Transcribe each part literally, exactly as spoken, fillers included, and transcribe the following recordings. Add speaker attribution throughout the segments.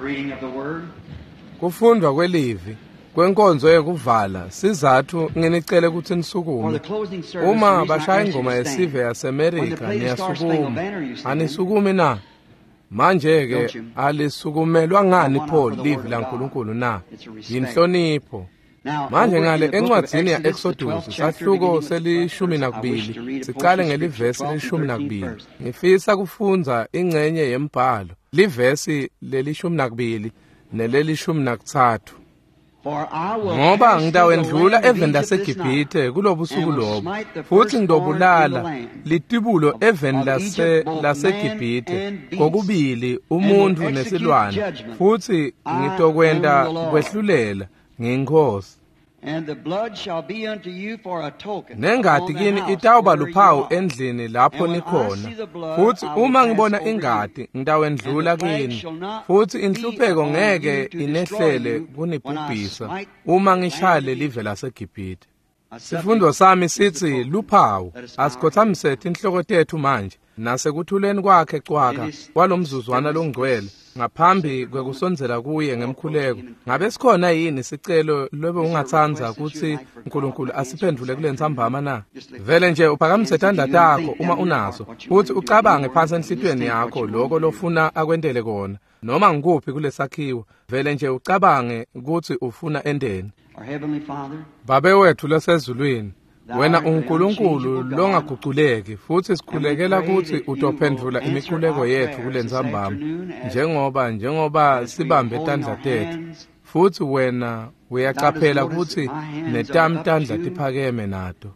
Speaker 1: Reading of the word.
Speaker 2: Kufundwa kwelivi kwenkonzo yekuvala sizathu nginicele kutsi
Speaker 1: For
Speaker 2: nisukume.
Speaker 1: the closing service, the
Speaker 2: Uma
Speaker 1: reason I
Speaker 2: bashaya
Speaker 1: asked you
Speaker 2: ingoma
Speaker 1: to stand.
Speaker 2: yesive
Speaker 1: When they
Speaker 2: yaseMerika
Speaker 1: play the Star Spangled
Speaker 2: niyasukuma.
Speaker 1: Banner, you stand.
Speaker 2: Anisukumi na? Manje ke
Speaker 1: Don't you?
Speaker 2: alisukumelwa ngani
Speaker 1: Why not
Speaker 2: pho
Speaker 1: for the
Speaker 2: livi
Speaker 1: word of
Speaker 2: laNkulunkulu na?
Speaker 1: It's a respect.
Speaker 2: Yinhlonipho.
Speaker 1: Now,
Speaker 2: Manje
Speaker 1: over in
Speaker 2: ngale
Speaker 1: the book of
Speaker 2: encwadzini
Speaker 1: Exodus, the
Speaker 2: ya-Exodus
Speaker 1: twelfth chapter,
Speaker 2: sahluko
Speaker 1: beginning with the
Speaker 2: selishumi
Speaker 1: first verse, I wish to
Speaker 2: nakubili
Speaker 1: read a
Speaker 2: siqale
Speaker 1: portion of
Speaker 2: ngelivesi
Speaker 1: scripture, twelve and
Speaker 2: lelishumi
Speaker 1: thirteen
Speaker 2: nakubili.
Speaker 1: first.
Speaker 2: Ngifisa kufundza ingcenye yembhalo livesi lelishumi nakubili nelelishumi nakutsatfu.
Speaker 1: For I will
Speaker 2: Ngoba
Speaker 1: pass through the
Speaker 2: ngitawendlula
Speaker 1: land of
Speaker 2: eveni
Speaker 1: Egypt this night,
Speaker 2: laseGibhithe kulobusuku
Speaker 1: and will
Speaker 2: lobo
Speaker 1: smite the
Speaker 2: futhi
Speaker 1: firstborn in the
Speaker 2: ngitobulala
Speaker 1: land
Speaker 2: litibulo
Speaker 1: of,
Speaker 2: eveni
Speaker 1: of
Speaker 2: lase
Speaker 1: Egypt, both man
Speaker 2: laseGibhithe
Speaker 1: and beast,
Speaker 2: kokubili
Speaker 1: and will
Speaker 2: umuntfu
Speaker 1: execute
Speaker 2: nesilwane
Speaker 1: judgment.
Speaker 2: futhi
Speaker 1: I am
Speaker 2: ngitokwenta
Speaker 1: the Lord.
Speaker 2: kwehlulela ngiyinkosi.
Speaker 1: And the blood shall be unto you for a token
Speaker 2: Nengati
Speaker 1: upon the
Speaker 2: kini
Speaker 1: house
Speaker 2: itawuba
Speaker 1: where you
Speaker 2: luphawu
Speaker 1: are.
Speaker 2: endlini lapho
Speaker 1: And when I
Speaker 2: nikhona
Speaker 1: see the blood,
Speaker 2: futhi
Speaker 1: I will
Speaker 2: uma
Speaker 1: pass
Speaker 2: ngibona
Speaker 1: over you,
Speaker 2: ingati
Speaker 1: and
Speaker 2: ngitawendlula
Speaker 1: the plague
Speaker 2: kini
Speaker 1: shall not
Speaker 2: futhi
Speaker 1: be
Speaker 2: inhlupheko
Speaker 1: upon you
Speaker 2: ngeke
Speaker 1: to destroy
Speaker 2: inehlele
Speaker 1: you when I
Speaker 2: kunibhubhisa
Speaker 1: smite
Speaker 2: uma
Speaker 1: the land
Speaker 2: ngishaya
Speaker 1: of
Speaker 2: lelive
Speaker 1: Egypt.
Speaker 2: laseGibhithe.
Speaker 1: My subject
Speaker 2: Sifundo sami
Speaker 1: is the
Speaker 2: sithi
Speaker 1: token.
Speaker 2: luphawu.
Speaker 1: Let us bow our heads.
Speaker 2: Asikhothamise tinhloko tethu manje nasekuthuleni kwakhe
Speaker 1: In
Speaker 2: cwaka
Speaker 1: this
Speaker 2: kwalomzuzwana
Speaker 1: stillness,
Speaker 2: longcwele
Speaker 1: this
Speaker 2: ngaphambi
Speaker 1: sacred moment,
Speaker 2: kwekusondzela kuye
Speaker 1: we'll approach
Speaker 2: ngemkhuleko.
Speaker 1: him in
Speaker 2: Ngabe
Speaker 1: prayer.
Speaker 2: sikhona yini sicelo lobe
Speaker 1: Is there a
Speaker 2: ungatsandza
Speaker 1: request that you'd
Speaker 2: kutsi
Speaker 1: like for God
Speaker 2: uNkulunkulu
Speaker 1: to answer this
Speaker 2: asiphendvule kule
Speaker 1: afternoon?
Speaker 2: ntsambama na?
Speaker 1: Just lift
Speaker 2: Vele
Speaker 1: your
Speaker 2: nje uphakamise
Speaker 1: hands if
Speaker 2: tandla
Speaker 1: you do and
Speaker 2: takho
Speaker 1: think
Speaker 2: uma
Speaker 1: down in your heart
Speaker 2: unazo
Speaker 1: what you
Speaker 2: futhi
Speaker 1: want him to do.
Speaker 2: ucabange
Speaker 1: Any
Speaker 2: phansi
Speaker 1: word, and just
Speaker 2: enhlitiyweni
Speaker 1: think what
Speaker 2: yakho
Speaker 1: you want
Speaker 2: lokho
Speaker 1: him to do.
Speaker 2: lofuna akwentele kona noma ngikuphi kulesakhiwo vele nje ucabange kutsi ufuna enteni.
Speaker 1: Our Heavenly Father,
Speaker 2: Babe wethu losezulwini,
Speaker 1: Thou
Speaker 2: wena
Speaker 1: art the
Speaker 2: unguNkulunkulu
Speaker 1: unchangeable God,
Speaker 2: longaguculeki futhi
Speaker 1: and we
Speaker 2: sikhulekela
Speaker 1: pray
Speaker 2: kutsi
Speaker 1: that you will
Speaker 2: utophendvula
Speaker 1: answer
Speaker 2: imikhuleko
Speaker 1: our
Speaker 2: yethu
Speaker 1: prayers
Speaker 2: kule
Speaker 1: this
Speaker 2: ntsambama
Speaker 1: afternoon as,
Speaker 2: njengoba njengoba
Speaker 1: as we are
Speaker 2: sibambe
Speaker 1: holding
Speaker 2: tandla
Speaker 1: our
Speaker 2: tethu
Speaker 1: hands.
Speaker 2: futhi wena
Speaker 1: Thou dost
Speaker 2: uyacaphela
Speaker 1: notice that
Speaker 2: kutsi
Speaker 1: my hands are
Speaker 2: netami
Speaker 1: up
Speaker 2: tandla
Speaker 1: too.
Speaker 2: tiphakeme nato.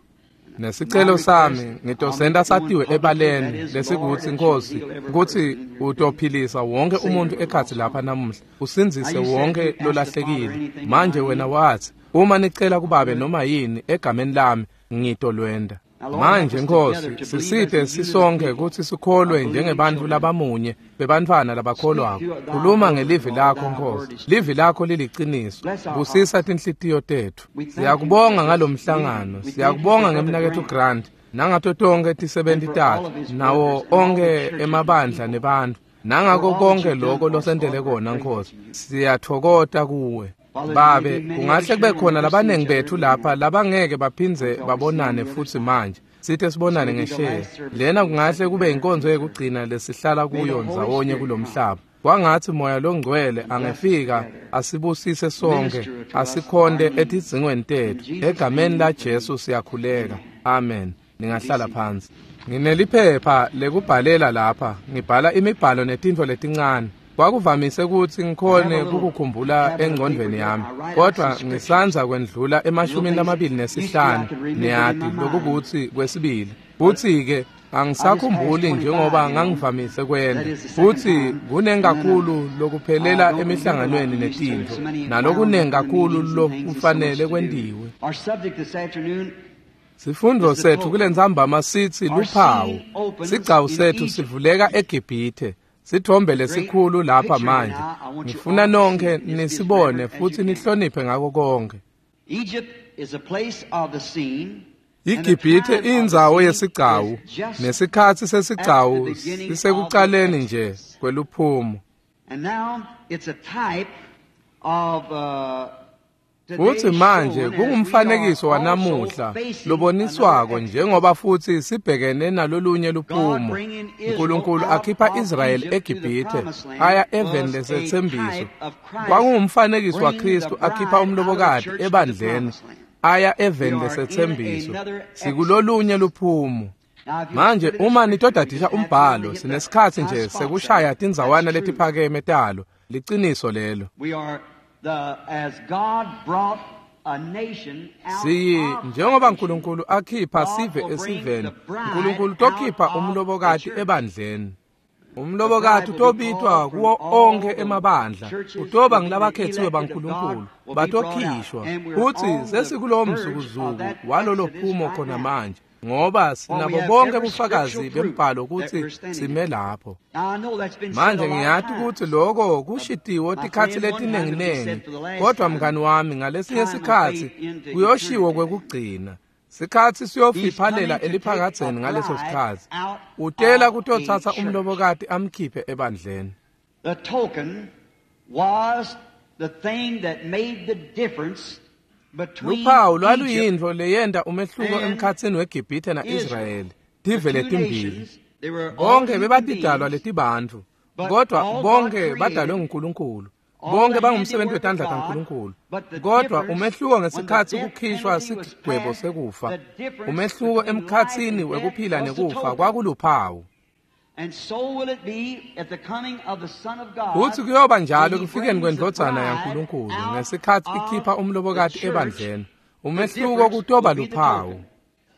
Speaker 1: And my
Speaker 2: Nesicelo
Speaker 1: request,
Speaker 2: sami
Speaker 1: I'll make
Speaker 2: ngitosenta
Speaker 1: it known
Speaker 2: satiwe
Speaker 1: publicly, that
Speaker 2: ebaleni
Speaker 1: is, Lord,
Speaker 2: lesikutsi
Speaker 1: that you'll
Speaker 2: Nkosi
Speaker 1: heal every person
Speaker 2: kutsi
Speaker 1: in here today,
Speaker 2: utophilisa wonke
Speaker 1: save
Speaker 2: umuntu
Speaker 1: every
Speaker 2: ekhatsi
Speaker 1: lost
Speaker 2: lapha
Speaker 1: one.
Speaker 2: namuhla
Speaker 1: Now
Speaker 2: usindzise
Speaker 1: you said if
Speaker 2: wonke
Speaker 1: you ask the Father
Speaker 2: lolahlekile.
Speaker 1: anything in my
Speaker 2: Manje wena
Speaker 1: name,
Speaker 2: wathi uma nicela kubabe
Speaker 1: I'll do it.
Speaker 2: noma yini egameni lami ngitolwenda.
Speaker 1: Now, Lord, help
Speaker 2: Manje
Speaker 1: us
Speaker 2: Nkosi
Speaker 1: together to believe as
Speaker 2: sisite
Speaker 1: a unit of
Speaker 2: sisonke
Speaker 1: people,
Speaker 2: kutsi sikholwe
Speaker 1: of believing
Speaker 2: njengebantfu
Speaker 1: children.
Speaker 2: labamunye bebantfwana
Speaker 1: Speak
Speaker 2: labakholwako.
Speaker 1: to thy
Speaker 2: Khuluma
Speaker 1: word,
Speaker 2: ngelivi
Speaker 1: Lord,
Speaker 2: lakho
Speaker 1: thy
Speaker 2: Nkosi.
Speaker 1: word is
Speaker 2: Livi
Speaker 1: truth.
Speaker 2: lakho liliciniso.
Speaker 1: Bless our
Speaker 2: Busisa
Speaker 1: hearts.
Speaker 2: tinhlitiyo tetfu.
Speaker 1: We thank you
Speaker 2: Siyakubonga
Speaker 1: for this
Speaker 2: ngalomhlangano.
Speaker 1: meeting. We thank you for
Speaker 2: Siyakubonga
Speaker 1: Brother
Speaker 2: ngemnaketfu
Speaker 1: Grant
Speaker 2: Grant nangato tonkhe
Speaker 1: and
Speaker 2: tisebenti
Speaker 1: for all
Speaker 2: takhe
Speaker 1: of his
Speaker 2: nawo
Speaker 1: workers and all the
Speaker 2: onkhe
Speaker 1: churches and
Speaker 2: emabandla
Speaker 1: people,
Speaker 2: nebantfu
Speaker 1: for
Speaker 2: nangako
Speaker 1: all that
Speaker 2: konke
Speaker 1: you've done
Speaker 2: loko
Speaker 1: for us,
Speaker 2: losentele
Speaker 1: Lord. We're
Speaker 2: kona
Speaker 1: grateful
Speaker 2: Nkosi.
Speaker 1: to you.
Speaker 2: Siyatfokota kuwe.
Speaker 1: Father, there may
Speaker 2: Babe,
Speaker 1: be many of
Speaker 2: kungahle
Speaker 1: us
Speaker 2: kube
Speaker 1: here will
Speaker 2: khona
Speaker 1: never see
Speaker 2: labaningi
Speaker 1: each other
Speaker 2: bethu
Speaker 1: again
Speaker 2: lapha labangeke baphindze
Speaker 1: until we see on
Speaker 2: babonane
Speaker 1: the other
Speaker 2: futhi
Speaker 1: side.
Speaker 2: manje. Sithe
Speaker 1: This
Speaker 2: sibonane
Speaker 1: may be the
Speaker 2: ngesheya.
Speaker 1: last service
Speaker 2: Lena
Speaker 1: we will sit
Speaker 2: kungahle kube
Speaker 1: together in
Speaker 2: inkonzo
Speaker 1: this earth.
Speaker 2: yekugcina lesihlala
Speaker 1: May the
Speaker 2: kuyo
Speaker 1: Holy
Speaker 2: ndzawonye
Speaker 1: Spirit come
Speaker 2: kulomhlaba. Kwangatsi moya longcwele
Speaker 1: and bless us
Speaker 2: angefika
Speaker 1: together,
Speaker 2: asibusise sonke
Speaker 1: minister to us of our
Speaker 2: asikhonte
Speaker 1: needs.
Speaker 2: etidzingweni
Speaker 1: In
Speaker 2: tetfu.
Speaker 1: Jesus'
Speaker 2: Egameni
Speaker 1: name
Speaker 2: la
Speaker 1: we pray.
Speaker 2: Jesu siyakhuleka.
Speaker 1: Amen.
Speaker 2: Amen.
Speaker 1: Be
Speaker 2: Ningahlala
Speaker 1: seated.
Speaker 2: phansi. Ngineliphepha lekubhalela lapha, ngibhala imibhalo netintfo letincane. Kwakuvamise kutsi
Speaker 1: I have a
Speaker 2: ngikhone
Speaker 1: little
Speaker 2: kukukhumbula
Speaker 1: tablet of paper
Speaker 2: engcondvweni
Speaker 1: here.
Speaker 2: yami,
Speaker 1: I write out some
Speaker 2: kodwa
Speaker 1: scriptures,
Speaker 2: ngisandza kwendlula
Speaker 1: little
Speaker 2: emashumini
Speaker 1: things that
Speaker 2: lamabili
Speaker 1: used to be I
Speaker 2: nesihlanu
Speaker 1: could remember in my
Speaker 2: niyati
Speaker 1: mind.
Speaker 2: lokukutsi kwesibili.
Speaker 1: But
Speaker 2: Futsi-ke
Speaker 1: I just passed
Speaker 2: angisakhumbuli njengoba
Speaker 1: twenty-five, you know.
Speaker 2: ngangivamise
Speaker 1: That
Speaker 2: kwenta.
Speaker 1: is the second
Speaker 2: Futsi
Speaker 1: time. And
Speaker 2: kunengi
Speaker 1: then I,
Speaker 2: kakhulu
Speaker 1: I
Speaker 2: lokuphelela
Speaker 1: don't remember like
Speaker 2: emihlanganweni
Speaker 1: I used to.
Speaker 2: netintfo,
Speaker 1: So many wound
Speaker 2: nalokunengi
Speaker 1: up in the
Speaker 2: kakhulu
Speaker 1: meetings and things. There's so much
Speaker 2: lokufanele
Speaker 1: to do.
Speaker 2: kwentiwe.
Speaker 1: Our subject this afternoon
Speaker 2: Sifundo
Speaker 1: is the
Speaker 2: sethu kule
Speaker 1: token.
Speaker 2: ntsambama sitsi
Speaker 1: Our
Speaker 2: luphawu.
Speaker 1: scene opens
Speaker 2: Sigcawu
Speaker 1: in
Speaker 2: sethu
Speaker 1: Egypt.
Speaker 2: sivuleka eGibhithe. Sithombe
Speaker 1: Great
Speaker 2: lesikhulu lapha
Speaker 1: picture here
Speaker 2: manje.
Speaker 1: now. I want you
Speaker 2: Ngifuna
Speaker 1: all to see
Speaker 2: nonke
Speaker 1: it and just be as
Speaker 2: nisibone
Speaker 1: reverent as
Speaker 2: futhi
Speaker 1: you can.
Speaker 2: nihloniphe ngako konke.
Speaker 1: Egypt is a place of the scene, and the
Speaker 2: iGibhithe
Speaker 1: time of the
Speaker 2: indzawo
Speaker 1: scene
Speaker 2: yesigcawu
Speaker 1: is just
Speaker 2: nesikhatsi
Speaker 1: at the
Speaker 2: sesigcawu
Speaker 1: beginning of the
Speaker 2: sisekucaleni nje
Speaker 1: Exodus.
Speaker 2: kweluphumo.
Speaker 1: And now it's a type of uh,
Speaker 2: Futhi
Speaker 1: today's
Speaker 2: manje
Speaker 1: shown as we are
Speaker 2: kungumfanekiso
Speaker 1: also
Speaker 2: wanamuhla
Speaker 1: facing another
Speaker 2: loboniswako
Speaker 1: Exodus.
Speaker 2: njengoba futhi sibhekene nalolunye
Speaker 1: God
Speaker 2: luphumo.
Speaker 1: bringing Israel
Speaker 2: uNkulunkulu
Speaker 1: out
Speaker 2: akhipha
Speaker 1: of
Speaker 2: Israyeli
Speaker 1: Egypt to the
Speaker 2: eGibhithe
Speaker 1: promised land
Speaker 2: aya eveni
Speaker 1: was a
Speaker 2: lesetsembiso.
Speaker 1: type of Christ
Speaker 2: Kwakungumfanekiso
Speaker 1: bringing the
Speaker 2: waKristu akhipha
Speaker 1: bride out of the
Speaker 2: umlobokati
Speaker 1: church to the
Speaker 2: ebandleni
Speaker 1: promised land.
Speaker 2: aya
Speaker 1: We
Speaker 2: eveni
Speaker 1: are in
Speaker 2: lesetsembiso.
Speaker 1: another Exodus.
Speaker 2: Sikulolunye luphumo.
Speaker 1: Now, if you'll
Speaker 2: Manje
Speaker 1: study the
Speaker 2: uma
Speaker 1: scripture, we
Speaker 2: nitodadisha
Speaker 1: just have time to
Speaker 2: umbhalo
Speaker 1: hit the
Speaker 2: sinesikhatsi
Speaker 1: high
Speaker 2: nje
Speaker 1: spots of
Speaker 2: sekushaya
Speaker 1: it. That's
Speaker 2: tindzawana
Speaker 1: true.
Speaker 2: letiphakeme talo. Liciniso lelo.
Speaker 1: We are the as God brought a nation out
Speaker 2: Siyi
Speaker 1: of a
Speaker 2: njengoba
Speaker 1: nation,
Speaker 2: uNkulunkulu akhipha
Speaker 1: God
Speaker 2: sive
Speaker 1: will bring
Speaker 2: esiveni,
Speaker 1: the bride
Speaker 2: uNkulunkulu
Speaker 1: out
Speaker 2: tokhipha
Speaker 1: of the
Speaker 2: umlobokati
Speaker 1: church.
Speaker 2: ebandleni.
Speaker 1: The
Speaker 2: Umlobokati
Speaker 1: bride will be
Speaker 2: utobitwa
Speaker 1: called from
Speaker 2: kuwo
Speaker 1: all
Speaker 2: onke
Speaker 1: the
Speaker 2: emabandla,
Speaker 1: churches
Speaker 2: utoba
Speaker 1: will be the
Speaker 2: ngilabakhethiwe
Speaker 1: elected of God
Speaker 2: baNkulunkulu,
Speaker 1: will be brought out.
Speaker 2: batokhishwa.
Speaker 1: And we're
Speaker 2: Futhi
Speaker 1: on the
Speaker 2: sesikulowo
Speaker 1: verge of
Speaker 2: mzukuzuku
Speaker 1: that
Speaker 2: walolo
Speaker 1: Exodus
Speaker 2: phumo
Speaker 1: right
Speaker 2: khona
Speaker 1: now.
Speaker 2: manje, ngoba
Speaker 1: For we
Speaker 2: sinabo
Speaker 1: have
Speaker 2: bonke
Speaker 1: every
Speaker 2: bufakazi
Speaker 1: scriptural proof
Speaker 2: bembhalo
Speaker 1: that
Speaker 2: kutsi
Speaker 1: we're standing
Speaker 2: sime
Speaker 1: in.
Speaker 2: lapho.
Speaker 1: Now I know that's been said
Speaker 2: Manje
Speaker 1: a lot of
Speaker 2: ngiyati kutsi
Speaker 1: times.
Speaker 2: loko
Speaker 1: Uh,
Speaker 2: kushitiwo
Speaker 1: my
Speaker 2: tikhatsi
Speaker 1: friend, one time it'll be
Speaker 2: letinenginengi,
Speaker 1: said for the last
Speaker 2: kodwa
Speaker 1: time,
Speaker 2: mngani wami ngalesinye
Speaker 1: time will
Speaker 2: sikhatsi
Speaker 1: fade into
Speaker 2: kuyoshiwo
Speaker 1: eternity.
Speaker 2: kwekugcina. Sikhatsi
Speaker 1: He's
Speaker 2: siyofiphalela
Speaker 1: coming to take a
Speaker 2: eliphakadzeni ngaleso
Speaker 1: bride
Speaker 2: sikhatsi.
Speaker 1: out
Speaker 2: Utela
Speaker 1: of a
Speaker 2: kutotsatsa
Speaker 1: church.
Speaker 2: umlobokati amkhiphe ebandleni.
Speaker 1: The token was the thing that made the difference between
Speaker 2: Luphawu lwaluyintfo leyenta umehluko
Speaker 1: and
Speaker 2: emkhatsini weGibhithe na-Israyeli, tive
Speaker 1: The two
Speaker 2: letimbili.
Speaker 1: nations, they were all
Speaker 2: Bonke
Speaker 1: human
Speaker 2: bebatidalwa
Speaker 1: beings,
Speaker 2: letibantfu,
Speaker 1: but
Speaker 2: kodwa
Speaker 1: all God
Speaker 2: bonke
Speaker 1: created,
Speaker 2: badalwe nguNkulunkulu.
Speaker 1: all
Speaker 2: Bonke
Speaker 1: the
Speaker 2: bangumsebenzi
Speaker 1: handiwork
Speaker 2: wetandla
Speaker 1: of God,
Speaker 2: taNkulunkulu.
Speaker 1: but the
Speaker 2: Kodwa
Speaker 1: difference
Speaker 2: umehluko
Speaker 1: when the
Speaker 2: ngesikhatsi
Speaker 1: death
Speaker 2: kukhishwa
Speaker 1: penalty was
Speaker 2: sigwebo
Speaker 1: passed,
Speaker 2: sekufa,
Speaker 1: the difference
Speaker 2: umehluko
Speaker 1: between life
Speaker 2: emkhatsini
Speaker 1: and death
Speaker 2: wekuphila
Speaker 1: was the
Speaker 2: nekufa
Speaker 1: token.
Speaker 2: kwakuluphawu.
Speaker 1: And so will it be at the coming of the Son of God,
Speaker 2: Futsi kuyoba njalo
Speaker 1: when he
Speaker 2: ekufikeni
Speaker 1: brings the
Speaker 2: kwendvodzana
Speaker 1: bride
Speaker 2: yaNkulunkulu
Speaker 1: out
Speaker 2: ngesikhatsi
Speaker 1: of
Speaker 2: ikhipha
Speaker 1: the
Speaker 2: umlobokati
Speaker 1: church.
Speaker 2: ebandleni.
Speaker 1: The
Speaker 2: Umehluko
Speaker 1: difference
Speaker 2: kutoba
Speaker 1: will be the
Speaker 2: luphawu.
Speaker 1: token.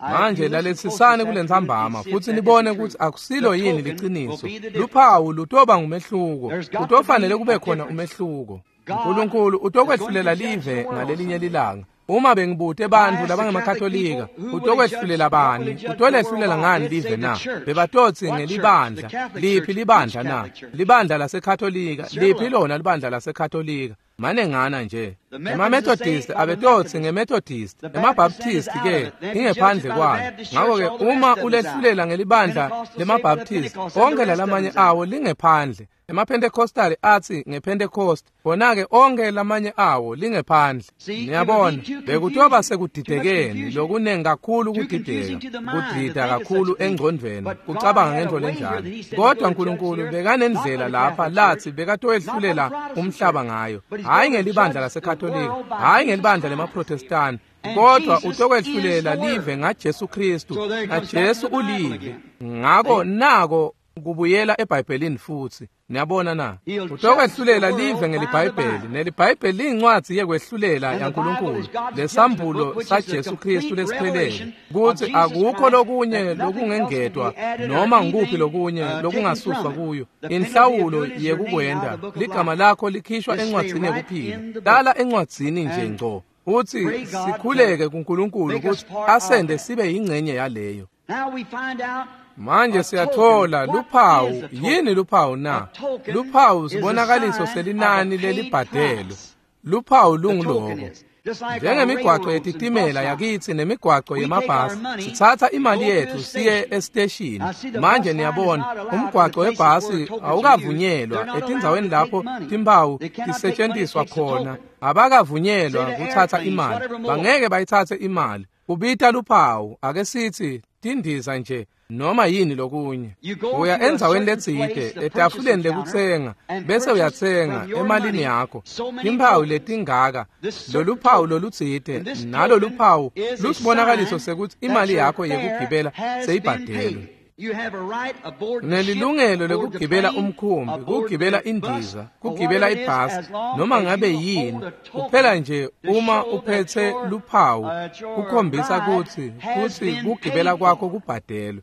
Speaker 1: I-
Speaker 2: Manje
Speaker 1: you listen close
Speaker 2: lalelisisani
Speaker 1: this
Speaker 2: kule
Speaker 1: afternoon
Speaker 2: ntsambama
Speaker 1: and see if
Speaker 2: futsi
Speaker 1: that
Speaker 2: nibone
Speaker 1: isn't
Speaker 2: kutsi
Speaker 1: true.
Speaker 2: akusilo
Speaker 1: The
Speaker 2: yini
Speaker 1: token will
Speaker 2: liciniso.
Speaker 1: be the difference.
Speaker 2: Luphawu lutoba ngumehluko.
Speaker 1: There's got to
Speaker 2: Kutofanele
Speaker 1: be
Speaker 2: kube
Speaker 1: a
Speaker 2: khona
Speaker 1: difference.
Speaker 2: umehluko.
Speaker 1: God
Speaker 2: uNkulunkulu
Speaker 1: is going
Speaker 2: utokwehlulela
Speaker 1: to judge
Speaker 2: live
Speaker 1: the world
Speaker 2: ngalelinye
Speaker 1: someday.
Speaker 2: lilanga. Uma bengibute
Speaker 1: If I
Speaker 2: bantfu
Speaker 1: asked the Catholic
Speaker 2: labangemakatolika,
Speaker 1: people, who will he judge,
Speaker 2: utokwehlulela
Speaker 1: what will
Speaker 2: bani?
Speaker 1: he judge the world
Speaker 2: Utolehlulela
Speaker 1: by?
Speaker 2: ngani
Speaker 1: They'd say
Speaker 2: live
Speaker 1: the
Speaker 2: na?
Speaker 1: church.
Speaker 2: Bebatotsi
Speaker 1: What church? The
Speaker 2: ngelibandla.
Speaker 1: Catholic
Speaker 2: Liphi
Speaker 1: Church. Which
Speaker 2: libandla na?
Speaker 1: Catholic Church?
Speaker 2: Libandla laseKatolika.
Speaker 1: Several
Speaker 2: Liphi
Speaker 1: of them.
Speaker 2: lona libandla laseKatolika? Manengana nje.
Speaker 1: The Methodists
Speaker 2: EmaMethodist
Speaker 1: say for the
Speaker 2: abetotsi
Speaker 1: Methodist.
Speaker 2: ngeMethodist,
Speaker 1: The Baptist said is
Speaker 2: emaBaptist
Speaker 1: out of
Speaker 2: ke
Speaker 1: it. Then if you judge it
Speaker 2: ingephandle
Speaker 1: by the
Speaker 2: kwalo.
Speaker 1: Baptist church,
Speaker 2: Ngako-ke
Speaker 1: all the
Speaker 2: uma
Speaker 1: rest of them's out.
Speaker 2: ulehlulela
Speaker 1: The
Speaker 2: ngelibandla
Speaker 1: Pentecostals say for the
Speaker 2: lemaBaptist,
Speaker 1: Pentecost, and the
Speaker 2: onke
Speaker 1: rest of
Speaker 2: lalamanye
Speaker 1: them's out.
Speaker 2: awo lingephandle. EmaPentecostal atsi ngePentecost, khona-ke onke lamanye awo lingephandle.
Speaker 1: See, it would be
Speaker 2: Niyabona,
Speaker 1: too
Speaker 2: bekutoba
Speaker 1: confusing, too much
Speaker 2: sekudidekeni
Speaker 1: confusion,
Speaker 2: lokuningi kakhulu
Speaker 1: too confusing
Speaker 2: kudideka,
Speaker 1: to the mind to
Speaker 2: kudida
Speaker 1: think of such
Speaker 2: kakhulu
Speaker 1: a thing.
Speaker 2: engcondvweni,
Speaker 1: But God
Speaker 2: kucabanga
Speaker 1: had a
Speaker 2: ngentfo
Speaker 1: way here
Speaker 2: lenjalo.
Speaker 1: that he said to go
Speaker 2: Kodwa
Speaker 1: to judge
Speaker 2: uNkulunkulu
Speaker 1: the earth, not
Speaker 2: bekanendlela
Speaker 1: by the
Speaker 2: lapha
Speaker 1: Catholic
Speaker 2: latsi
Speaker 1: Church, not by the
Speaker 2: bekatoyehlulela
Speaker 1: Protestant
Speaker 2: umhlaba
Speaker 1: Church,
Speaker 2: ngayo,
Speaker 1: but he's
Speaker 2: hhayi
Speaker 1: going to
Speaker 2: ngelibandla
Speaker 1: judge the
Speaker 2: laseKatolika,
Speaker 1: world by
Speaker 2: hhayi
Speaker 1: Jesus
Speaker 2: ngelibandla
Speaker 1: Christ.
Speaker 2: lemaProtestani,
Speaker 1: And
Speaker 2: kodwa
Speaker 1: Jesus is
Speaker 2: utokwehlulela
Speaker 1: the Word.
Speaker 2: live ngaJesu Kristu,
Speaker 1: So there it comes back to
Speaker 2: naJesu
Speaker 1: the Bible
Speaker 2: ulive.
Speaker 1: again.
Speaker 2: Ngako
Speaker 1: See?
Speaker 2: nako kubuyela eBhayibhelini futsi. Niyabona na?
Speaker 1: He'll judge the
Speaker 2: Utokwehlulela
Speaker 1: world
Speaker 2: live
Speaker 1: by the
Speaker 2: ngeliBhayibheli,
Speaker 1: Bible.
Speaker 2: neliBhayibheli liyincwadzi yekwehlulela
Speaker 1: And the Bible
Speaker 2: yaNkulunkulu,
Speaker 1: is God's judgment
Speaker 2: lesambulo
Speaker 1: book, which is the
Speaker 2: saJesu Kristu
Speaker 1: complete
Speaker 2: lesiphelele,
Speaker 1: revelation of
Speaker 2: kutsi
Speaker 1: Jesus
Speaker 2: akukho
Speaker 1: Christ,
Speaker 2: lokunye
Speaker 1: that nothing else can be
Speaker 2: lokungengetwa
Speaker 1: added or
Speaker 2: noma ngukuphi
Speaker 1: anything
Speaker 2: lokunye
Speaker 1: uh, taken
Speaker 2: lokungasuswa
Speaker 1: from it.
Speaker 2: kuyo.
Speaker 1: The penalty of
Speaker 2: Inhlawulo
Speaker 1: doing it is your name out of
Speaker 2: yekukwenta,
Speaker 1: the book of
Speaker 2: ligama
Speaker 1: life.
Speaker 2: lakho likhishwa
Speaker 1: Just stay
Speaker 2: encwadzini
Speaker 1: right
Speaker 2: yekuphila.
Speaker 1: in the book.
Speaker 2: Lala encwadzini nje
Speaker 1: And
Speaker 2: ngco. Uthi
Speaker 1: pray God to
Speaker 2: sikhuleke kuNkulunkulu
Speaker 1: make us
Speaker 2: kutsi
Speaker 1: part of
Speaker 2: asende
Speaker 1: that.
Speaker 2: sibe yingcenye yaleyo.
Speaker 1: Now we find out
Speaker 2: Manje
Speaker 1: a token.
Speaker 2: siyathola
Speaker 1: What is
Speaker 2: luphawu.
Speaker 1: a
Speaker 2: Yini
Speaker 1: token?
Speaker 2: luphawu
Speaker 1: A
Speaker 2: na?
Speaker 1: token
Speaker 2: Luphawu
Speaker 1: is a
Speaker 2: sibonakaliso
Speaker 1: sign of a
Speaker 2: selinani
Speaker 1: paid
Speaker 2: lelibhadelwe.
Speaker 1: price.
Speaker 2: Luphawu
Speaker 1: The token
Speaker 2: lunguloko.
Speaker 1: is. Just like our
Speaker 2: Njengemigwaco
Speaker 1: railroads and bus
Speaker 2: yetitimela
Speaker 1: lines.
Speaker 2: yakitsi nemigwaco
Speaker 1: We take our
Speaker 2: yemabhasi,
Speaker 1: money
Speaker 2: sitsatsa
Speaker 1: and
Speaker 2: imali
Speaker 1: go to
Speaker 2: yetfu
Speaker 1: the
Speaker 2: siye
Speaker 1: station.
Speaker 2: esiteshini.
Speaker 1: Now see, the
Speaker 2: Manje
Speaker 1: bus line is
Speaker 2: niyabona,
Speaker 1: not allowed in the
Speaker 2: umgwaco
Speaker 1: places where
Speaker 2: webhasi
Speaker 1: tokens are used. They're
Speaker 2: awukavunyelwa
Speaker 1: not allowed
Speaker 2: etindzaweni
Speaker 1: to take
Speaker 2: lapho
Speaker 1: money.
Speaker 2: timphawu
Speaker 1: They cannot take money, it
Speaker 2: tisetjentiswa
Speaker 1: takes a
Speaker 2: khona.
Speaker 1: token. Say
Speaker 2: Abakavunyelwa
Speaker 1: the
Speaker 2: kutsatsa
Speaker 1: airplanes,
Speaker 2: imali.
Speaker 1: whatever more.
Speaker 2: Bangeke bayitsatse imali. Kubita luphawu, ake sitsi tindiza nje noma yini lokunye.
Speaker 1: You go
Speaker 2: Uya
Speaker 1: to a
Speaker 2: endzaweni
Speaker 1: certain
Speaker 2: letsite
Speaker 1: place, the
Speaker 2: etafuleni
Speaker 1: purchasing counter,
Speaker 2: lekutsenga
Speaker 1: and
Speaker 2: bese
Speaker 1: purchase
Speaker 2: uyatsenga
Speaker 1: from your
Speaker 2: emalini
Speaker 1: money
Speaker 2: yakho
Speaker 1: so many
Speaker 2: timphawu
Speaker 1: tokens.
Speaker 2: letingaka
Speaker 1: This certain
Speaker 2: lolu phawu
Speaker 1: token.
Speaker 2: lolutsite
Speaker 1: And this
Speaker 2: nalo
Speaker 1: token
Speaker 2: luphawu
Speaker 1: is a
Speaker 2: lusibonakaliso
Speaker 1: sign
Speaker 2: sekutsi
Speaker 1: that
Speaker 2: imali
Speaker 1: your
Speaker 2: yakho
Speaker 1: fare
Speaker 2: yekugibela
Speaker 1: has been
Speaker 2: seyibhadelwe.
Speaker 1: paid. You have a right aboard the ship,
Speaker 2: Unelilungelo
Speaker 1: aboard the
Speaker 2: lekugibela
Speaker 1: plane,
Speaker 2: umkhumbi,
Speaker 1: aboard
Speaker 2: kugibela
Speaker 1: the bus,
Speaker 2: indiza,
Speaker 1: or
Speaker 2: kugibela
Speaker 1: whatever it is,
Speaker 2: ibhasi,
Speaker 1: as long
Speaker 2: noma
Speaker 1: as
Speaker 2: ngabe
Speaker 1: you
Speaker 2: yini.
Speaker 1: hold a
Speaker 2: Kuphela
Speaker 1: token
Speaker 2: nje
Speaker 1: to
Speaker 2: uma
Speaker 1: show that
Speaker 2: uphethe
Speaker 1: your,
Speaker 2: luphawu
Speaker 1: uh, that your
Speaker 2: kukhombisa
Speaker 1: ride
Speaker 2: kutsi
Speaker 1: has
Speaker 2: kutsi
Speaker 1: been
Speaker 2: kugibela
Speaker 1: paid
Speaker 2: kwakho
Speaker 1: for.
Speaker 2: kubhadelwe.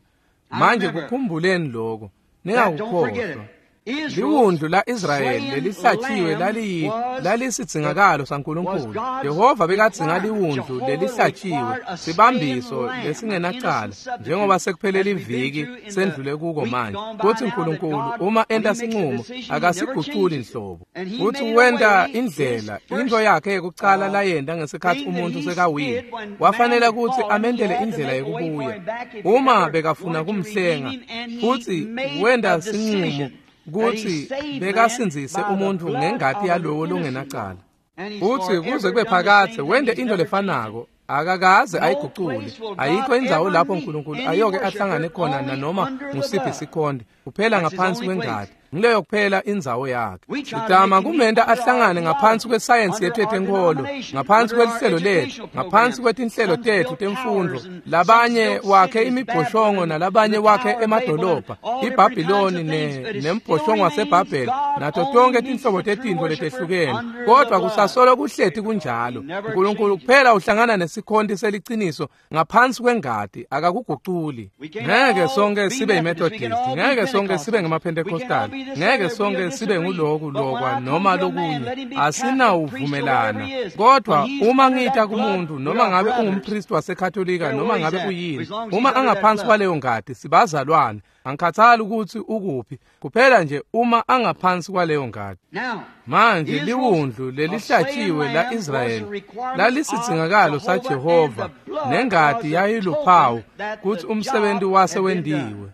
Speaker 1: I
Speaker 2: Manje
Speaker 1: remember
Speaker 2: kukhumbuleni lokho,
Speaker 1: that, don't forget it.
Speaker 2: ningakukhohlwa.
Speaker 1: Israel's
Speaker 2: Liwundlu la-Israyeli
Speaker 1: slain
Speaker 2: lelihlatshiwe
Speaker 1: lamb
Speaker 2: laliyi
Speaker 1: was the
Speaker 2: lalisidingakalo
Speaker 1: was
Speaker 2: saNkulunkulu.
Speaker 1: God's
Speaker 2: Jehova bekadzinga
Speaker 1: requirement.
Speaker 2: liwundlu
Speaker 1: Jehovah
Speaker 2: lelihlatshiwe,
Speaker 1: required a slain
Speaker 2: sibambiso
Speaker 1: lamb, an
Speaker 2: lesingenacala,
Speaker 1: innocent substitute,
Speaker 2: njengoba sekuphele
Speaker 1: as we've been
Speaker 2: liviki
Speaker 1: through in the
Speaker 2: sendlule kuko
Speaker 1: week
Speaker 2: manje.
Speaker 1: gone by
Speaker 2: Kutsi
Speaker 1: now, that
Speaker 2: uNkulunkulu
Speaker 1: God,
Speaker 2: uma
Speaker 1: when he
Speaker 2: enta
Speaker 1: makes a
Speaker 2: sinqumo
Speaker 1: decision, he never
Speaker 2: akasiguculi
Speaker 1: changes it.
Speaker 2: nhlobo.
Speaker 1: And he
Speaker 2: Kutsi
Speaker 1: made a
Speaker 2: wenta
Speaker 1: way, his
Speaker 2: indlela,
Speaker 1: first
Speaker 2: into yakhe yekucala
Speaker 1: uh,
Speaker 2: layenta ngesikhatsi
Speaker 1: thing that
Speaker 2: umuntfu
Speaker 1: he
Speaker 2: sekawile,
Speaker 1: did when man
Speaker 2: wafanele
Speaker 1: had
Speaker 2: kutsi
Speaker 1: fallen, he
Speaker 2: amendele
Speaker 1: had to
Speaker 2: indlela
Speaker 1: make a way for
Speaker 2: yekubuya.
Speaker 1: him back if he
Speaker 2: Uma
Speaker 1: ever
Speaker 2: bekafuna
Speaker 1: wanted to redeem
Speaker 2: kumhlenga,
Speaker 1: him, and he
Speaker 2: futsi
Speaker 1: made
Speaker 2: wenta
Speaker 1: a
Speaker 2: sinqumo
Speaker 1: decision that he
Speaker 2: kutsi
Speaker 1: saved man
Speaker 2: bekasindzise
Speaker 1: by the
Speaker 2: umuntfu
Speaker 1: blood
Speaker 2: ngengati
Speaker 1: of an
Speaker 2: yalowo
Speaker 1: innocent one.
Speaker 2: longenacala.
Speaker 1: And he's
Speaker 2: Futsi kuze
Speaker 1: forever
Speaker 2: kube
Speaker 1: done the
Speaker 2: phakadze
Speaker 1: same thing.
Speaker 2: wente
Speaker 1: He's
Speaker 2: into
Speaker 1: never changed it.
Speaker 2: lefanako, akakaze
Speaker 1: No
Speaker 2: ayigucule.
Speaker 1: place will God
Speaker 2: Ayikho indzawo
Speaker 1: ever
Speaker 2: lapho
Speaker 1: meet
Speaker 2: uNkulunkulu
Speaker 1: any
Speaker 2: ayoke
Speaker 1: worshiper
Speaker 2: ahlangane khona
Speaker 1: only
Speaker 2: nanoma
Speaker 1: under the
Speaker 2: ngusiphi
Speaker 1: blood.
Speaker 2: sikhonde, kuphela
Speaker 1: That's his
Speaker 2: ngaphansi
Speaker 1: only place.
Speaker 2: kwengati. Ngileyo kuphela indzawo yakhe.
Speaker 1: We try to
Speaker 2: Sitama
Speaker 1: make him meet
Speaker 2: kumenta
Speaker 1: under our
Speaker 2: ahlangane ngaphansi
Speaker 1: theology,
Speaker 2: kwesayensi
Speaker 1: under
Speaker 2: yethu
Speaker 1: our
Speaker 2: yetenkholo,
Speaker 1: denomination,
Speaker 2: ngaphansi
Speaker 1: under our
Speaker 2: kwelihlelo lethu,
Speaker 1: educational
Speaker 2: ngaphansi
Speaker 1: programs.
Speaker 2: kwetinhlelo
Speaker 1: Some
Speaker 2: tethu
Speaker 1: built
Speaker 2: temfundvo.
Speaker 1: towers and some
Speaker 2: Labanye
Speaker 1: built
Speaker 2: wakhe
Speaker 1: cities,
Speaker 2: imibhoshongo
Speaker 1: Babylon and
Speaker 2: nalabanye
Speaker 1: the
Speaker 2: wakhe
Speaker 1: Tower of Babel and
Speaker 2: emadolobha,
Speaker 1: all different kinds
Speaker 2: iBhabhiloni
Speaker 1: of
Speaker 2: ne
Speaker 1: things, but it still
Speaker 2: nembhoshongo
Speaker 1: remains
Speaker 2: waseBhabheli
Speaker 1: God
Speaker 2: nato
Speaker 1: only
Speaker 2: tonke
Speaker 1: meets
Speaker 2: tinhlobo
Speaker 1: the true
Speaker 2: tetintfo
Speaker 1: worshiper
Speaker 2: letehlukene.
Speaker 1: under the
Speaker 2: Kodwa
Speaker 1: blood.
Speaker 2: kusasolo kuhleti
Speaker 1: He
Speaker 2: kunjalo.
Speaker 1: never
Speaker 2: uNkulunkulu
Speaker 1: changes.
Speaker 2: kuphela uhlangana nesikhonti seliciniso ngaphansi kwengati, akakuguculi.
Speaker 1: We can
Speaker 2: Ngeke
Speaker 1: all
Speaker 2: sonke
Speaker 1: be
Speaker 2: sibe
Speaker 1: Methodists, we can
Speaker 2: yiMethodist,
Speaker 1: all be
Speaker 2: ngeke sonke sibe
Speaker 1: Pentecostals, we can all
Speaker 2: ngemaPentecostal,
Speaker 1: be this,
Speaker 2: ngeke
Speaker 1: that, or
Speaker 2: sonke
Speaker 1: we'll
Speaker 2: sibe
Speaker 1: disagree.
Speaker 2: nguloku
Speaker 1: But when
Speaker 2: lokwa
Speaker 1: I come
Speaker 2: noma
Speaker 1: to a man,
Speaker 2: lokunye.
Speaker 1: let him be Catholic, priest, or whatever
Speaker 2: Asinawuvumelana.
Speaker 1: he is, when
Speaker 2: Kodwa
Speaker 1: he's
Speaker 2: uma
Speaker 1: under
Speaker 2: ngita
Speaker 1: that blood,
Speaker 2: kumuntu
Speaker 1: we
Speaker 2: noma
Speaker 1: are
Speaker 2: ngabe
Speaker 1: brothers.
Speaker 2: ungumpristi waseKatolika
Speaker 1: Care
Speaker 2: noma
Speaker 1: where he's
Speaker 2: ngabe
Speaker 1: at,
Speaker 2: uyini,
Speaker 1: as long as he's
Speaker 2: uma
Speaker 1: under that
Speaker 2: angaphansi
Speaker 1: blood.
Speaker 2: kwaleyo ngati sibazalwane. Angikhathali ukuthi ukuphi, kuphela nje uma angaphansi kwaleyo ngati.
Speaker 1: Now,
Speaker 2: Manje
Speaker 1: Israel's
Speaker 2: liwundlu
Speaker 1: a slain
Speaker 2: lelihlatshiwe
Speaker 1: lamb was the
Speaker 2: la-Israyeli
Speaker 1: requirement of
Speaker 2: lalisidingakalo
Speaker 1: Jehovah, and
Speaker 2: saJehova
Speaker 1: the blood
Speaker 2: nengati
Speaker 1: was a
Speaker 2: yayiluphawu
Speaker 1: token that
Speaker 2: kutsi
Speaker 1: the
Speaker 2: umsebenzi
Speaker 1: job
Speaker 2: wase
Speaker 1: had been done.
Speaker 2: wendiwe.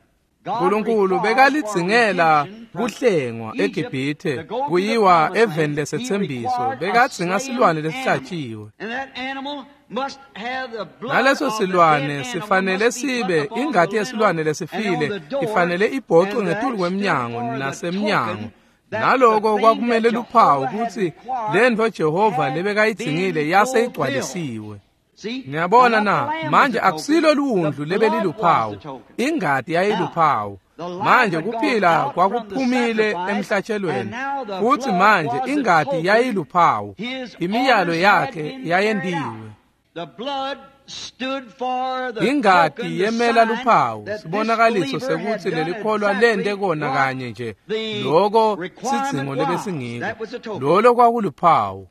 Speaker 2: Nkulunkulu bekalidzingela kuhlengwa eGibhithe kuyiwa eveni lesetsembiso, bekadzinga silwane lesihlatjiwe. Naleso silwane sifanele sibe ingati yesilwane lesifile ifanele ibhocwe ngetulu kwemnyango nasemnyango. Naloko kwakumele luphawu kutsi lentfo Jehova lebekayidzingile yase igcwalisiwe. Niyabona na, manje akusilo liwundlu lebeliluphawu, ingati yayiluphawu. Manje kuphila kwakuphumile emhlatshelweni, futsi manje ingati yayiluphawu. Imiyalo yakhe yayentiwe. Ingati yemela luphawu, sibonakaliso sekutsi lelikholwa lente kona kanye nje loko sidzingo lebesingiko. Lolo kwakuluphawu.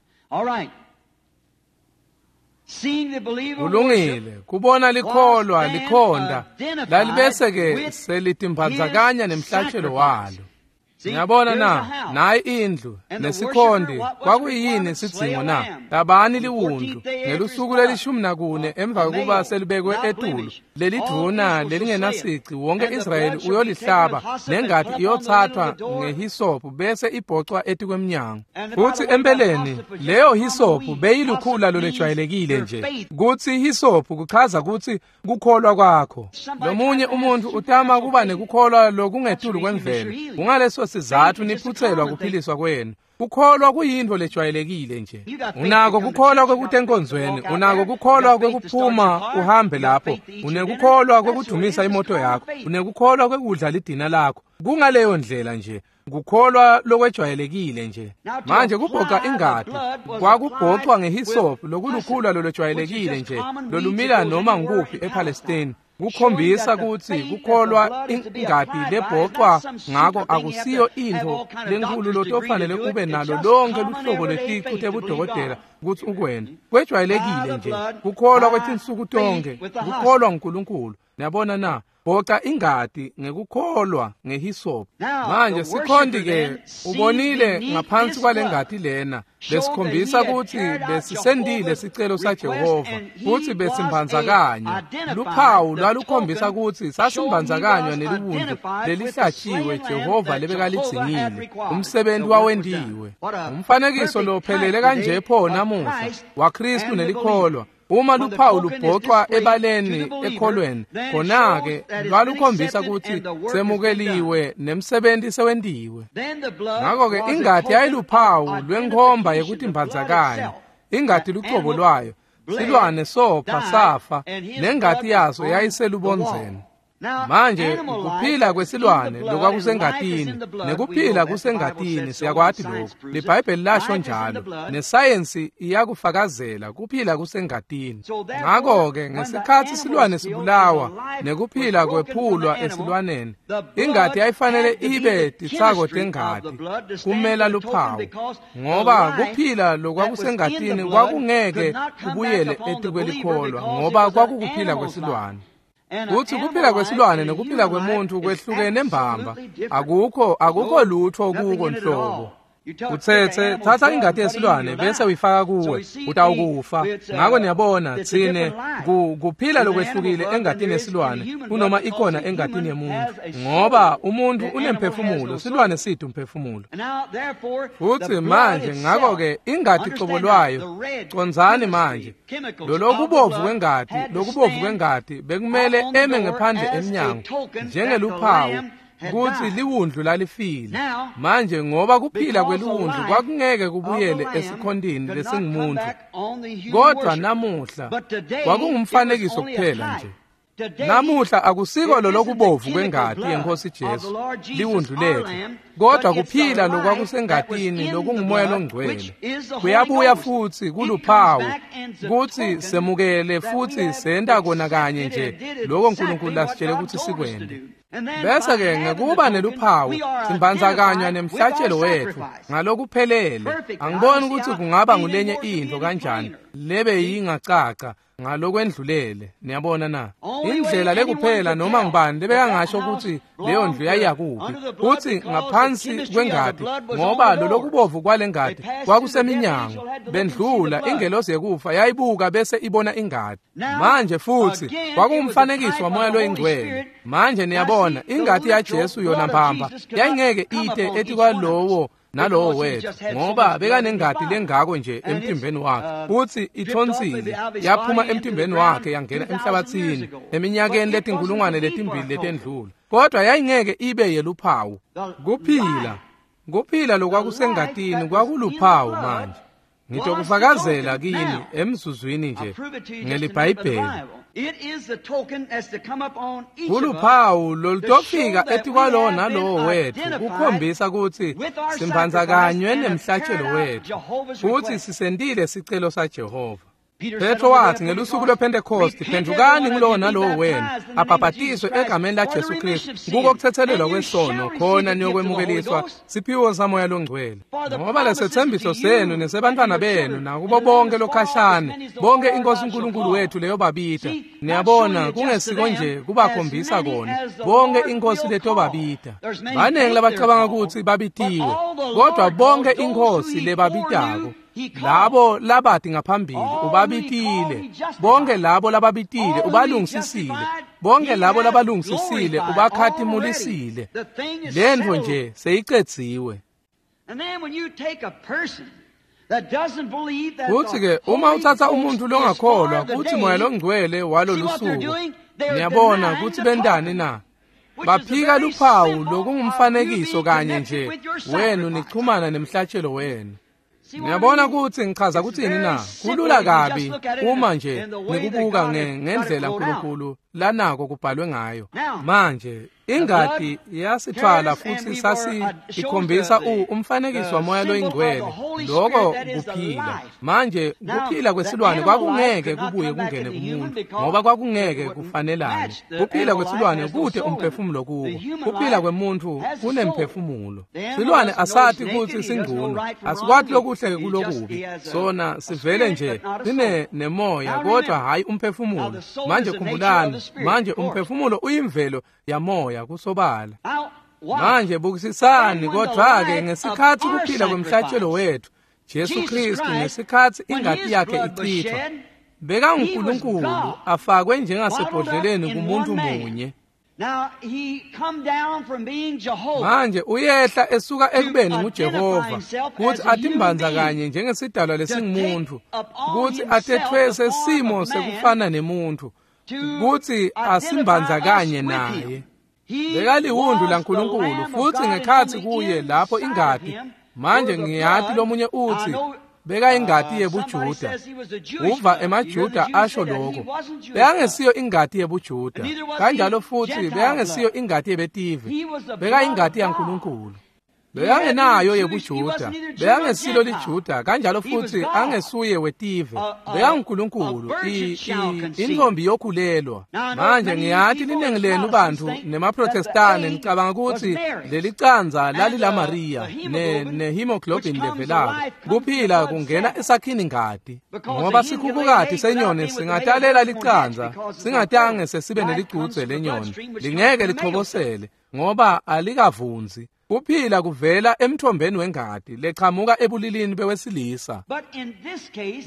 Speaker 2: Kulungile kubona likholwa likhonda lalibese-ke selitimbandzakanya nemhlatshelo walo. Ngiyabona na, nayi indlu nesikhonde kwakuyini sidzingo na? Tabani liwundlu ngelusuku lelishumi nakune emva kokuba selibekwe etulu lelidvuna lelingenasici wonke Israyeli uyolihlaba nengati iyothathwa ngehisophu bese ibhocwa etikwemnyango. Futsi empeleni leyo hisophu beyilukhula lolejwayelekile nje. Kutsi hisophu kuchaza kutsi kukholwa kwakho. Lomunye umuntu utama kuba nekukholwa lokungetulu kwemvelo. Kungaleso sizathu niphutselwa kuphiliswa kwenu. Kukholwa kuyintfo lejwayelekile nje. Unako kukholwa kwekutenkonzweni, unako kukholwa kwekuphuma uhambe lapho, unekukholwa kwekudumisa imoto yakho, unekukholwa kwekudla lidina lakho. Kungaleyo ndlela nje. Kukholwa lokwejwayelekile nje. Manje kubhoca ingati kwakubhocwa ngehisophu lokulukhula lolwejwayelekile nje lolumila noma ngukuphi ePalestine. Kukhombisa kutsi kukholwa ingati lebhocwa ngako akusiyo intfo lenkulu lotofanele ube nalo lonke luhlobo lweticu tebudokotela kutsi ukwente. Kwejwayelekile nje kukholwa kwetinsuku tonke, kukholwa nguNkulunkulu. Niyabona na? Bhoca ingati ngekukholwa ngehisophu. Manje sikhonti-ke ubonile ngaphansi kwalengati lena lesikhombisa kutsi besisendile sicelo saJehova futsi besimbandzakanywa. Luphawu lwalukhombisa kutsi sasimbandzakanywa neliwundlu lelihlatshiwe Jehova lebekalidzingile. Umsebenti wawentiwe. Umfanekiso lophelele kanje pho namuhla waKhristu nelikholwa. Uma luphawu lubhocwa ebaleni ekholweni, khona-ke lwalukhombisa kutsi semukeliwe nemsebenti sewentiwe. Ngako-ke ingati yayiluphawu lwenkhomba yekutimbandzakanya. Ingati lucobo lwayo, silwane sopha safa, nengati yaso yayiselubondzeni. Manje kuphila kwesilwane lokwakusengatini nekuphila kusengatini, siyakwati lokhu. LiBhayibheli lasho njalo, nesayensi iyakufakazela kuphila kusengatini. Ngako-ke ngesikhatsi silwane sibulawa nekuphila kwephulwa esilwaneni, ingati yayifanele ibe titsako tengati kumela luphawu, ngoba kuphila lokwakusengatini kwakungeke kubuyele etikwelikholwa ngoba kwakukuphila kwesilwane. Kutsi kuphila kwesilwane nekuphila kwemuntu kwehlukene mbamba, akukho akukho lutho kuko nhlobo. Utsetse thatha ingati yesilwane bese uyifaka kuwe, utawukufa. Ngako niyabona tsine kuphila lokwehlukile engatini yesilwane kunoma ikhona engatini yemuntu, ngoba umuntu unemphefumulo, silwane sithi umphefumulo. Futsi manje ngako-ke ingati cobo lwayo, condzani manje, lolokubovu kwengati, lokubovu kwengati bekumele eme ngephandle emnyango njengeluphawu kutsi liwundlu lalifile. Manje ngoba kuphila kweliwundlu kwakungeke kubuyele esikhontini lesingumuntu, kodwa namuhla kwakungumfanekiso kuphela nje. Namuhla akusiko lolokubovu kwengati yeNkhosi Jesu liwundlu lethu, kodwa kuphila lokwakusengatini lokungumoya longcwele kuyabuya futsi kuluphawu kutsi semukele futsi senta kona kanye nje loko Nkulunkulu lasitshele kutsi sikwente. Bese-ke ngekuba neluphawu simbandzakanywa nemhlatshelo wetfu ngalokuphelele. Angiboni kutsi kungaba ngulenye intfo kanjani lebe yingacaca ngalokwendlulele. Niyabona na? Indlela lekuphela noma ngubani lebekangasho kutsi leyo ndlu yayiyakuphi, kutsi ngaphansi Ngaphansi kwengati, ngoba lolokubovu kwalengati kwakuseminyango. Bendlula, ingelosi yekufa yayibuka bese ibona ingati. Manje futsi kwakungumfanekiso waMoya loyiNgcwele. Manje niyabona, ingati yaJesu yona mbamba yayingeke ite etikwalowo nalowo wethu, ngoba bekanengati lengako nje emtimbeni wakhe, futsi ithonsile yaphuma emtimbeni wakhe yangena emhlabathini eminyakeni letinkulungwane letimbili letendlula, kodwa yayingeke ibe yeluphawu. Kuphila, kuphila lokwakusengatini kwakuluphawu. Manje ngitokufakazela kini emzuzwini nje ngeliBhayibheli. Kuluphawu lolutofika etikwalowo nalowo wethu kukhombisa kutsi simbandzakanywe nemhlatshelo wethu futsi sisentile sicelo saJehova. Petro wathi ngelusuku lwePhentekoste, phendukani ngulowo nalowo wenu abhabhatiswe egameni laJesu Kristu kuko kuthethelelwa kwesono, khona niyokwemukeliswa siphiwo saMoya loNgcwele. Ngoba lesethembiso senu nesebantwana benu nakubo bonke lokhashane, bonke iNkosi uNkulunkulu wethu leyobabita. Niyabona, kungesiko nje kubakhombisa kona, bonke iNkosi letobabita. Baningi labacabanga kutsi babitiwe, kodwa bonke iNkosi lebabitako, labo labati ngaphambili ubabitile, bonke labo lababitile ubalungisisile, bonke labo labalungisisile ubakhatimulisile. Lentfo nje seyicedziwe. Futsi-ke uma utsatsa umuntfu longakholwa kutsi Moya loNgcwele walolusuku, niyabona kutsi bentani na? Baphika luphawu lokungumfanekiso kanye nje wenu nichumana nemhlatshelo wenu. Niyabona kutsi ngichaza kutsini na? Kulula kabi uma nje nikubuka ngendlela uNkulunkulu lanako kubhalwe ngayo. Manje ingati yasithwala futsi sasi ikhombisa umfanekiso waMoya loyiNgcwele, loko kuphila. Manje kuphila kwesilwane kwakungeke kubuye kungene kumuntu, ngoba kwakungeke kufanelane. Kuphila kwesilwane kute umphefumulo kuko, kuphila kwemuntu kunemphefumulo. Silwane asati kutsi singcono, asikwati lokuhle kulokubi, sona sivele nje sine nemoya kodwa hayi umphefumulo. Manje khumbulani, manje umphefumulo uyimvelo yamoya kusobala. Manje bukisisani, kodwa-ke ngesikhatsi kuphila kwemhlatshelo wethu Jesu Kristu, ngesikhatsi ingati yakhe ichithwa, bekanguNkulunkulu afakwe njengasebhodleleni kumuntu munye. Manje uyehla esuka ekubeni nguJehova kutsi atimbandzakanye njengesidalwa lesingumuntu, kutsi atethwese simo sekufana nemuntu, kutsi asimbandzakanye naye. Bekaliwundlu laNkulunkulu futsi ngekhatsi kuye lapho ingati. Manje ngiyati lomunye utsi bekayingati yebuJuda. Uva emaJuda asho lokho. Bekangesiyo ingati yebuJuda, kanjalo futsi bekangesiyo ingati yebetive, bekayingati yaNkulunkulu. Bekangenayo yebuJuda, bekangesilo liJuda, kanjalo futsi angesuye wetive, bekanguNkulunkulu, intfombi yokhulelwa. Manje ngiyati liningi lenu bantfu nemaProtestane nicabanga kutsi lelicandza lalilaMariya ne-hemoglobin levelako, kuphila kungena esakhini ngati, ngoba sikhukhukati senyoni singatalela licandza singatange sesibe nelicudze lenyoni, lingeke lichobosele ngoba alikavunzi. Kuphila kuvela emthombeni wengati lechamuka ebulilini bewesilisa.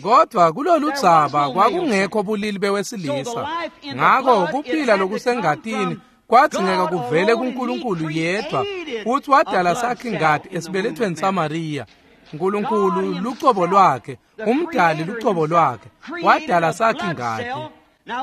Speaker 2: Kodwa kulolu dzaba kwakungekho bulili bewesilisa, ngako kuphila lokusengatini kwadzingeka kuvele kuNkulunkulu yedwa, futsi wadala sakhe ingati esibelethweni saMariya. Nkulunkulu lucobo lwakhe, umdali lucobo lwakhe, wadala sakhe ingati.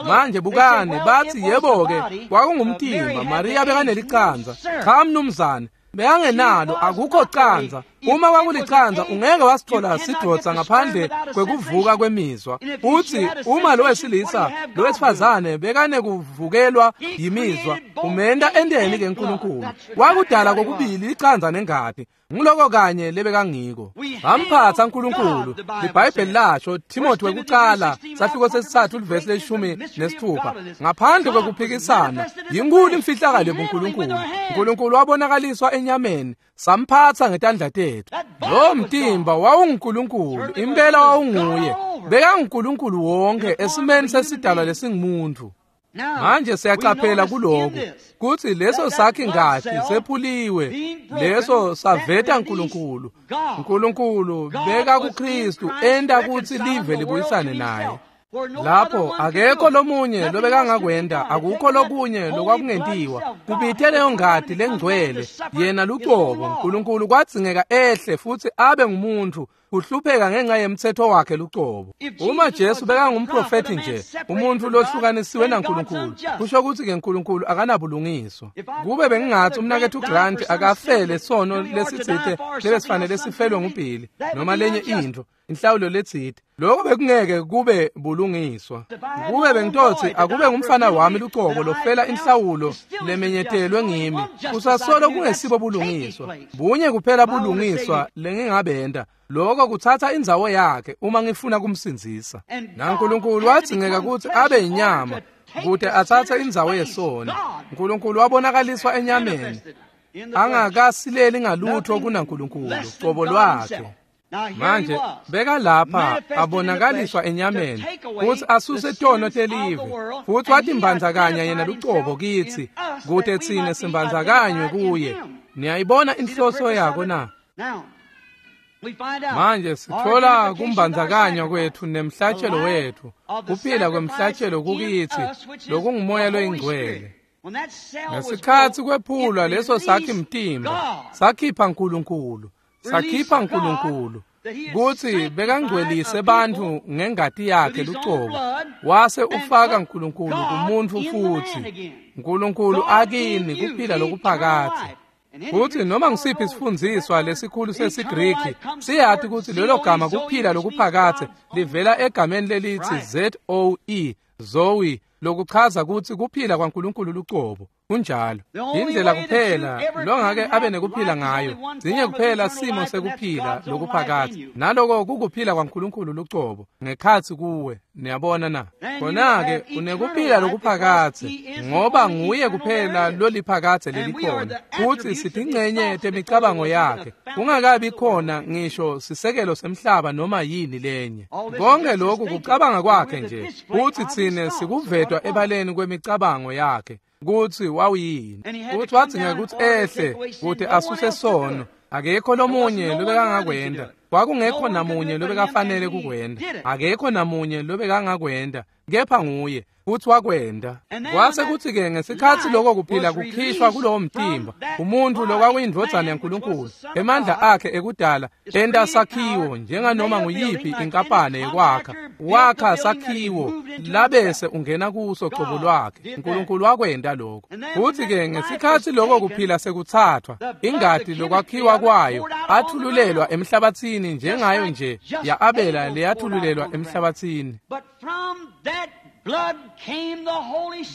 Speaker 2: Manje bukani, batsi yebo-ke kwakungumtimba, Mariya bekanelicandza. Cha mnumzane, bekangenalo, akukho candza. Uma kwakulicandza ungeke wasithola sidvodza ngaphandle kwekuvuka kwemizwa. Utsi uma lo wesilisa lo wesifazane bekanekuvukelwa yimizwa, umenta enteni ke uNkulunkulu? Wakudala kokubili licandza nengati. Nguloko kanye lebekangiko. Bamphatsa uNkulunkulu. LiBhayibheli lasho, Timothy wekucala sahluko sesitsatfu livesi leshumi nesithupha, ngaphandle kwekuphikisana yinkulu imfihlakalo yebuNkulunkulu. uNkulunkulu wabonakaliswa enyameni, samphatsa ngetandla tethu. Lo mtimba wawunguNkulunkulu, impela wawunguye. BekanguNkulunkulu wonke esimeni sesidalwa lesingumuntu. Manje siyaqaphela kuloko kutsi leso sakhi ngati sephuliwe, leso saveta Nkulunkulu. Nkulunkulu beka kuKristu enta kutsi live libuyisane naye. Lapho akekho lomunye lobekangakwenta, akukho lokunye lokwakungentiwa. Kubite leyo ngati lengcwele, yena lucobo Nkulunkulu kwadzingeka ehle futsi abe ngumuntfu, kuhlupheka ngenxa yemtsetfo wakhe lucobo. Uma Jesu bekangumprofethi nje, umuntfu lohlukanisiwe naNkulunkulu, kusho kutsi ke Nkulunkulu akanabulungiswa. Kube bengingatsi umnaketfu Grant akafele sono lesitsite lebesifanele sifelwe nguBhili noma lenye intfo, inhlawulo letsite, lokho bekungeke kube bulungiswa. Kube bengitotsi akube ngumfana wami lucobo lofela inhlawulo lemenyetelwe ngimi, kusasolo kungesibo bulungiswa. Bunye kuphela bulungiswa lengingabenta, lokho kutsatsa indzawo yakhe uma ngifuna kumsindzisa. NaNkulunkulu wadzingeka kutsi abe inyama kute atsatse indzawo yesona. Nkulunkulu wabonakaliswa enyameni, angakasileli ngalutho kunaNkulunkulu cobo lwakhe. Manje beka lapha abonakaliswa enyameni kutsi asuse tono telive, futsi watimbandzakanya yena lucobo kitsi kute tsine simbandzakanywe kuye. Niyayibona inhloso yako na? Manje sithola kumbandzakanywa kwetfu nemhlatshelo wetfu, kuphila kwemhlatshelo kukitsi lokungumoya loyingcwele. Ngesikhatsi kwephulwa leso sakhi mtimba, sakhipha Nkulunkulu, sakhipha Nkulunkulu kutsi bekangcwelise bantfu ngengati yakhe lucobo, wase ufaka Nkulunkulu kumuntfu futsi. Nkulunkulu akini kuphila lokuphakadze. Kutsi noma ngisiphi isifundziswa lesikhulu sesiGriki siyati kutsi lelo gama kuphila lokuphakadze livela egameni lelithi Z O E, Zoe, lokuchaza kutsi kuphila kwaNkulunkulu lucobo. Kunjalo. Indlela kuphela longake abe nekuphila ngayo, sinye kuphela simo sekuphila lokuphakadze, naloko kukuphila kwaNkulunkulu lucobo ngekhatsi kuwe. Niyabona na? Khona-ke unekuphila lokuphakadze ngoba nguye kuphela loliphakadze lelikhona, futsi sitingcenye temicabango yakhe, kungakabi khona ngisho sisekelo semhlaba noma yini lenye. Konke lokhu kucabanga kwakhe nje, futsi tsine sikuvetwa ebaleni kwemicabango yakhe kutsi wawuyini. Kutsi wadzingeka kutsi ehle kute asuse sono. Akekho lomunye lobekangakwenta, kwakungekho namunye lobekafanele kukwenta, akekho namunye lobekangakwenta kepha nguye, futsi wakwenta. Kwase kutsi-ke ngesikhatsi loko kuphila kukhishwa kulowo mtimba, umuntfu lokwakuyindvodzana yaNkulunkulu, emandla akhe ekudala enta sakhiwo njenganoma nguyiphi inkapane yekwakha, wakha sakhiwo labese ungena kuso cobo lwakhe. Nkulunkulu wakwenta lokho. Futsi-ke ngesikhatsi loko kuphila sekutsatfwa, ingati lokwakhiwa kwayo athululelwa emhlabatsini njengayo nje ya-Abela leyathululelwa emhlabatsini.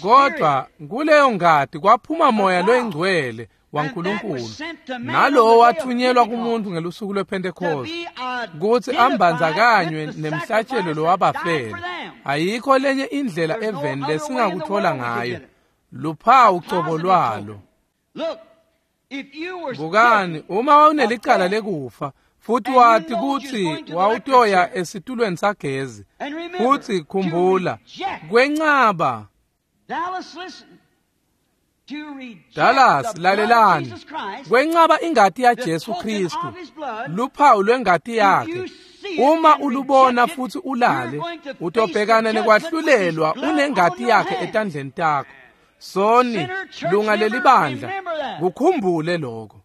Speaker 2: Kodwa kuleyo ngati kwaphuma moya loyingcwele waNkulunkulu, nalowo wathunyelwa kumuntu ngelusuku lwePhentekhoste kutsi ambandzakanywe nemhlatshelo lowabafela. Ayikho lenye indlela eveni lesingakuthola ngayo, luphawu cobo lwalo. Bukani, uma wawunelicala lekufa futhi wati kutsi wawutoya esitulweni sagezi, futsi khumbula kwencaba. Dallas, lalelani, kwencaba ingati yaJesu Kristu, luphawu lwengati yakhe. Uma ulubona futsi ulale, utobhekana nekwahlulelwa unengati yakhe etandleni takho. Soni, lunga lelibandla, kukhumbule lokho.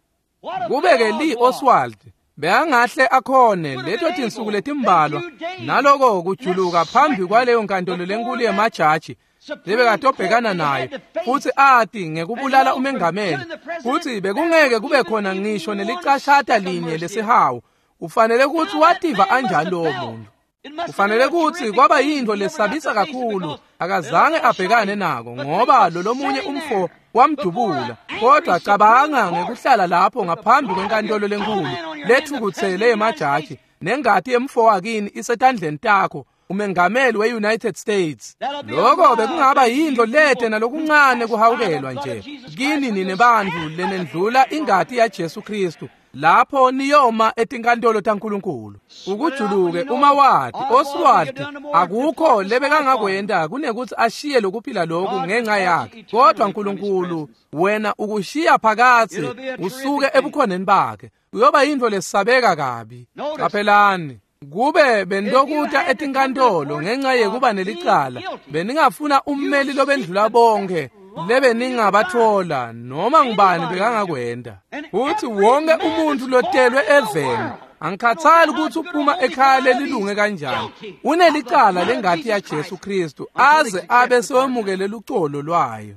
Speaker 2: Kube-ke Lee Oswald bekangahle akhone leto tinsuku letimbalwa naloko kujuluka phambi kwaleyo nkantolo lenkulu yemajaji lebekatobhekana nayo, futsi ati ngekubulala umengameli, futsi bekungeke kube khona ngisho nelicashata linye lesihawu. Ufanele kutsi wativa anjani lowo muntu? Kufanele kutsi kwaba yintfo lesabisa kakhulu, akazange abhekane nako ngoba lo lomunye umfo wamdubula. Kodwa cabanga ngekuhlala lapho ngaphambi kwenkantolo lenkulu lethukutsele yemajaji, nengati yemfo wakini isetandleni takho, umengameli we-United States. Lokho bekungaba yintfo lete nalokuncane kuhawukelwa nje kini nine bantfu lenendlula ingati yaJesu Kristu Lapho niyoma etinkantolo taNkulunkulu. Ukujuluke uma wati Oswald akukho lebekangakwenta kunekuthi ashiye lokuphila lokhu ngenxa yakhe. Kodwa uNkulunkulu wena ukushiya phakathi usuke ebukhoneni bakhe. Uyoba yintfo lesabeka kabi. Qaphelani. Kube bendokuta etinkantolo ngenxa yekuba nelicala, beningafuna ummeli lobendlula bonke lebe ningabathola noma ngubani bekangakwenda. Futhi wonke umuntu lotelwe eveni, angikhathali ukuthi uphuma ekhaya lelilunge kanjani, unelicala lengati ya Jesu Kristu aze abe sewemukele lucolo lwayo.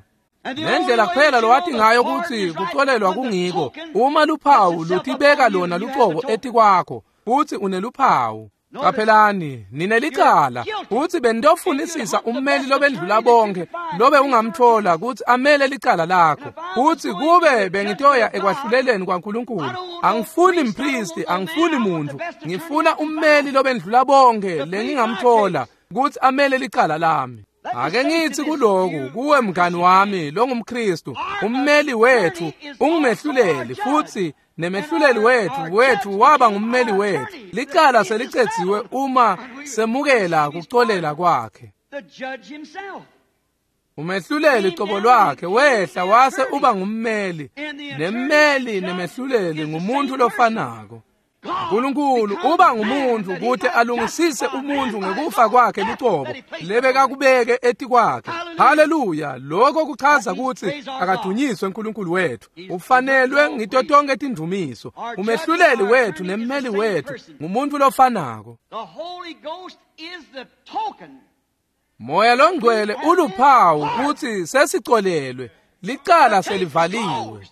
Speaker 2: Nendlela kuphela lowathi ngayo ukuthi kuxolelwa kungiko uma luphawu lutibeka lona lucobo etikwakho futhi uneluphawu. Qaphelani, ninelicala futhi bendofunisisa ummeli lobendlula bonke lobe ungamthola ukuthi amele licala lakho. Futhi kube bengitoya ekwahluleleni kwaNkulunkulu, angifuni mpristi, angifuni muntu, ngifuna ummeli lobendlula bonke lengingamthola ukuthi amele licala lami. Ake ngithi kuloku kuwe mngani wami longumKristu, ummeli wethu ungumehluleli futhi nemehluleli wethu wethu waba ngummeli wethu. Licala selicedziwe uma semukela kuxolela kwakhe. Umehluleli cobo lwakhe wehla wase uba ngummeli, nemmeli nemehluleli ngumuntu lofanako. uNkulunkulu uba ngumuntu ukuthi alungisise umuntu ngekufa kwakhe lucobo lebekakubeke etikwakhe. Haleluya! Lokho kuchaza ukuthi akadunyiswe uNkulunkulu wethu, ufanelwe ngito tonke tindumiso. Umehluleli wethu nemmeli wethu ngumuntu lofanako. Moya longcwele uluphawu ukuthi sesicolelwe, licala selivaliwe.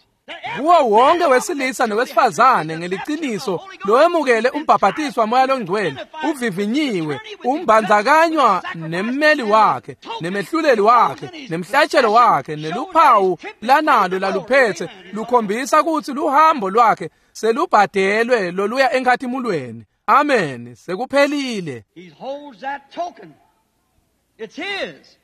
Speaker 2: Kuwo wonke wesilisa nowesifazane ngeliciniso lowemukele umbhaphatiswa waMoya longcwele uvivinyiwe, umbandzakanywa nemmeli wakhe, nemehluleli wakhe, nemhlatshelo wakhe, neluphawu lanalo laluphethe lukhombisa ukuthi luhambo lwakhe selubhadelwe loluya enkhathimulweni. Amen, sekuphelile.
Speaker 1: He holds that token. It's his.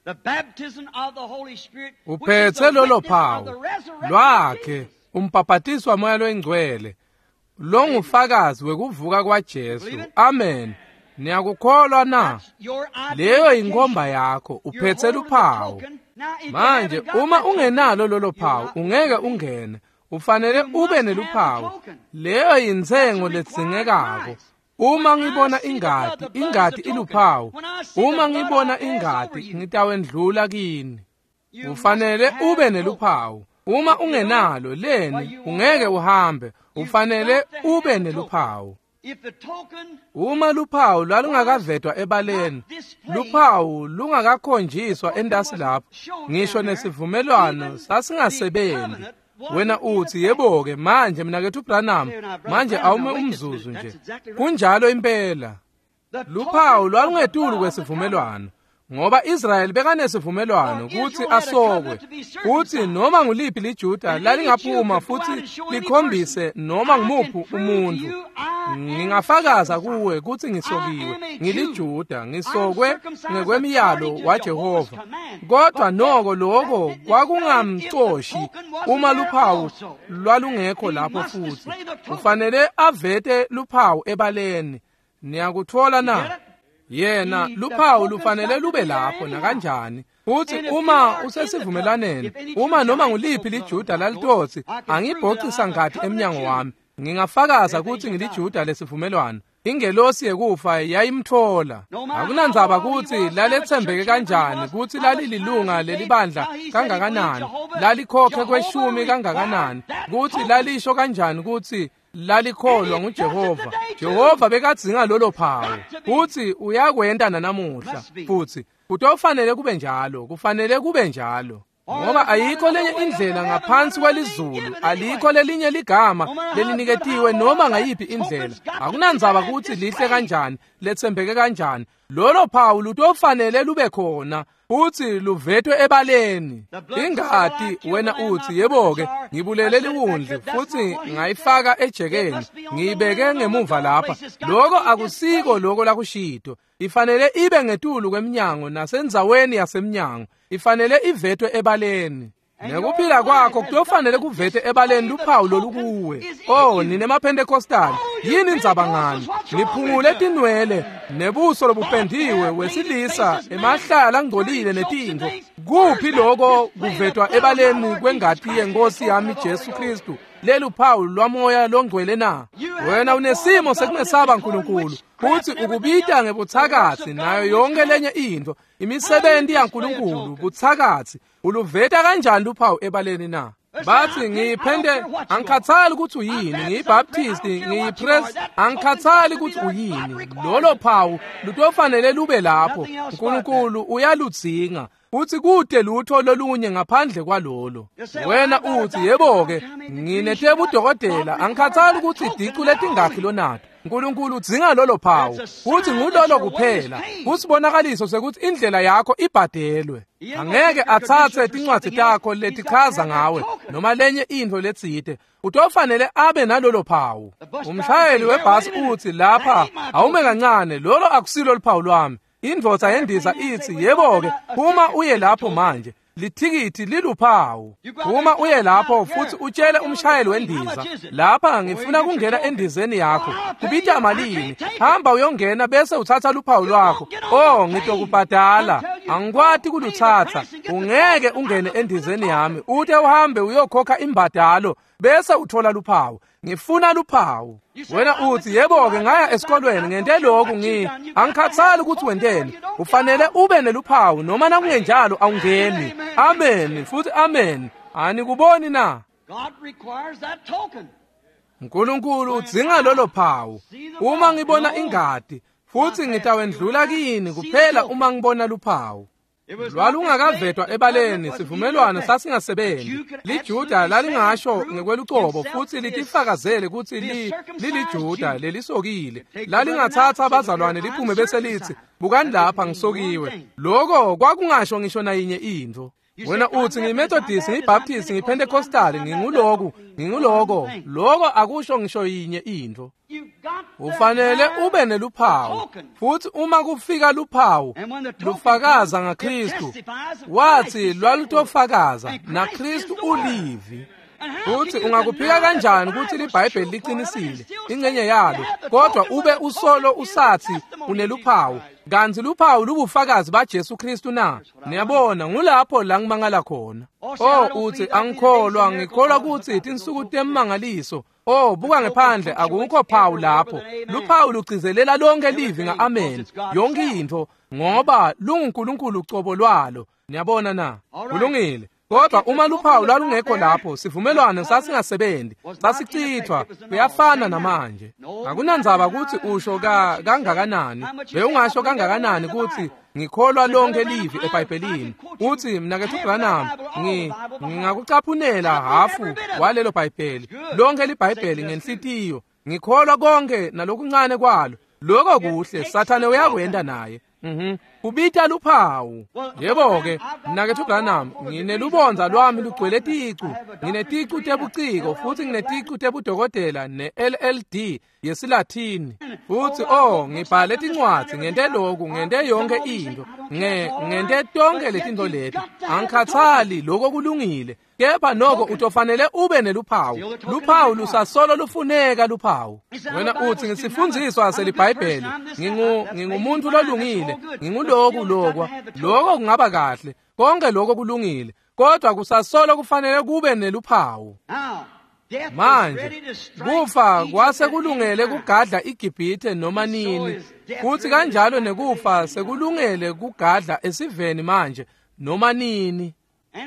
Speaker 1: The baptism of the Holy Spirit,
Speaker 2: uphethe lolo phawu lwakhe, umbhaphatiswa waMoya loyingcwele longufakazi wekuvuka kwaJesu. Amen. Niyakukholwa na? Leyo inkomba yakho, uphethe luphawu. Manje uma ungenalo lolo phawu ungeke ungene, ufanele ube neluphawu. Leyo yintsengo ledzingekako. Uma ngibona ingati, ingati iluphawu. Uma ngibona ingati, ngitawendlula kini. Ufanele ube neluphawu. Uma ungenalo leni, ungeke uhambe. Ufanele ube neluphawu. Uma luphawu lwalungakavetwa ebaleni, luphawu lungakakhonjiswa entasi lapho, ngisho nesivumelwano sasingasebenzi. Wena uthi, yebo-ke manje mnakethu Branham, manje awume umzuzu nje. Kunjalo impela. Luphawu lwalungetulu kwesivumelwano, ngoba Israyeli bekanesivumelwano kuthi asokwe, kuthi noma nguliphi liJuda lalingaphuma futhi likhombise noma ngumuphi umuntu, ngingafakaza kuwe kuthi ngisokiwe, ngiliJuda, ngisokwe ngekwemiyalo waJehova. Kodwa noko lokho kwakungamcoshi uma luphawu lwalungekho lapho futhi. Ufanele avete luphawu ebaleni. Niyakuthola na? Yena luphawu lufanele lube lapho nakanjani. Futhi uma usesivumelwaneni, uma noma nguliphi liJuda lalitothi, angibhocisa ngati emnyango wami, ngingafakaza ukuthi ngiliJuda lesivumelwano. Ingelosi yekufa yayimthola. Akunandzaba ukuthi lalethembeke kanjani, ukuthi lalililunga lelibandla kangakanani, lalikhokhe kweshumi kangakanani, ukuthi lalisho kanjani ukuthi lalikholwa nguJehova. Jehova bekadzinga lolo phawu, futhi uyakwenta nanamuhla. Futhi kutofanele kube njalo, kufanele kube njalo, ngoba ayikho lenye indlela ngaphansi kwelizulu, alikho lelinye ligama leliniketiwe noma ngayiphi indlela. Akunandzaba ukuthi lihle kanjani, lethembeke kanjani, lolo phawu lutofanele lube khona futhi luvetwe ebaleni. Ingati, wena uthi, yebo-ke ngibulele liwundlu futhi ngayifaka ejekeni, ngiyibeke ngemuva lapha. Lokho akusiko lokho lakushito. Ifanele ibe ngetulu kweminyango nasendzaweni yasemnyango, ifanele ivetwe ebaleni. Nekuphila kwakho kuyofanele kuvete ebaleni luphawu lolukuwe. Oh, nine maPentecostal, yini indzaba ngani? Niphungule tinwele nebuso lobupendiwe wesilisa emahlala angcolile netintfo. Kuphi lokho kuvetwa ebaleni kwengati yenkosi yami Jesu Kristu? Lelu phawu lwamoya longcwele na? Wena unesimo sekumesaba uNkulunkulu futhi ukubita ngebuthakathi nayo yonke lenye into, imisebenzi yaNkulunkulu buthakathi. Uluveta kanjani luphawu ebaleni na? Bathi ngiyiphende, angikhathali ukuthi uyini, ngiyiBaptist, ngiyiPress, angikhathali ukuthi uyini. Lolo phawu lutofanele lube lapho. uNkulunkulu uyaludzinga. Uthi kude lutho lolunye ngaphandle kwalolo. Wena uthi yebo-ke nginetebudokotela, angikhathali ukuthi idicu letingakhi lonato. uNkulunkulu udzinga lolo phawu, futhi ngulolo kuphela. Kusibonakaliso sekuthi indlela yakho ibhadelwe. Angeke atsatse tincwadzi takho letichaza ngawe noma lenye intfo letsite. Utofanele abe nalolo phawu. Umshayeli webhasi uthi lapha awume kancane, lolo akusilo luphawu lwami. Indvodza yendiza ithi yebo-ke phuma uye lapho manje, lithikithi liluphawu. Phuma uye lapho futhi utshele umshayeli wendiza, lapha ngifuna kungena endizeni yakho, kubita malini? Hamba uyongena bese uthatha luphawu lwakho. Oh, ngitokubhadala, angikwati kuluthatha. Ungeke ungene endizeni yami ute uhambe uyokhokha imbadalo bese uthola luphawu. Ngifuna luphawu. Wena uthi yebo-ke ngaya esikolweni ngente lokhu, ngi angikhathali ukuthi wenteni. Ufanele ube neluphawu noma nakungenjalo awungeni. Amen futhi amen. Anikuboni na? uNkulunkulu udzinga lolo phawu. Uma ngibona ingadi futhi ngitawendlula kini kuphela uma ngibona luphawu. Lwalungakavetwa ebaleni, sivumelwano sasingasebenzi. LiJuda lalingasho ngekwelucobo futhi litifakazele kutsi li liliJuda lelisokile. Lalingathatha abazalwane liphume bese lithi bukani lapha ngisokiwe. Lokho kwakungasho ngisho nayinye intfo. Wena uthi ngiyiMethodist, ngiyiBaptist, ngiyiPentecostal, nginguloku, nginguloko. Lokho akusho ngisho yinye intfo. Ufanele ube neluphawu. Futhi uma kufika luphawu lufakaza ngaKristu, wathi lwalutofakaza naKristu ulivi. Futhi ungakuphika kanjani ukuthi liBhayibheli liqinisile ingcenye yalo, kodwa ube usolo usathi uneluphawu, kanti luphawu lubufakazi baJesu Kristu na? Niyabona, ngulapho la ngimangala khona. Oh, uthi angikholwa, ngikholwa ukuthi tinsuku temangaliso. Oh, buka ngephandle, akukho phawu lapho. Luphawu lugcizelela lonke livi nga-amen, yonke intfo, ngoba lunguNkulunkulu ucobo lwalo. Niyabona na? Kulungile. Kodwa uma luphawu lwalungekho lapho, sivumelwano sasingasebenzi, sasichithwa. Kuyafana namanje. Akunandzaba ukuthi usho ka kangakanani, bewungasho kangakanani ukuthi ngikholwa lonke livi eBhayibhelini. Uthi mnakethu Branham, ngi ngingakucaphunela hafu walelo Bhayibheli, lonke liBhayibheli ngenhlitiyo. Ngikholwa konke nalokuncane kwalo. Lokho kuhle, Sathane uyakwenda naye. Mhm. Kubita luphawu. Yebo-ke, mnakethu Branham, nginelubonza lwami lugcwele ticu. Ngineticu tebuciko futhi ngineticu tebudokotela ne-L L D yesiLathini. Futhi oh, ngibhale tincwadzi, ngente lokhu, ngente yonke into. Nge ngente tonke letintfo leti. Angikhathali, lokho kulungile. Kepha noko utofanele ube neluphawu. Luphawu lusasolo lufuneka luphawu. Wena uthi ngisifundziswa seliBhayibheli, ngingu ngingumuntu lolungile, nginguloku lokwa. Lokho kungaba kahle, konke lokho kulungile, kodwa kusasolo kufanele kube neluphawu. Manje kufa kwase kulungele kugadla iGibhithe noma nini, futhi kanjalo nekufa sekulungele kugadla esiveni manje noma nini.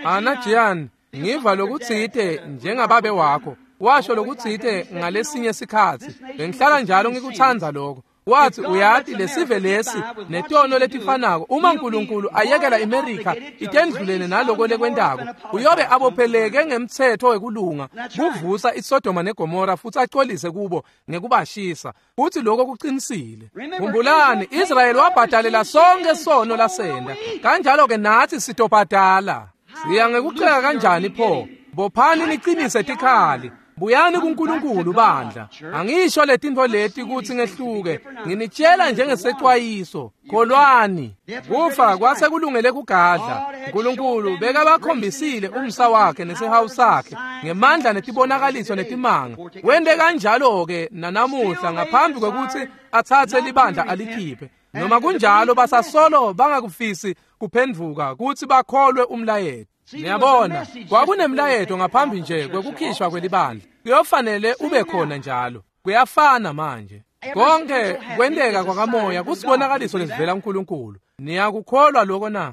Speaker 2: Ana Jian, ngiva lokutsite njengababe wakho washo lokutsite ngalesinye sikhatsi. Bengihlala njalo ngikutsandza lokho. Wathi uyati lesive lesi netono letifanako, uma uNkulunkulu ayekela iMerika itendlulene naloko lekwentako, uyobe abopheleke ngemtsetfo wekulunga kuvusa iSodoma neGomora futhi acolise kubo ngekubashisa. Futhi lokho kuqinisile. Khumbulani, Israyeli wabhadalela sonke sono lasenda, kanjalo ke nathi sitobhadala. Siya ngekuceka kanjani pho? Bophani niqinise tikhali. Buyani kuNkulunkulu bandla. Angisho letintfo leti kutsi ngehluke, nginitshela njengesecwayiso. Kholwani. Kufa kwase kulungele kugadla. Nkulunkulu bekabakhombisile umsa wakhe nesihawu sakhe ngemandla netibonakaliso netimanga. Wente kanjalo-ke nanamuhla ngaphambi kwekutsi atsatse libandla alikhiphe. Noma kunjalo basasolo bangakufisi kuphendvuka kutsi bakholwe umlayeto. Niyabona, kwakunemlayeto ngaphambi nje kwekukhishwa kwelibandla. Kuyofanele ube khona njalo. Kuyafana manje. Konke kwenteka kwakamoya kusibonakaliso lesivela kuNkulunkulu. Niyakukholwa lokho na?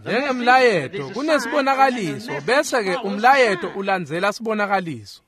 Speaker 2: Njengemlayeto kunesibonakaliso, bese-ke umlayeto ulandzela sibonakaliso.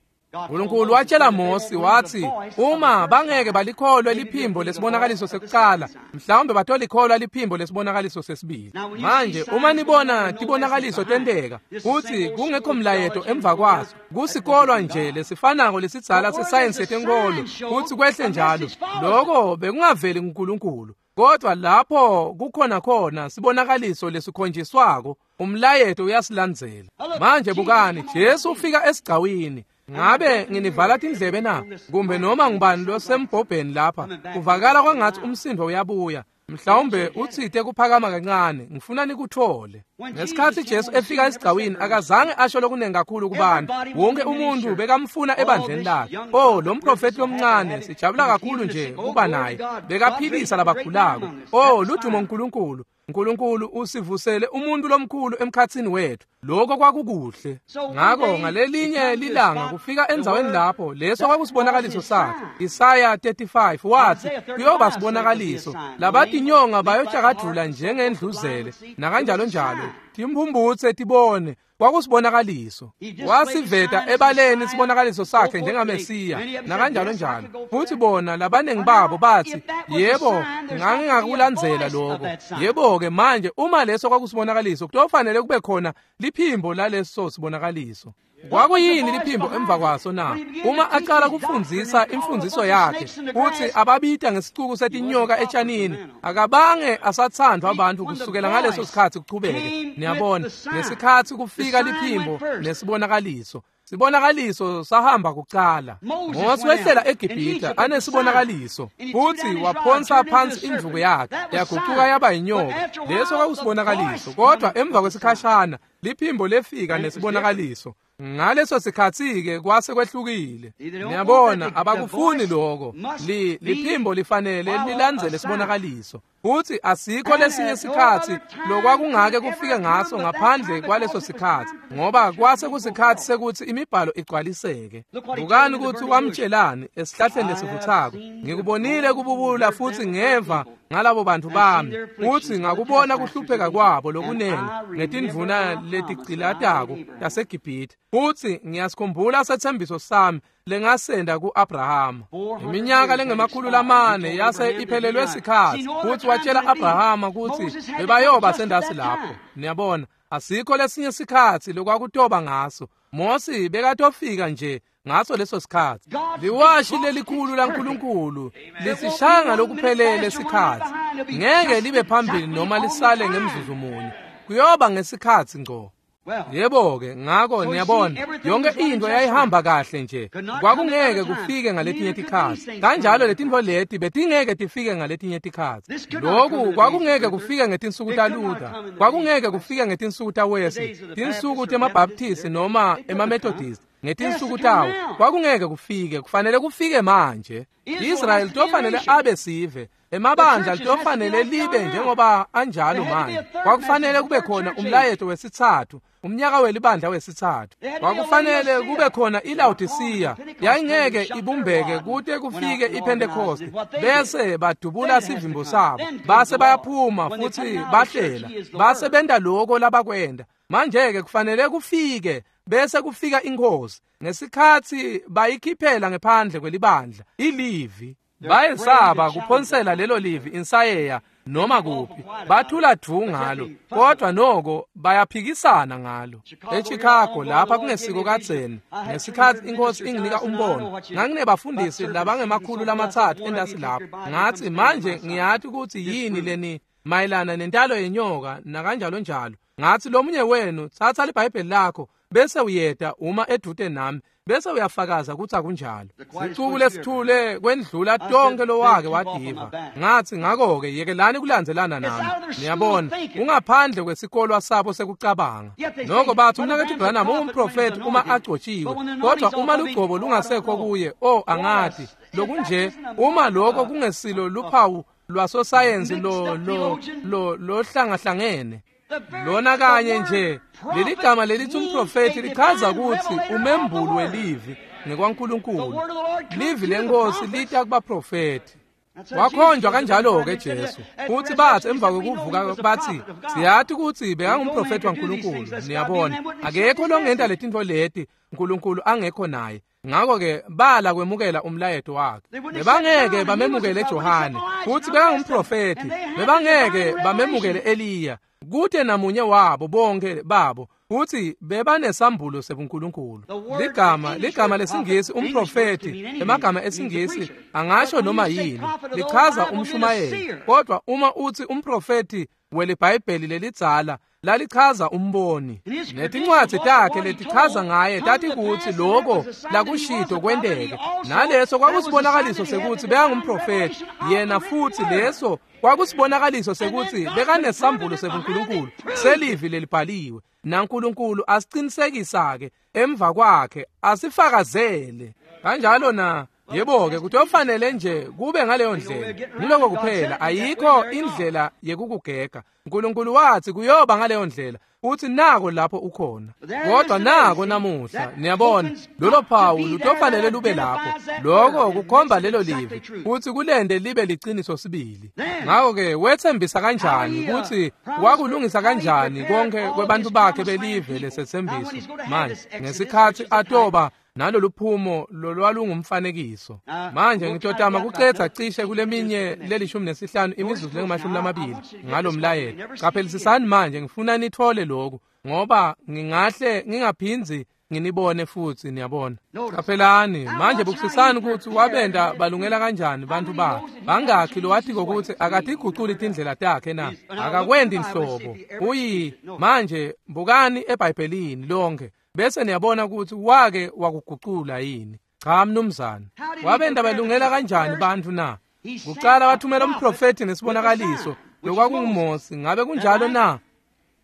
Speaker 2: Nkulunkulu watshela Mosi wathi, uma bangeke balikholwe liphimbo lesibonakaliso sekucala, mhlawumbe batolikholwa liphimbo lesibonakaliso sesibili. Manje uma nibona tibonakaliso tenteka, kutsi kungekho mlayeto emva kwaso, kusikolwa nje lesifanako lesidzala sesayensi yetenkolo, kutsi kwehle njalo, loko bekungaveli kuNkulunkulu. Kodwa lapho kukhona khona sibonakaliso lesikhonjiswako, umlayeto uyasilandzela. Manje bukani, Jesu ufika esigcawini. Ngabe nginivala tindlebe na? Kumbe noma ngubani losembhobheni lapha, kuvakala kwangathi umsindo uyabuya. Mhlawumbe utsite kuphakama kancane, ngifuna nikuthole. Ngesikhatsi Jesu efika esigcawini, akazange asho lokunengi kakhulu kubantu. Wonke umuntu bekamfuna ebandleni lakhe. Oh, lo mprofeti lomncane, sijabula kakhulu nje kuba naye. Bekaphilisa labagulako. Oh, ludumo uNkulunkulu. Nkulunkulu usivusele umuntu lomkhulu emkhatsini wethu. Lokho kwakukuhle. Ngakho ngalelinye lilanga kufika endzaweni lapho leso kwakusibonakaliso sakhe. Isaya thirty-five wathi kuyoba sibonakaliso. Labatinyonga bayotshakadvula njengendluzele nakanjalo njalo. Timphumbutse tibone. Kwakusibonakaliso. Wasiveta ebaleni sibonakaliso sakhe njengaMesiya nakanjalo njalo. Futhi bona labaningi babo bathi, yebo, ngangingakulandzela lokho. Yebo-ke manje uma leso kwakusibonakaliso, kutofanele kube khona liphimbo laleso sibonakaliso. Kwakuyini liphimbo emva kwaso na? Uma aqala kufundzisa imfundziso yakhe, uthi ababita ngesicuku setinyoka etshanini, akabange asathandwa abantu kusukela ngaleso sikhatsi kuchubeke. Niyabona, ngesikhatsi kufika liphimbo nesibonakaliso. Sibonakaliso sahamba kucala. Mose wehlela eGibhithe anesibonakaliso, futhi waphonsa phansi indvuku yakhe, yagucuka yaba inyoka. Leso kwakusibonakaliso, kodwa emva kwesikhashana liphimbo lefika nesibonakaliso. Ngaleso sikhatsi-ke kwase kwehlukile. Niyabona, abakufuni lokho. Li liphimbo lifanele lilandzele sibonakaliso. Futhi asikho lesinye sikhatsi lokwakungake kufike ngaso ngaphandle kwaleso sikhatsi, ngoba kwase kusikhatsi sekuthi imibhalo igcwaliseke. Bukani ukuthi wamtshelani esihlahleni lesivuthako. Ngikubonile kububula futhi ngeva ngalabo bantu bami, futhi ngakubona kuhlupheka kwabo lokunengi ngetindvuna letigcilatako taseGibhithe. Futhi ngiyasikhumbula sethembiso sami lengasenda ku-Abrahama. Iminyaka lengemakhulu lamane yase iphelelwe sikhatsi, futhi watshela Abrahama kutsi bebayoba sendasi lapho. Niyabona, asikho lesinye sikhatsi lokwakutoba ngaso. Mosi bekatofika nje ngaso leso sikhatsi. Liwashi lelikhulu laNkulunkulu lisishaya ngalokuphelele sikhatsi. Ngeke libe phambili noma lisale ngemzuzu munye. Kuyoba ngesikhatsi ngco. Yebo-ke, ngakho niyabona, yonke into yayihamba kahle nje. Kwakungeke kufike ngaletinye tikhatsi. Kanjalo letintfo leti betingeke tifike ngaletinye tikhatsi. Lokhu kwakungeke kufike ngetinsuku taLuther, kwakungeke kufike ngetinsuku taWesley, tinsuku temaBaptist noma emaMethodist. Ngetinsuku tawo kwakungeke kufike, kufanele kufike manje. Israel tofanele abe sive. Emabandla tofanele libe njengoba anjalo manje. Kwakufanele kube khona umlayeto wesitsatfu, umnyaka welibandla wesitsatfu. Kwakufanele kube khona iLaodicea, yayingeke ibumbeke kute kufike iPentecost, bese badubula sivimbo sabo, base bayaphuma futhi bahlela, base benta lokho labakwenda. Manje-ke kufanele kufike, bese kufika inkosi. Ngesikhatsi bayikhiphela ngephandle kwelibandla ilivi, bayesaba kuphonsela lelo livi insayeya noma kuphi, bathula dvu ngalo, kodwa noko bayaphikisana ngalo. EChicago lapha kungesiko kadzeni, ngesikhatsi inkosi inginika umbono, nganginebafundisi labangemakhulu lamatsatfu entasi lapho. Ngathi manje ngiyati ukuthi yini leni mayelana nentalo yenyoka nakanjalo njalo. Ngathi lomunye wenu thatha liBhayibheli lakho Bese uyeta uma edvute nami bese uyafakaza kutsi akunjalo. Sicuku lesithule kwendlula tonke lowake wadiva. Ngathi ngakho-ke yekelani kulandzelana nami. Niyabona, ungaphandle kwesikolwa sabo sekucabanga. Noko bathi umnaketfu Branham ungumprofethi uma agcotshiwe, kodwa uma lugcobo lungasekho kuye, oh angati. Lokunje uma lokho kungesilo luphawu lwasosayensi lo lo lo lohlangahlangene. Lona kanye nje leli gama lelithi umprofethi lichaza ukuthi umembuli welivi ngekwaNkulunkulu. Livi lenkosi lita kubaprofethi. Wakhonjwa kanjalo-ke Jesu. Futhi bathi emva kokuvuka bathi siyathi ukuthi bekangumprofethi waNkulunkulu. Niyabona, akekho longenta letintfo leti uNkulunkulu angekho naye. Ngakho-ke bala kwemukela umlayeto wakhe. Bebangeke bamemukele Johane, futhi bekangumprofethi. Bebangeke bamemukele Eliya. Kute namunye wabo bonke babo futhi bebanesambulo sebuNkulunkulu. Ligama ligama lesingisi umprofethi, emagama esingisi angasho noma yini, lichaza umshumayeli. Kodwa uma uthi umprofethi weliBhayibheli lelidzala lalichaza umboni. Netincwadzi takhe letichaza ngaye tati kutsi loko lakushito kwenteke. Naleso kwakusibonakaliso sekuthi bekangumprofethi yena, futhi leso kwakusibonakaliso sekuthi bekanesambulo sebuNkulunkulu selivi lelibhaliwe. NaNkulunkulu asicinisekisa-ke emva kwakhe asifakazele kanjalo na. Yebo-ke kutofanele nje kube ngaleyo ndlela. Ngiloko kuphela, ayikho indlela yekukugega. uNkulunkulu wathi kuyoba ngaleyo ndlela, uthi nako lapho ukhona. Kodwa nako namuhla, niyabona, lolo phawu lutofanele lube lapho. Lokho kukhomba lelo livi, futhi kulende libe liciniso sibili. Ngakho-ke wethembisa kanjani ukuthi wakulungisa kanjani konke kwebantu bakhe belive lesethembiso manje ngesikhathi atoba naloluphumo lolwalungumfanekiso. Manje ngitotama kucedza cishe kuleminye lelishumi nesihlanu imizuzu lengamashumi lamabili ngalomlayeto. Qaphelisisani manje, ngifuna nithole lokhu ngoba ngingahle ngingaphindzi nginibone futhi, niyabona. Qaphelani manje, bukisisani ukuthi wabenda balungela kanjani bantu bakhe. Bangakhi lowatiko ukuthi akatiguculi tindlela takhe na? Akakwendi nhlobo. Uyi manje bukani eBhayibhelini lonke bese niyabona ukuthi wake wakugucula yini. Cha mnumzane. Wabenda balungela kanjani bantu na? Kucala wathumela umprofethi nesibonakaliso lokwakunguMose. Ngabe kunjalo na?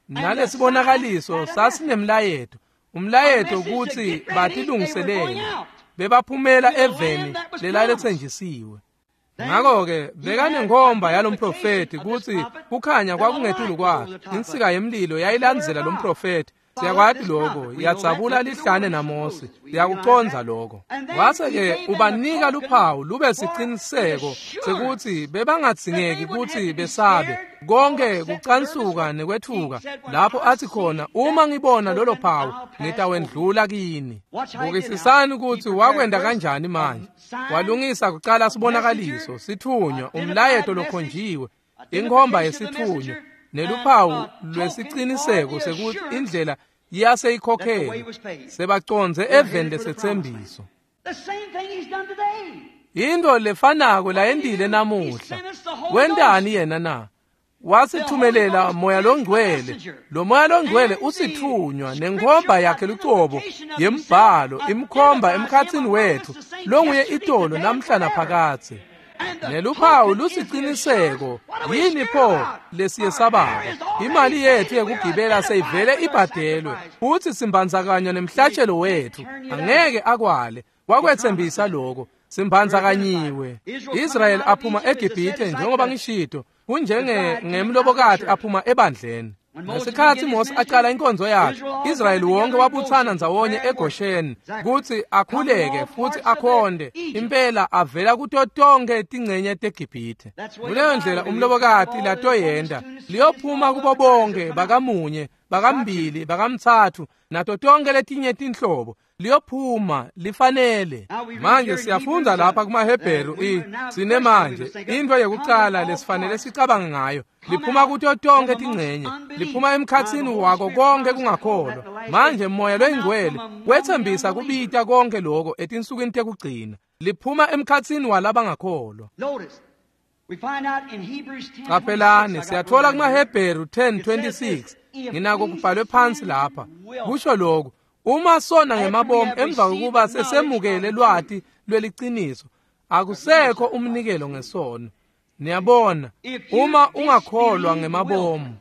Speaker 2: Nalesibonakaliso sasinemlayeto. Umlayeto ukuthi batilungiselele, bebaphumela eveni lelalethenjisiwe. Ngakho-ke bekanenkhomba yalomprofethi ukuthi kukhanya kwakungetulu kwakhe. Insika yemlilo yayilandzela lomprofethi. Siyakwati lokho, yadzabula lihlane naMose. Siyakucondza lokho. Wase-ke ubanika luphawu lube siciniseko sekuthi bebangadzingeki ukuthi besabe. Konke kucansuka nekwethuka lapho athi khona, uma ngibona lolo phawu ngitawendlula kini. Bukisisani ukuthi wakwenda kanjani manje. Walungisa kucala sibonakaliso, sithunywa, umlayeto lokhonjiwe, inkhomba yesithunywa, neluphawu lwesiciniseko sekuthi indlela yaseyikhokhele, sebacondze eveni lesethembiso. Into lefanako layendile namuhla. Wentani yena na? Wasithumelela moya longcwele. Lo moya longcwele usithunywa nenkhomba yakhe lucobo yembhalo imkhomba emkhatsini wethu longuye itolo namhla naphakadze. Neluphawu lusiciniseko. Yini pho lesiyesabako? Imali yethu yekugibela seyivele ibhadelwe, futhi simbandzakanywa nemhlatshelo wethu. Angeke akwale, wakwethembisa lokho. Simbandzakanywe. Israel aphuma eGibhithe njengoba ngishito, kunjenge ngemlobokati aphuma ebandleni. Ngesikhathi Mose aqala inkonzo yakhe, Israyeli wonke wabuthana ndzawonye eGosheni kutsi akhuleke futhi akhonde. Impela avela kuto tonke tingcenye teGibhithe. Kuleyo ndlela umlobokati latoyenda liyophuma kubo bonke bakamunye, bakambili, bakamtsatfu nato tonke letinye tinhlobo. Liyophuma lifanele. Manje siyafundza lapha kumaHebheru i sine manje into yekucala lesifanele sicabange ngayo. Liphuma kuto tonke tingcenye, liphuma emkhatsini wako konke kungakholwa. Manje moya loyingcwele wethembisa kubita konke lokho etinsukwini tekugcina. Liphuma emkhatsini walabangakholwa. Qaphelani, siyathola kumaHebheru ten twenty-six. Nginako kubhalwe phansi lapha. Kusho lokhu, Uma sona ngemabomu emva kokuba sesemukele lwati lweliciniso, akusekho umnikelo ngesono. Niyabona, uma ungakholwa ngemabomu.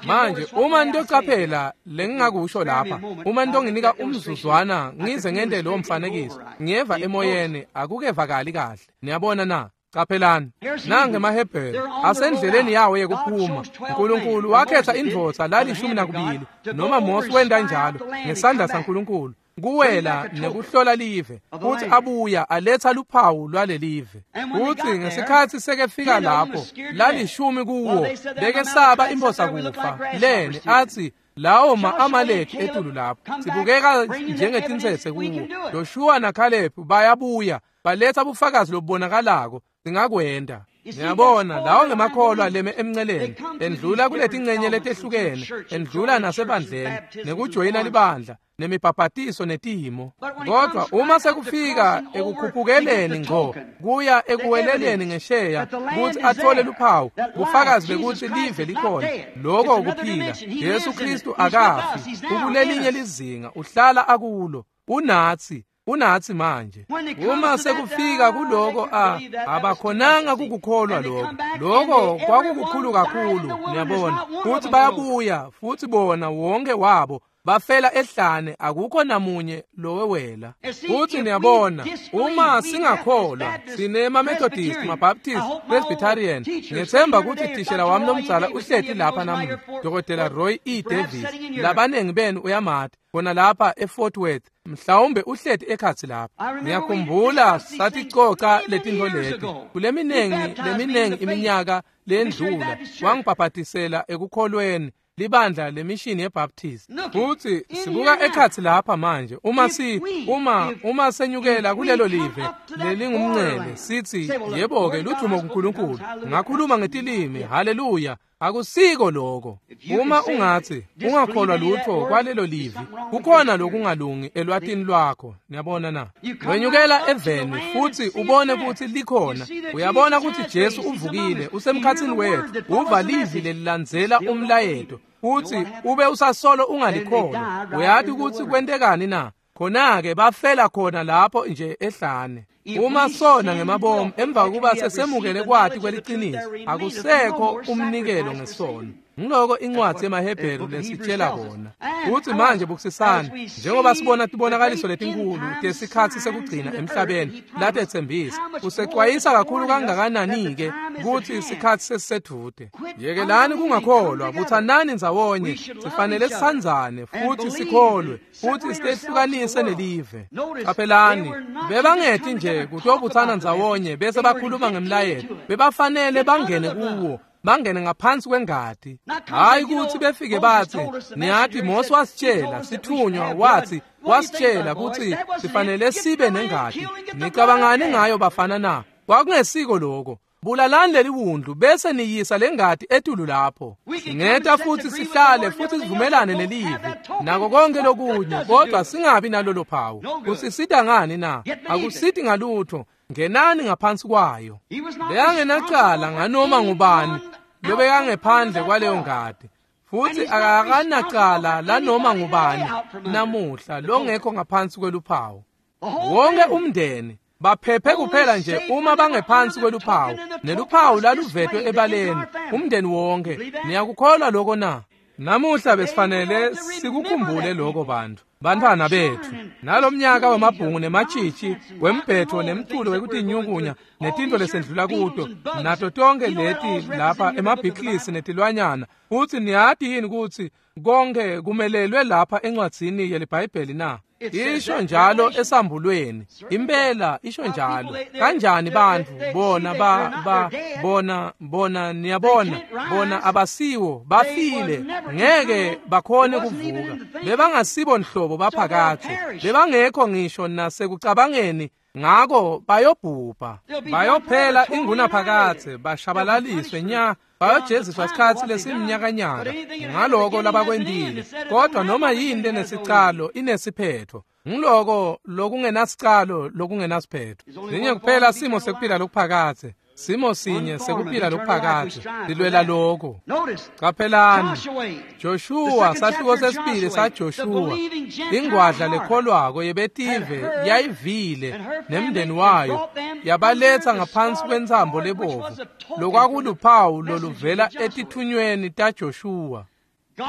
Speaker 2: Manje uma nitocaphela lengingakusho lapha, uma nitonginika umzuzwana ngize ngente lowo mfanekiso, ngiyeva emoyeni akukevakali kahle. Niyabona na? Caphelani, nange emaHebheru asendleleni yawo yekuphuma. uNkulunkulu wakhetha indvodza lalishumi nakubili, noma Mose wenta njalo ngesandla saNkulunkulu, kuwela nekuhlola live, futhi abuya aletha luphawu lwalelive. Futhi ngesikhathi sekefika lapho lalishumi kuwo bekesaba imphosa kufa leni athi lawo ma-Amaleki etulu lapho sibukeka njengetintsetse kuwo. Joshua naKhalebu bayabuya baletha bufakazi lobubonakalako singakwenta. Niyabona, lawo ngemakholwa leme emnceleni endlula kuletincenye letehlukene, endlula nasebandleni nekujoyina libandla nemibhabhatiso netimo. Kodwa uma sekufika ekukhuphukeleni ngco kuya ekuweleleni ngesheya kutsi athole luphawu bufakazi bekuthi live likhona, lokho ukuphila. Jesu Kristu akafi, ukulelinye lizinga, uhlala akulo, unathi unathi manje. Uma sekufika kuloko a abakhonanga kukukholwa lokho, lokho kwakukukhulu kakhulu. Niyabona, futhi bayabuya futhi bona wonke wabo bafela ehlane, akukho namunye lowewela. Futhi niyabona, uma singakholwa sinema Methodist, maBaptist, Presbyterian. Ngethemba ukuthi tishela wami lomdzala uhleti lapha namuhla, Dokotela Roy E. Davis. Labanengi benu uyamati khona lapha eFort Worth, mhlawumbe uhleti ekhatsi lapha. Ngiyakhumbula saticoca letintfo leti kuleminengi leminengi iminyaka lendlula. Wangibhabhatisela ekukholweni libandla lemishini yeBaptist. Futhi sibuka ekhatsi lapha manje, uma si uma uma senyukela kulelo live lelingumncele, sithi yebo-ke ludvumo kuNkulunkulu, ngakhuluma ngetilimi, haleluya. Akusiko lokho. Uma ungathi ungakholwa lutho kwalelo livi, kukhona lokungalungi elwatini lwakho. Niyabona na? Wenyukela eveni futhi ubone ukuthi likhona. Uyabona ukuthi Jesu uvukile, usemkhathini wethu, uva livi lelilandzela umlayeto, futhi ube usasolo ungalikholwa. Uyati ukuthi kwentekani na? Khona-ke bafela khona lapho nje ehlane. Uma sona ngemabomu emva kokuba sesemukele kwati kweliciniso, akusekho umnikelo ngesono. Ngiloko incwadi yemaHebheru lesitshela kona. Futhi manje bukusisani, njengoba sibona tibonakaliso letinkulu tesikhatsi sekugcina emhlabeni latetsembisa, usecwayisa kakhulu kangakanani-ke kutsi isikhatsi sesisedvute. Yekelani kungakholwa, butsanani ndzawonye, sifanele sisandzane futhi sikholwe futhi sitehlukanise nelive. Caphelani, bebangeti nje kutobutsana ndzawonye bese bakhuluma ngemlayeto, bebafanele bangene kuwo, bangene ngaphansi kwengati. Hayi ukuthi befike bathi, niyati Mose wasitshela, sithunywa wathi wasitshela ukuthi sifanele sibe nengati. Nicabangani ngayo bafana na? Kwakungesiko lokho. Bulalani leli wundlu bese niyisa lengati etulu lapho. Singeta futhi sihlale futhi sivumelane nelivi nako konke lokunye, kodwa singabi nalolo phawu. Kusisita ngani na? Akusiti ngalutho. Ngenani ngaphansi kwayo. Beyangenacala nganoma ngubani lobekangephandle kwaleyo ngadi, futhi akakanacala lanoma ngubani namuhla longekho ngaphansi kweluphawu. Wonke umndeni baphephe kuphela nje uma bangephansi kweluphawu, neluphawu laluvetwe ebaleni, umndeni wonke. Niyakukholwa lokho na? Namuhla besifanele sikukhumbule lokho bantu, bantwana bethu. Nalomnyaka wemabhungu nematshitshi, wembhetho nemculo wekutinyukunya netinto lesendlula kuto, nato tonke leti lapha emabhiklisi netilwanyana. Futhi niyati yini ukuthi konke kumelelwe lapha encwadzini yeliBhayibheli na? Isho njalo esambulweni. Impela isho njalo. Kanjani bantu bona ba ba bona bona niyabona bona abasiwo, bafile, ngeke bakhone kuvuka. Bebangasibo nhlobo baphakathe, bebangekho ngisho nasekucabangeni, ngako bayobhubha, bayophela ingunaphakathe, bashabalaliswe nya, bayojeziswa isikhatsi lesiminyakanyaka ngaloko labakwentile. Kodwa noma yini lenesicalo inesiphetho. Ngiloko lokungenasicalo lokungenasiphetho. Sinye kuphela simo sekuphila lokuphakathe, Simo sinye sekuphila lokuphakadze silwela lokho. Qaphelani Joshua, sahluko sesibili saJoshua, ingwadla lekholwako yebetive yayivile nemndeni wayo yabaletsa ngaphansi kwentsambo lebovu, lokwakuluphawu loluvela etithunyweni taJoshua.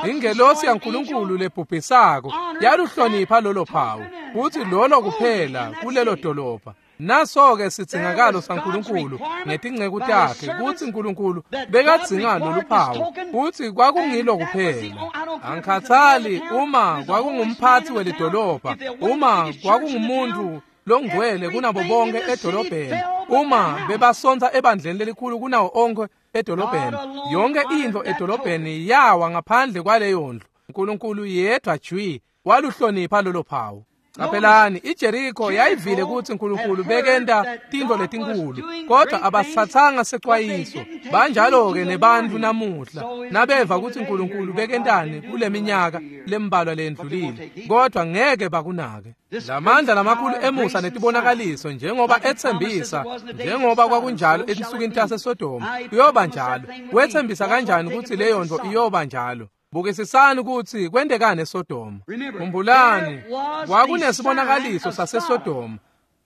Speaker 2: Ingelosi yaNkulunkulu lebhubhisako yaluhlonipha lolo phawu, kutsi lolo kuphela kulelo dolobha. Naso-ke sidzingakalo saNkulunkulu ngetinceku takhe, kutsi Nkulunkulu bekadzinga lolu phawu, kutsi kwakungilo kuphela. Angikhatsali uma kwakungumphatsi welidolobha, uma kwakungumuntu longcwele kunabo bonke edolobheni, uma bebasontsa ebandleni lelikhulu kunawo onkhe edolobheni, yonke intfo edolobheni yawa ngaphandle kwaleyo ndlu. Nkulunkulu yedwa jwi waluhlonipha lolo phawu. Qaphelani, iJeriko yayivile kutsi Nkulunkulu bekenta tintfo letinkulu, kodwa abasitsatsanga secwayiso. Banjalo-ke nebantfu namuhla, nabeva kutsi Nkulunkulu bekentani kuleminyaka lembalwa leyendlulile, kodwa ngeke bakunake. Lamandla lamakhulu emusa netibonakaliso, njengoba etsembisa, njengoba kwakunjalo etinsukwini taseSodoma, kuyoba njalo. Wetsembisa kanjani kutsi leyo ntfo iyoba njalo? Bukisisani kutsi kwentekani eSodoma. Khumbulani, kwakunesibonakaliso saseSodoma,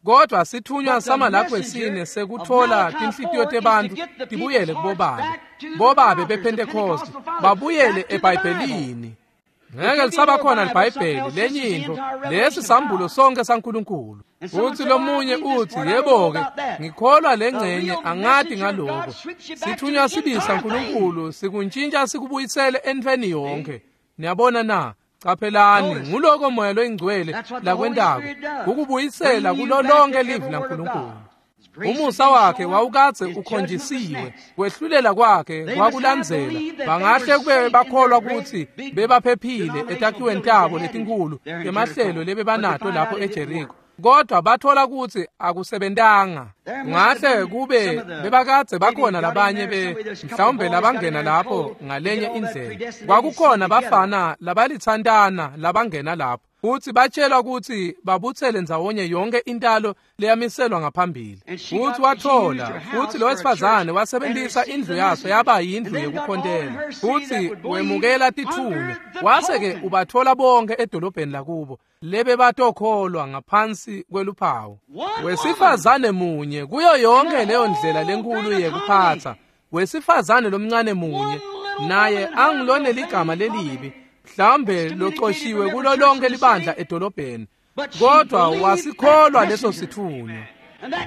Speaker 2: kodwa sithunywa saMalaki wesine sekutfola tinhlitiyo tebantfu tibuyele kubobabe, bobabe bePhentekoste babuyele eBhayibhelini. Ngeke lisaba khona liBhayibheli lenye intfo, lesi sambulo sonke saNkulunkulu. Utsi lomunye utsi, yebo-ke, ngikholwa lengcenye, angati ngaloko. Sithunywa sibili saNkulunkulu sikuntshintsha sikubuyisele entfweni yonke. Niyabona na? Qaphelani, nguloko Moya loyiNgcwele lakwentako, kukubuyisela kulo lonke livi laNkulunkulu. Umusa wakhe wawukadze ukhonjisiwe, kwehlulela kwakhe kwakulandzela. Bangahle kube bakholwa kutsi bebaphephile etakhiweni tabo letinkhulu temahlelo lebebanato lapho eJeriko, kodwa bathola kutsi akusebentanga. Kungahle kube bebakadze bakhona labanye be mhlawumbe labangena lapho ngalenye indlela. Kwakukhona bafana labalitsantana labangena lapho, futsi batshelwa kutsi babutsele ndzawonye yonke intalo leyamiselwa ngaphambili. Futsi wathola, futsi lo wesifazane wasebentisa indlu yaso yaba yindlu yekukhontela, futsi wemukela tithunywa, wase-ke ubatfola bonke edolobheni lakubo lebebatokholwa ngaphansi kweluphawu. Wesifazane munye kuyo yonke leyo ndlela lenkulu yekuphatsa, wesifazane lomncane munye, naye angilone ligama lelibi, mhlawumbe locoshiwe kulo lonke libandla edolobheni, kodwa wasikholwa leso sithunywa.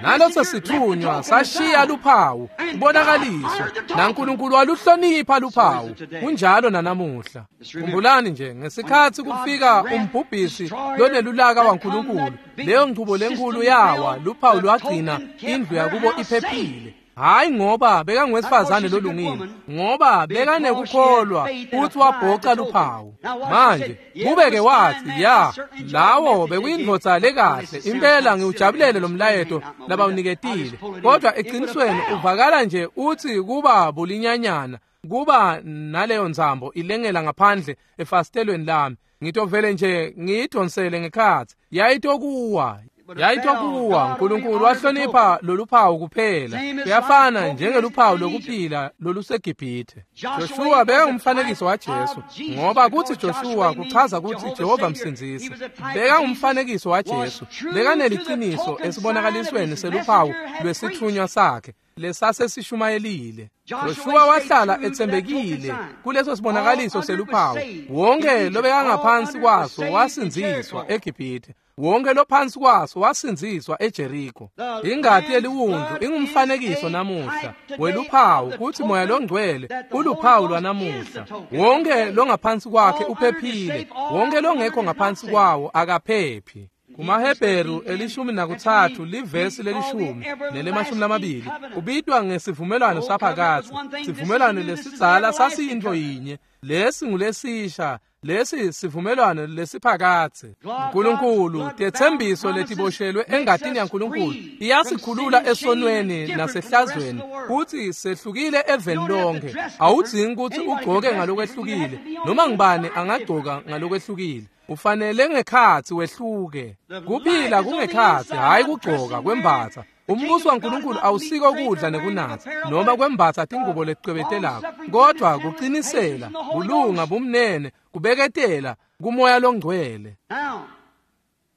Speaker 2: Naleso sithunywa sashiya luphawu, kubonakaliswa, naNkulunkulu waluhlonipha luphawu. Kunjalo nanamuhla. Khumbulani nje, ngesikhatsi kufika umbhubhisi lonelulaka waNkulunkulu, leyo nchubo lenkulu yawa, luphawu lwagcina indlu yakubo iphephile. Hayi ngoba bekanguwesifazane lolungile, ngoba bekanekukholwa futsi wabhoca luphawu. Manje kube-ke watsi, ya, lawo bekuyindvodza lekahle, impela ngiwujabulele lo mlayeto labawuniketile, kodwa eqinisweni uvakala nje utsi kuba bulinyanyana, kuba naleyo ntsambo ilengela ngaphandle efasitelweni lami, ngitovele nje ngiyidonsele ngekhatsi, yayitokuwa. Yayitokuwa. Nkulunkulu wahlonipha loluphawu kuphela. Kuyafana njengeluphawu lokuphila loluseGibhithe. Joshua bekangumfanekiso waJesu, ngoba kutsi Joshua kuchaza kutsi Jehova msindzisi. Bekangumfanekiso waJesu, bekaneliciniso esibonakalisweni seluphawu lwesithunywa sakhe lesasesishumayelile. Joshua wahlala etsembekile kuleso sibonakaliso seluphawu. Wonke lobekangaphansi kwaso wasindziswa eGibhithe, wonke lophansi kwaso wasindziswa eJeriko. Ingati yeliwundlu ingumfanekiso namuhla weluphawu kutsi Moya loNgcwele uluphawu lwanamuhla. Wonke longaphansi kwakhe uphephile, wonke longekho ngaphansi kwawo akaphephi. KumaHebheru elishumi nakutsatfu livesi lelishumi nelemashumi lamabili ubitwa ngesivumelwano saphakadze. Sivumelwano lesidzala sasiyintfo yinye, lesi ngulesisha, lesi sivumelwano lesiphakadze. Nkulunkulu, tetsembiso letiboshelwe engatini yaNkulunkulu iyasikhulula esonweni nasehlazweni, kutsi sehlukile eveni lonke. Awudzingi kutsi ugcoke ngalokwehlukile, noma ngubani angagcoka ngalokwehlukile. Ufanele ngekhatsi wehluke. Kuphila kungekhatsi, hhayi kugcoka kwembatsa. Umbuso waNkulunkulu awusiko kudla nekunatsa noma kwembatsa tingubo leticwebetelako, kodwa kuqinisela, kulunga, bumnene, kubeketela kumoya longcwele.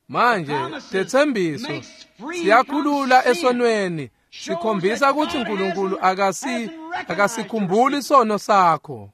Speaker 2: Manje tetsembiso siyakhulula esonweni, sikhombisa kutsi uNkulunkulu akasi akasikhumbuli sono sakho.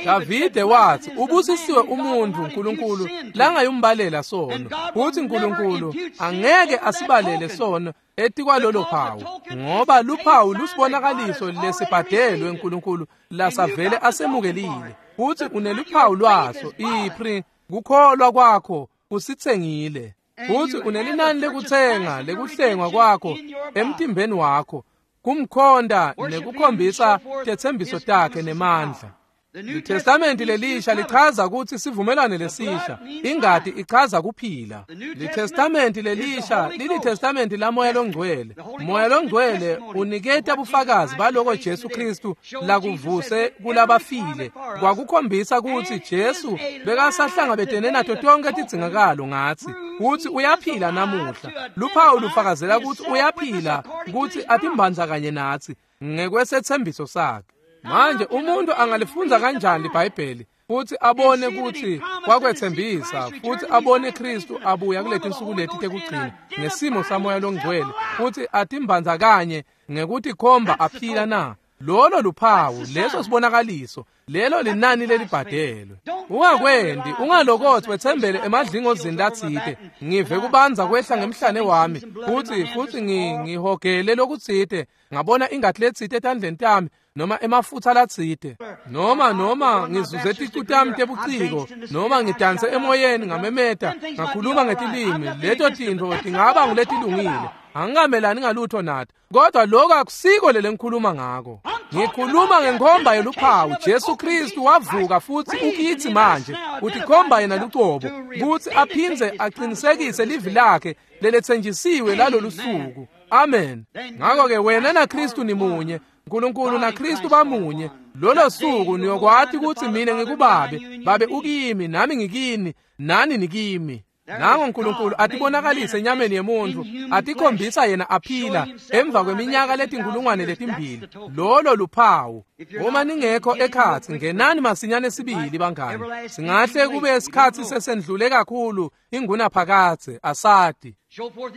Speaker 2: Davide wathi ubusisiwe umuntu uNkulunkulu langayumbalela sono, futhi uNkulunkulu angeke asibalele sono etikwalolo phawu, ngoba luphawu lusibonakaliso lesibhadelwe uNkulunkulu lasavele asemukelile, futhi uneluphawu lwaso ipri kukholwa kwakho kusitsengile, futhi unelinani lekutsenga lekuhlengwa kwakho emtimbeni wakho kumkhonda nekukhombisa tetsembiso takhe nemandla. Litestamenti lelisha lichaza kutsi sivumelwano lesisha, ingati ichaza kuphila. Litestamenti lelisha lilitestamenti lamoya longcwele. Moya longcwele uniketa bufakazi baloko Jesu Kristu lakuvuse kulabafile, kwakukhombisa kutsi Jesu bekasahlangabetene nato tonke tidzingakalo ngatsi, kutsi uyaphila namuhla. Luphawu lufakazela kutsi uyaphila, kutsi atimbandza kanye natsi ngekwesethembiso sakhe. Manje umuntu angalifundza kanjani iBhayibheli futhi abone kutsi kwakwethembisa, futhi abone Kristu abuya kuleti nsuku leti tekugcina ngesimo samoya longcwele, futhi atimbandza kanye ngekutikhomba aphila na? Lolo luphawu, leso sibonakaliso, lelo linani lelibhadelwe. Ungakwendi, ungalokothi wethembele emadlingozini latsite, ngive kubanza kwehla ngemhlane wami, futhi futhi ngihogele lokutsite, ngabona ingati letsite etandleni tami, noma emafutha latsite, noma noma ngizuze ticu tami tebuciko, noma ngidanse emoyeni ngamemeta, ngakhuluma ngetilimi. Leto tintfo tingaba nguletilungile, angingamelani ngalutho nato, kodwa lokho akusiko lele ngikhuluma ngako. Ngikhuluma ngenkhomba yeluphawu. Jesu Kristu wavuka futhi ukithi manje, utikhomba yena lucobo kutsi aphindze aqinisekise livi lakhe leletsenjisiwe lalolu suku. Amen. Ngakho-ke wena naKristu nimunye, uNkulunkulu naKristu bamunye. Lolo suku niyokwati kutsi mina ngikubabe, babe ukimi, nami ngikini, nani nikimi. Nango uNkulunkulu atibonakalise enyameni yemuntu, atikhombisa yena aphila emva kweminyaka letinkulungwane letimbili. Lolo luphawu. Uma ningekho ekhatsi, ngenani masinyane sibili bangani. Singahle kube isikhatsi sesendlule kakhulu ingunaphakadze, asati.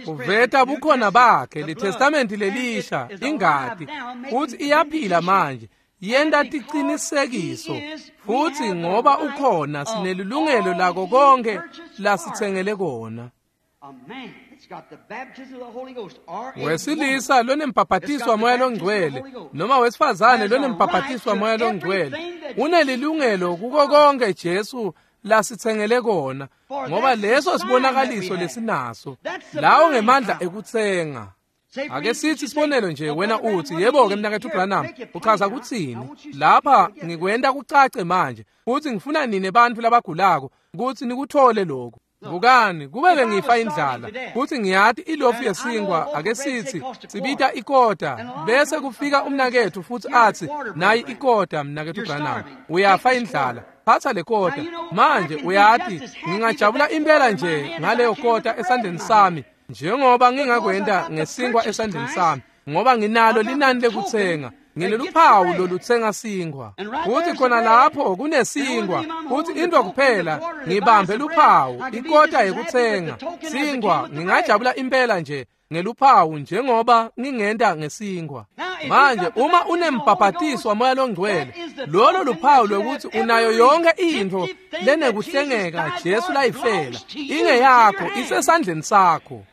Speaker 2: Uveta bukhona bakhe, litestamenti lelisha, ingati, futhi iyaphila manje, yenta tiqinisekiso, futhi ngoba ukhona sinelilungelo lako konke lasitsengele kona. Wesilisa lonembhabhatiso wamoya longcwele noma wesifazane lonembhabhatiso wamoya longcwele unelilungelo kuko konke Jesu lasitsengele kona, ngoba leso sibonakaliso lesinaso lawo ngemandla ekutsenga. Ake sithi sibonelo nje, wena uthi yebo ke mnaketfu Branham, uchaza kutsini? Lapha ngikwenta kucace manje, futhi ngifuna nine bantfu labagulako kutsi nikuthole lokhu. Bukani, kube bengifa indlala, futhi ngiyati ilofu yesinkwa, ake sithi sibita ikota, bese kufika umnaketfu futhi athi nayi ikota mnaketfu Branham, uyafa indlala, phatha le kota. Manje uyati ngingajabula impela nje ngaleyo kota esandleni sami, njengoba ngingakwenta ngesinkwa esandleni sami, ngoba nginalo linani lekutsenga, ngineluphawu lolutsenga sinkwa. Futhi khona lapho kunesinkwa, futhi into kuphela ngibambe luphawu, ikota yekutsenga sinkwa. Ngingajabula impela nje ngeluphawu njengoba ngingenta ngesinkwa. Manje uma unembhabhatiso wamoya longcwele, lolo luphawu lwekuthi unayo yonke intfo lenekuhlengeka Jesu layifela, ingeyakho, isesandleni sakho.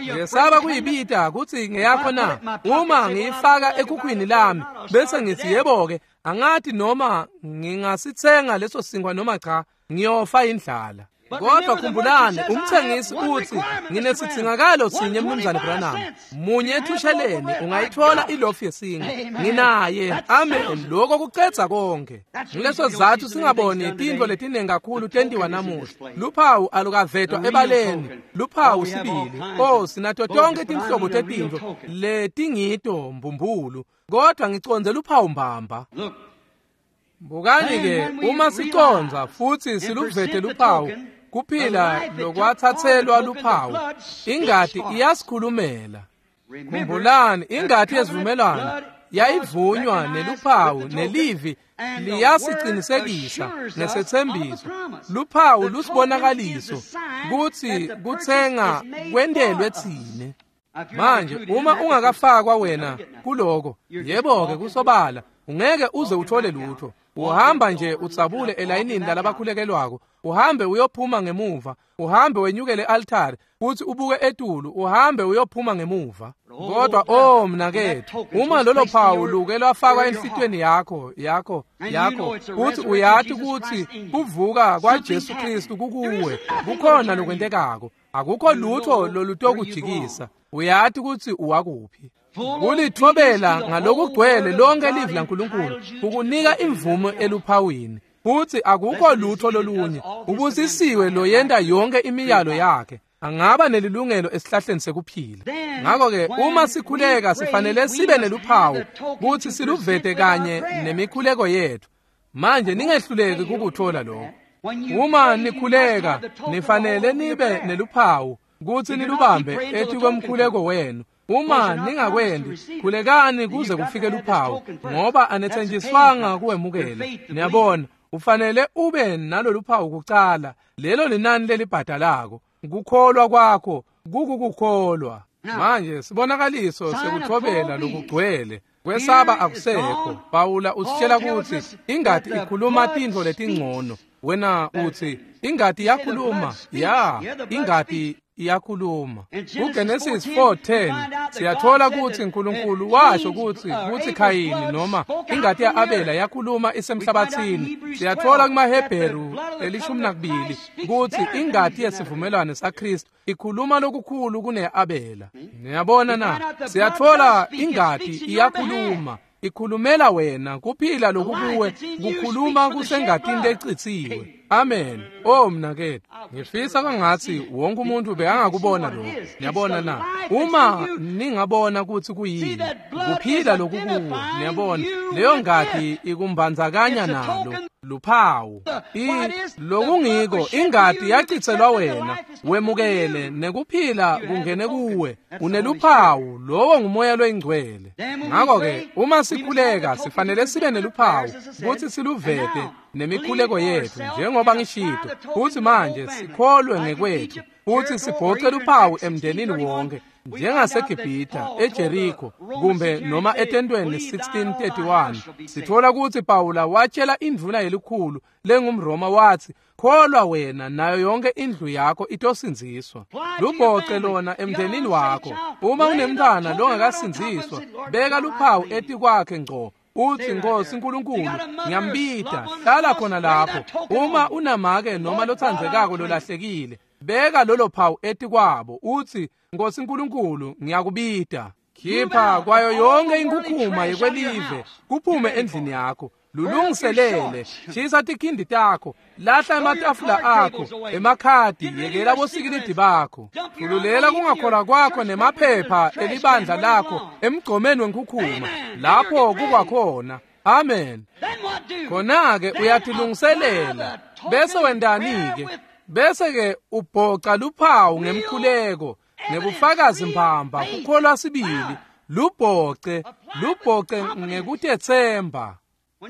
Speaker 2: Ngesaba kuyibita kutsi ngeyakho na? Uma ngiyifaka ekhukhwini lami bese ngithi yebo-ke, angathi noma ngingasitsenga leso sinkwa noma cha, ngiyofa indlala. Kodwa khumbulani, umthengisi uthi nginesidingakalo sinye mnumzane Branham, munye ethusheleni ungayithola ilofu yesinkwa. Nginaye. Amen. Lokho kucedza konke. Ngileso sizathu singaboni tintfo letiningi kakhulu tentiwa namuhla. Luphawu alukavetwa ebaleni, luphawu sibili. Oh, sinato tonke tinhlobo tetintfo letingito mbumbulu, kodwa ngicondze luphawu mbamba. Bukani-ke, uma sicondza futhi siluvete luphawu, kuphila lokwathathelwa luphawu, ingati iyasikhulumela. Khumbulani, ingati yesivumelwano yayivunywa neluphawu nelivi liyasicinisekisa nesetsembiso. Luphawu lusibonakaliso kutsi kutsenga kwentelwe tsine. Manje uma ungakafakwa wena kuloko, yebo-ke kusobala ungeke uze uthole lutho. Uhamba nje utsabule elayinini lalabakhulekelwako, uhambe uyophuma ngemuva, uhambe wenyukele altari futhi ubuke etulu, uhambe uyophuma ngemuva. Kodwa oh mnakethu, uma lolo phawu luke lwafakwa enhlitiyweni yakho yakho yakho futhi uyati ukuthi kuvuka kwaJesu Kristu kukuwe, kukhona lokwentekako. Akukho lutho lolutokujikisa. Uyati ukuthi uwakuphi. Kulithobela ngalokugcwele lonke livi laNkulunkulu ukunika imvumo eluphawini, futhi akukho lutho lolunye. Ubusisiwe loyenta yonke imiyalo yakhe, angaba nelilungelo esihlahleni sekuphila. Ngakho-ke uma sikhuleka sifanele sibe neluphawu kuthi siluvete kanye nemikhuleko yethu. Manje ningehluleki kukuthola lokho. Uma nikhuleka nifanele nibe neluphawu kuthi nilubambe etikwemkhuleko wenu. Uma ningakwendi, khulekani kuze kufike luphawu, ngoba anethenjiswanga kuwemukela. Niyabona, ufanele ube nalolu phawu kucala. Lelo linani lelibhadalako. Kukholwa kwakho kukukukholwa. Manje sibonakaliso sekuthobela lokugcwele. Kwesaba akusekho. Pawula usitshela ukuthi ingati ikhuluma tintfo letingcono. Wena uthi ingati iyakhuluma. Ya, ingati iyakhuluma. KuGenesis four ten siyathola ukuthi uNkulunkulu washo ukuthi kuthi Khayini noma ingati yaAbela yakhuluma isemhlabathini. Siyathola kumaHebheru elishumi nakubili ukuthi ingati yesivumelwano saKristu ikhuluma lokukhulu kuneAbela. Niyabona na? Siyathola ingati iyakhuluma, ikhulumela wena kuphila lokukuwe kukhuluma kusengatini lecitsiwe. Amen. Oh mnakethu, ngifisa kwangathi wonke umuntu bekangakubona lokho. Niyabona na? Uma ningabona ukuthi kuyini kuphila lokukuwe, niyabona leyo ngati ikumbandzakanya nalo luphawu. Lokungiko ingati yachitselwa wena, wemukele nekuphila kungene kuwe, uneluphawu, lowo ngumoya loyingcwele. Ngakho-ke uma sikhuleka sifanele sibe neluphawu kuthi siluvete nemikhuleko yethu, njengoba ngishito. Futhi manje sikholwe ngekwethu futhi sibhoce luphawu emndenini wonke, njengaseGibhitha, eJeriko, kumbe noma etentweni sixteen thirty-one. Sithola ukuthi Pawula watshela indvuna yelikhulu lengumRoma wathi, kholwa wena nayo yonke indlu yakho itosindziswa. Lubhoce lona emndenini wakho. Uma unemntwana longakasindziswa, beka luphawu etikwakhe ngco. Uthi, Nkosi uNkulunkulu, ngiyambita, hlala khona lapho. Uma unamake noma lothandzekako lolahlekile, beka lolo phawu etikwabo. Uthi, Nkosi uNkulunkulu, ngiyakubita. Khipha kwayo yonke inkukhuma yekwelive kuphume endlini yakho. Lulungiselele, shisa tikhindi takho, lahla ematafula akho, emakhadi, yekela bosikilidi bakho. Khululela kungakholwa kwakho nemaphepha elibandla lakho emgqomeni wenkukhuma, lapho kukwakhona. Amen. Khona-ke uyatilungiselela. Bese wendani-ke? Bese-ke ubhoca luphawu ngemkhuleko, ngebufakazi mbamba, kukholwa sibili. Lubhoce, lubhoce ngekutethemba.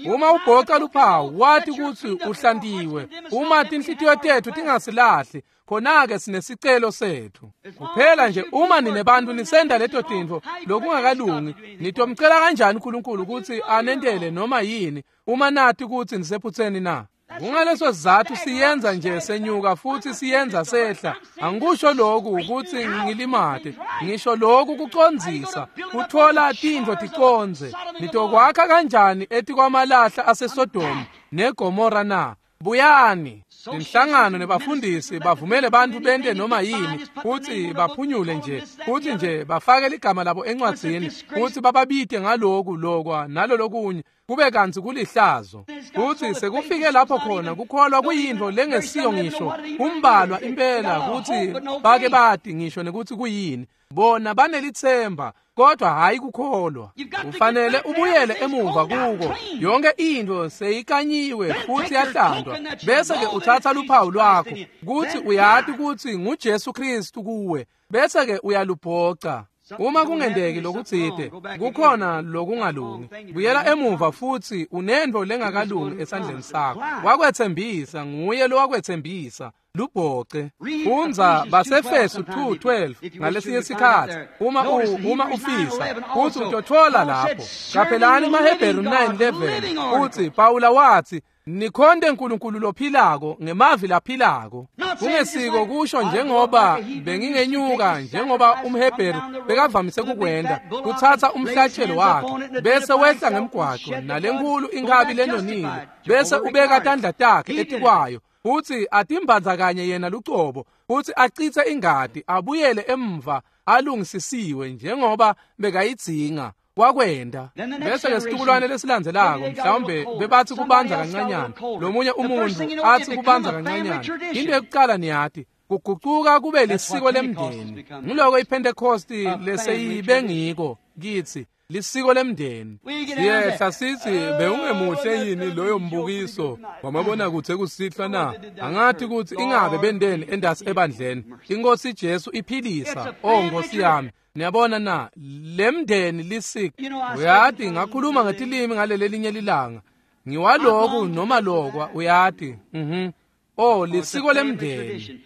Speaker 2: Uma ubhoca luphawu, wathi ukuthi uhlantiwe. Uma tinhlitiyo tethu tingasilahli, khona-ke sinesicelo sethu. Kuphela nje uma ninebantu nisenda leto tintfo lokungakalungi, nitomcela kanjani uNkulunkulu ukuthi anentele noma yini uma nathi ukuthi nisephutheni na? Kungaleso sizathu siyenza nje senyuka futhi siyenza sehla. Angikusho lokhu ukuthi ngilimate, ngisho lokhu kucondzisa, kuthola tintfo ticonze. Nitokwakha kanjani etikwamalahla aseSodoma neGomora na? Buyani. Inhlangano nebafundisi bavumele bantu bente noma yini futhi baphunyule nje, futhi nje bafake ligama labo encwadzini futhi bababite ngaloku lokwa nalolokunye, kube kantsi kulihlazo. Futhi sekufike lapho khona kukholwa kuyintfo lengesiyo ngisho umbalwa impela kuthi bake bati ngisho nekuthi kuyini. Bona banelithemba kodwa hayi kukholwa. Ufanele ubuyele emuva kuko. Yonke into seyikanyiwe futhi yahlandwa. Bese ke uthatha luphawu lwakho kuthi uyati ukuthi nguJesu Kristu kuwe, bese ke uyalubhoca. Uma kungenteki lokutsite, kukhona lokungalungi. Buyela emuva futsi unentfo lengakalungi esandleni sakho. Wakwetsembisa, nguye lowakwetsembisa. Lubhoce. Fundza baseFesu two twelve ngalesinye sikhatsi uma u, uma ufisa futsi utotfola lapho. Qaphelani maHebheru nine eleven futsi Pawula watsi nikhonte uNkulunkulu lophilako ngemavi laphilako. Kungesiko kusho njengoba bengingenyuka njengoba umHebheru bekavamise kukwenta kutsatsa umhlatshelo wakhe bese wehla ngemgwaco nalenkulu inkabi lenonile bese ubeka tandla takhe etikwayo futsi atimbandzakanye yena lucobo futsi acitse ingati abuyele emva alungisisiwe njengoba bekayidzinga wakwenda. Bese ke situkulwane lesilandzelako mhlawumbe bebathi kubanza kancanyana lomunye umuntu athi kubanza kancanyana. Into yokuqala niyati kugucuka kube lisiko lemndeni. Ngiloko iPentecost leseyibe ngiko kithi lisiko lemndeni.
Speaker 3: Siyehla sithi bewungemuhle yini loyo mbukiso wamabona kuthe kusihlwa na?
Speaker 2: Angathi ukuthi ingabe bendeni endasi ebandleni. Inkosi Jesu iphilisa. Oh Nkosi yami. Niyabona na lemndeni lisiko. Uyati ngakhuluma ngetilimi ngalelelinye lilanga. Ngiwaloku noma lokwa uyati. Mhm. Oh lisiko lemndeni.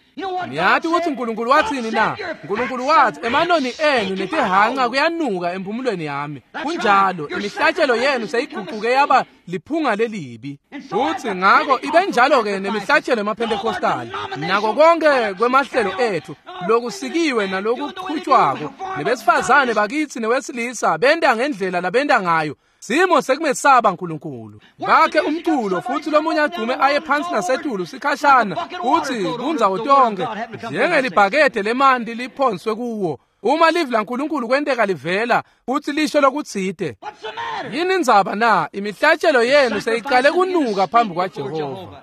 Speaker 2: Niyati ukuthi uNkulunkulu wathini na? uNkulunkulu wathi emanoni enu netihanqa kuyanuka emphumulweni yami. Kunjalo imihlatshelo yenu seyiguquke yaba liphunga lelibi. Futhi ngakho ibenjalo ke nemihlatshelo emaPentecostal nako konke kwemahlelo ethu lokusikiwe nalokuqhutshwako nebesifazane bakithi newesilisa benda ngendlela labenda ngayo. Simo sekumesaba uNkulunkulu. Bakhe umculo futhi lomunye adume aye phansi nasetulu sikhashana futhi kundzawo tonke njengelibhakede lemanti liphonswe kuwo. Uma livi laNkulunkulu kwenteka livela futhi lisho lokutsite. Yini indzaba na? Imihlatshelo yenu seyiqale kunuka phambi kwaJehova.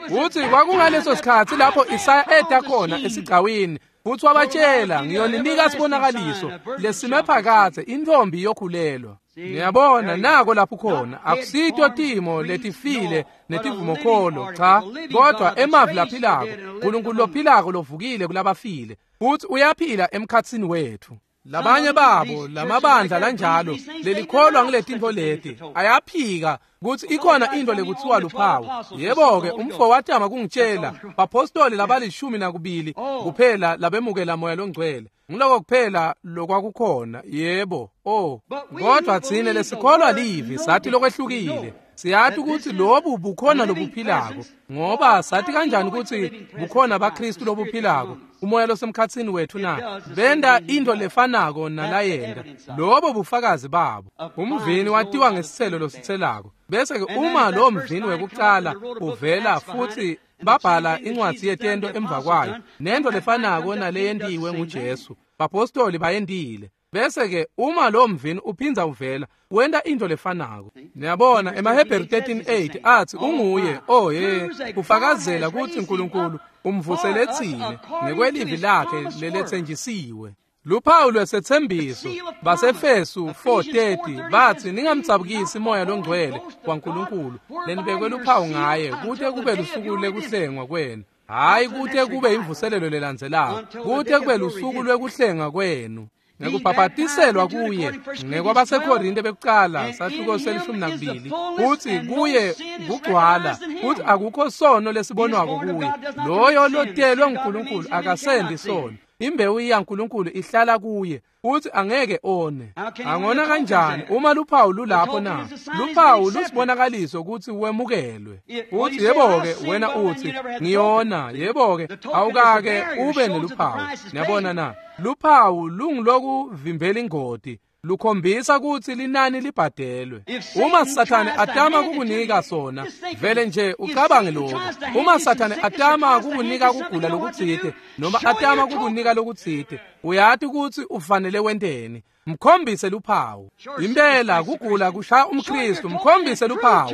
Speaker 2: Futhi kwakungaleso sikhatsi lapho Isaya eta khona esigcawini futhi wabatshela ngiyoninika sibonakaliso lesime phakathe intombi yokhulelwa. Niyabona nako lapho khona akusito timo letifile netivumokholo cha kodwa emavi laphilako uNkulunkulu lophilako lovukile kulabafile futhi uyaphila emkhatsini wethu. Labanye babo lamabandla lanjalo lelikholwa ngiletintfo leti ayaphika kutsi ikhona into lekuthiwa luphawu. Yebo ke umfo watama kungitshela bapostoli labalishumi nakubili kuphela labemukela moya longcwele. Ngiloko kuphela lokwakukhona. Yebo. Oh kodwa tsine lesikholwa livi sathi lokwehlukile. Siyathi ukuthi lobu bukhona lobuphilako ngoba sathi kanjani ukuthi bukhona baKristu lobuphilako umoya losemkhatsini wethu na benda into lefanako nalayenda. Lobo bufakazi babo. Umvini watiwa ngesithelo losithelako. Bese ke uma lo mvini wekuqala uvela futhi babhala incwadi yetento emva kwayo nento lefanako naleyentiwe nguJesu bapostoli bayendile. Bese ke uma lo mvini uphinza uvela wenta into lefanako. Niyabona emaHebheru thirteen eight athi unguye oh ye ufakazela ukuthi uNkulunkulu umvusele tsine ngekwelivi lakhe leletsenjisiwe. Luphawu lwesethembiso baseFesu four thirty bathi ningamdzabukisi moya longcwele waNkulunkulu lenibekwe luphawu ngaye kute kube lusuku lekuhlengwa kwenu. Hayi kute kube imvuselelo lelandzelako, kute kube lusuku lwekuhlenga kwenu. Ngekubhabhatiselwa kuye ngekwabaseKorinte bekuqala sahluko selishumi nakubili futhi kuye kugcwala futhi akukho sono lesibonwako kuye. Loyo lotelwe nguNkulunkulu akasendi sono. Imbewu yaNkulunkulu ihlala kuye futhi angeke one. Angona kanjani uma luphawu lulapho na? Luphawu lusibonakaliso ukuthi wemukelwe. Uthi yebo ke wena uthi ngiyona. Yebo ke awukake ube neluphawu. Niyabona na? Luphawu lungilokuvimbela ingoti. Lukhombisa ukuthi linani libhadelwe. Uma Sathane atama kukunika sona vele nje ucabange lokho. Uma Sathane atama kukunika kugula lokutsite noma atama kukunika lokutsite uyati ukuthi ufanele wenteni. Mkhombise luphawu. Impela kugula kushaya umKristu. Mkhombise luphawu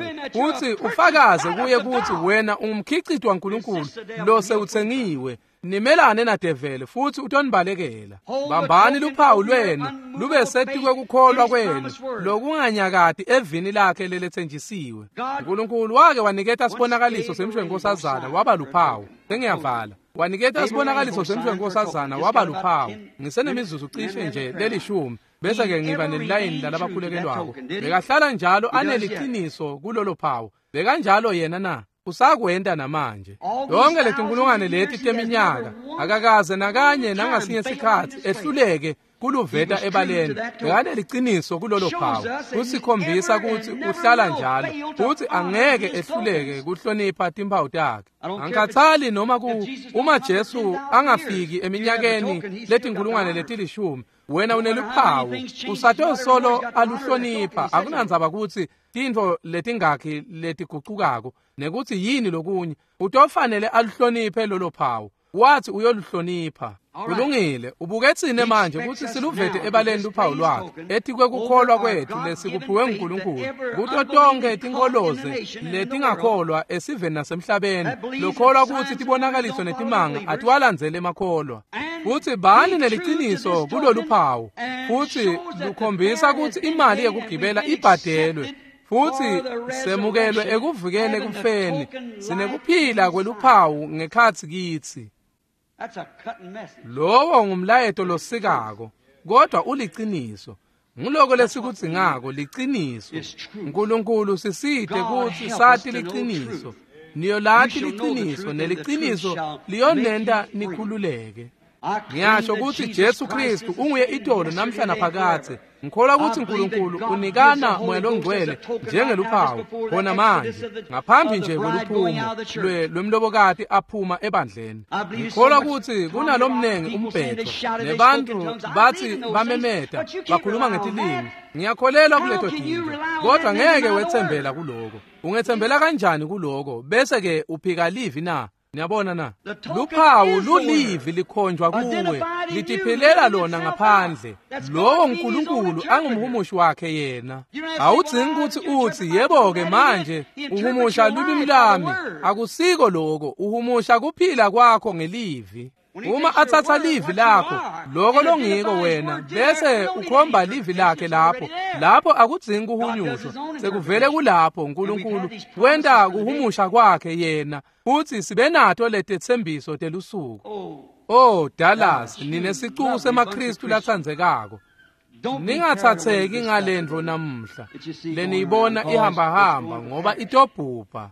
Speaker 2: uthi ufakaze kuye ukuthi wena ungumkhicito waNkulunkulu lo sewuthengiwe. Nimelane nadeveli futhi utonibalekela. Bambani luphawu lwenu lube setikwekukholwa kwenu lokunganyakati evini lakhe leletsenjisiwe. Nkulunkulu wake waniketa sibonakaliso semshwenkosazana waba luphawu. Sengiyavala. Waniketa sibonakaliso semshwenkosazana waba luphawu. Ngisenemizuzu cishe nje lelishumi bese ke ngiba nelilayini lalabakhulekelwako. Bekahlala njalo aneliqiniso kulolo phawu. Bekanjalo yena na? Usakwenta namanje. Yonke letinkulungwane leti teminyaka akakaze nakanye nangasinye sikhatsi ehluleke kuluveta ebaleni. Bekaneliqiniso kulolo phawu. Kusikhombisa kutsi uhlala njalo futsi angeke ehluleke kuhlonipha timphawu takhe. Angikhathali noma ku uma Jesu angafiki eminyakeni letinkulungwane letilishumi, wena uneluphawu usatosolo aluhlonipha. Akunandzaba kutsi tintfo letingakhi letigucukako nekutsi yini lokunye, utofanele aluhloniphe lolo phawu. Wathi uyoluhlonipha. Kulungile, ubuke tsine manje kutsi siluvete ebaleni luphawu lwakhe etikwekukholwa kwethu lesikuphiwe nguNkulunkulu kuto tonkhe tinkholoze letingakholwa esiveni nasemhlabeni lokholwa kutsi tibonakaliso netimanga atiwalandzele emakholwa. Futsi bani neliciniso kulolu phawu, futsi lukhombisa kutsi imali yekugibela ibhadelwe futsi semukelwe ekuvikeni ekufeni. Sinekuphila kweluphawu ngekhatsi kitsi. Lowo ngumlayeto losikako, kodwa uliciniso. Nguloko lesikudzingako, liciniso. Nkulunkulu sisite kutsi sati liciniso. Niyolati liciniso, neliciniso liyonenta nikhululeke. Ngiyasho kutsi Jesu Kristu unguye itolo namhla naphakadze. Ngikholwa kutsi Nkulunkulu unikana Moya Longcwele njengeluphawu khona manje ngaphambi nje kweluphumo lwemlobokati aphuma ebandleni. Ngikholwa kutsi kunalomnengi umbhedo nebantfu batsi bamemeta bakhuluma ngetilimi. Ngiyakholelwa kuleto tintfo, kodwa ngeke wetsembela kuloko. Ungetsembela kanjani kuloko bese ke uphika livi na? Niyabona na? Luphawu lulivi likhonjwa kuwe, litiphilela lona ngaphandle. Lowo Nkulunkulu angumhumushi wakhe yena. Awudzingi kutsi utsi yebo-ke manje uhumusha lulwimi lami. Akusiko loko, uhumusha kuphila kwakho ngelivi. Uma atsatsa livi lakho, loko longiko wena, bese ukhomba livi lakhe lapho. Lapho akudzingi kuhunyushwa, sekuvele kulapho. Nkulunkulu wenta kuhumusha kwakhe yena, futsi sibe nato letetsembiso telusuku. Oh Dallas, ninesicuku semaKristu latsandzekako. Ningatsatseki ngalentfo namuhla leniyibona ihambahamba ngoba itobhubha.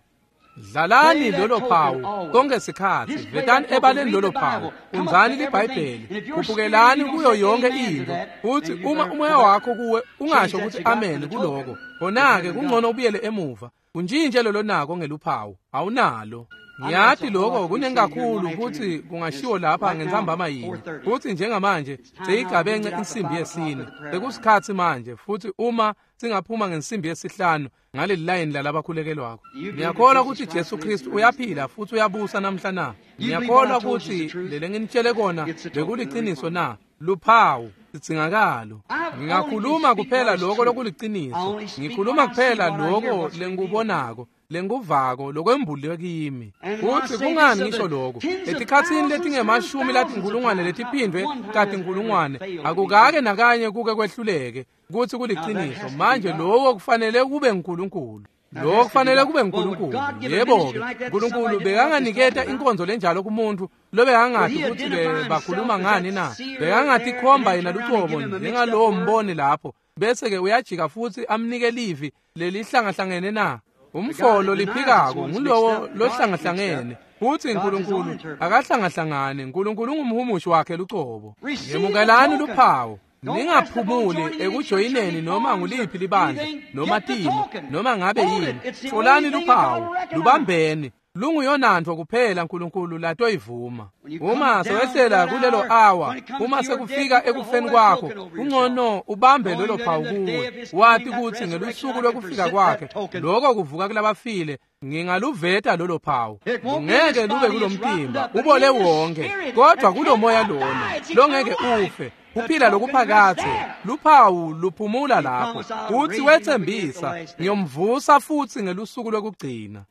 Speaker 2: Dlalani lolo phawu konke sikhatsi, vetani ebaleni lolo phawu, fundzani liBhayibheli, khuphukelani kuyo yonke intfo. Futsi uma umoya wakho kuwe ungasho kutsi amen kuloko, khona-ke kungcono ubuyele emuva untjintje lolo nako ngeluphawu awunalo. Ngiyati lokho kuningi kakhulu kutsi kungashiwo lapha ngentsambama yinye. Futsi njengamanje seyigabence insimbi yesine, sekusikhatsi manje. Futsi uma singaphuma ngensimbi yesihlanu ngaleli layini lalabakhulekelwako, ngiyakholwa kutsi Jesu Kristu uyaphila futsi uyabusa namhla na? Ngiyakholwa kutsi lele nginitshele kona bekuliciniso na? Luphawu sidzingakalo. Ngingakhuluma kuphela lokho lokuliciniso. Ngikhuluma kuphela lokho lengikubonako, lengikuvako, lokwembuliwe kimi. Futsi kungani ngisho lokho? Etikhatsini letingemashumi latinkulungwane letiphindvwe katinkulungwane akukake nakanye kuke kwehluleke kutsi kuliciniso. Manje lowo kufanele kube nguNkulunkulu. Lo kufanele kube nguNkulunkulu. Yebo-ke, Nkulunkulu bekanganiketa inkonzo lenjalo kumuntu lobekangati kutsi bakhuluma ngani na? Bekangatikhomba yena lucobo njengalowo mboni lapho, bese-ke uyajika futsi amnike livi lelihlangahlangene na? Umfolo liphikako ngulowo lohlangahlangene. Futsi Nkulunkulu akahlangahlangane. Nkulunkulu ungumhumushi wakhe lucobo. Yemukelani luphawu. Ningaphumuli ekujoyineni noma nguliphi libandla noma timo noma ngabe yini. Tfolani luphawu, lubambeni. Lunguyonantfo kuphela Nkulunkulu latoyivuma. Uma sewehlela kulelo awa, uma sekufika ekufeni kwakho, kungcono ubambe lolo phawu kuwe, wati kutsi ngelusuku lwekufika kwakhe, loko kuvuka kulabafile, Ngingaluveta lolo phawu. Ngeke lube kulomtimba, ubole wonke, kodwa kulomoya lona longeke ufe. Kuphila lokuphakathe, luphawu luphumula lapho. Uthi wethembisa, ngiyomvusa futhi ngelusuku lokugcina.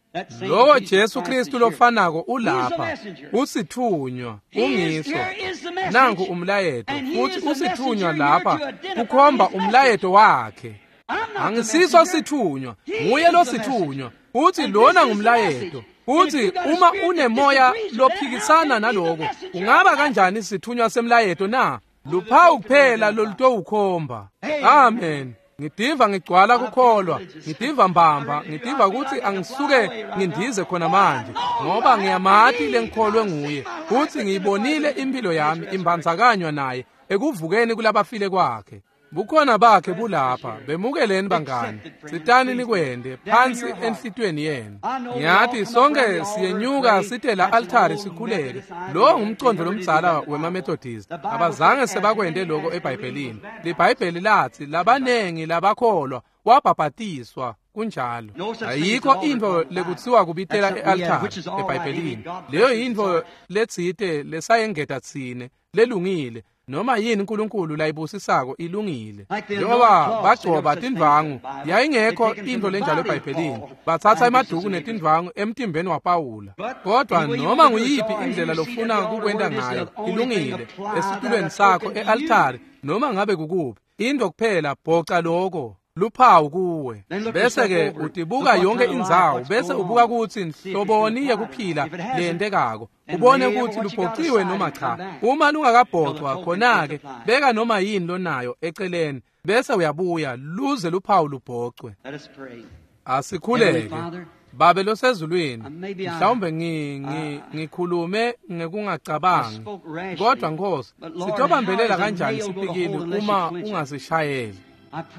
Speaker 2: Lowo Jesu Kristu lofanako ulapha, usithunywa, ungiso. Nangu umlayeto, futhi usithunywa lapha kukhomba umlayeto wakhe. Angisiso sithunywa, nguye lo sithunywa. Uthi lona ngumlayeto. Uthi uma unemoya lophikisana naloko, ungaba kanjani sithunywa semlayeto na? Luphawu kuphela lolutowukhomba. Amen. Ngidiva ngigcwala kukholwa, ngidiva mbamba, ngidiva ukuthi angisuke ngindize khona manje, ngoba ngiyamati lengikholwe nguye, futhi ngiyibonile impilo yami imbandzakanywa naye ekuvukeni kulabafile kwakhe. Bukhona bakhe bulapha, bemukeleni bangani, sitani nikwende phansi enhlitweni yenu. Ngiyathi sonke siyenyuka site la altari sikhuleke. Lo ngumcondo lomdzala wemaMethodist. Abazange sebakwende lokho eBhayibhelini. LiBhayibheli lathi labanengi labakholwa wabhabhatiswa kunjalo. Ayikho into lekuthiwa kubitela e-altari eBhayibhelini. Leyo yinto letsite lesayengeta tsine lelungile. Noma yini uNkulunkulu layibusisako ilungile. Njengoba bagcoba tindvangu, yayingekho into lenjalo eBhayibhelini. Bathatha emaduku netindvangu emtimbeni waPawula. Kodwa noma nguyiphi indlela lofuna kukwenta ngayo ilungile esitulweni sakho e-altari, noma ngabe kukuphi. Into kuphela bhoca lokho luphawu kuwe, bese ke utibuka yonke indzawo, bese ubuka ukuthi nhloboni yekuphila leyentekako, ubone ukuthi lubhociwe noma cha. Uma lungakabhocwa, khona-ke beka noma yini lonayo eceleni, bese uyabuya luze luphawu lubhocwe. Asikhuleke. Babe losezulwini, mhlawumbe ngikhulume ngekungacabangi, kodwa Nkosi, sitobambelela kanjani sipikili uma ungasishayeli?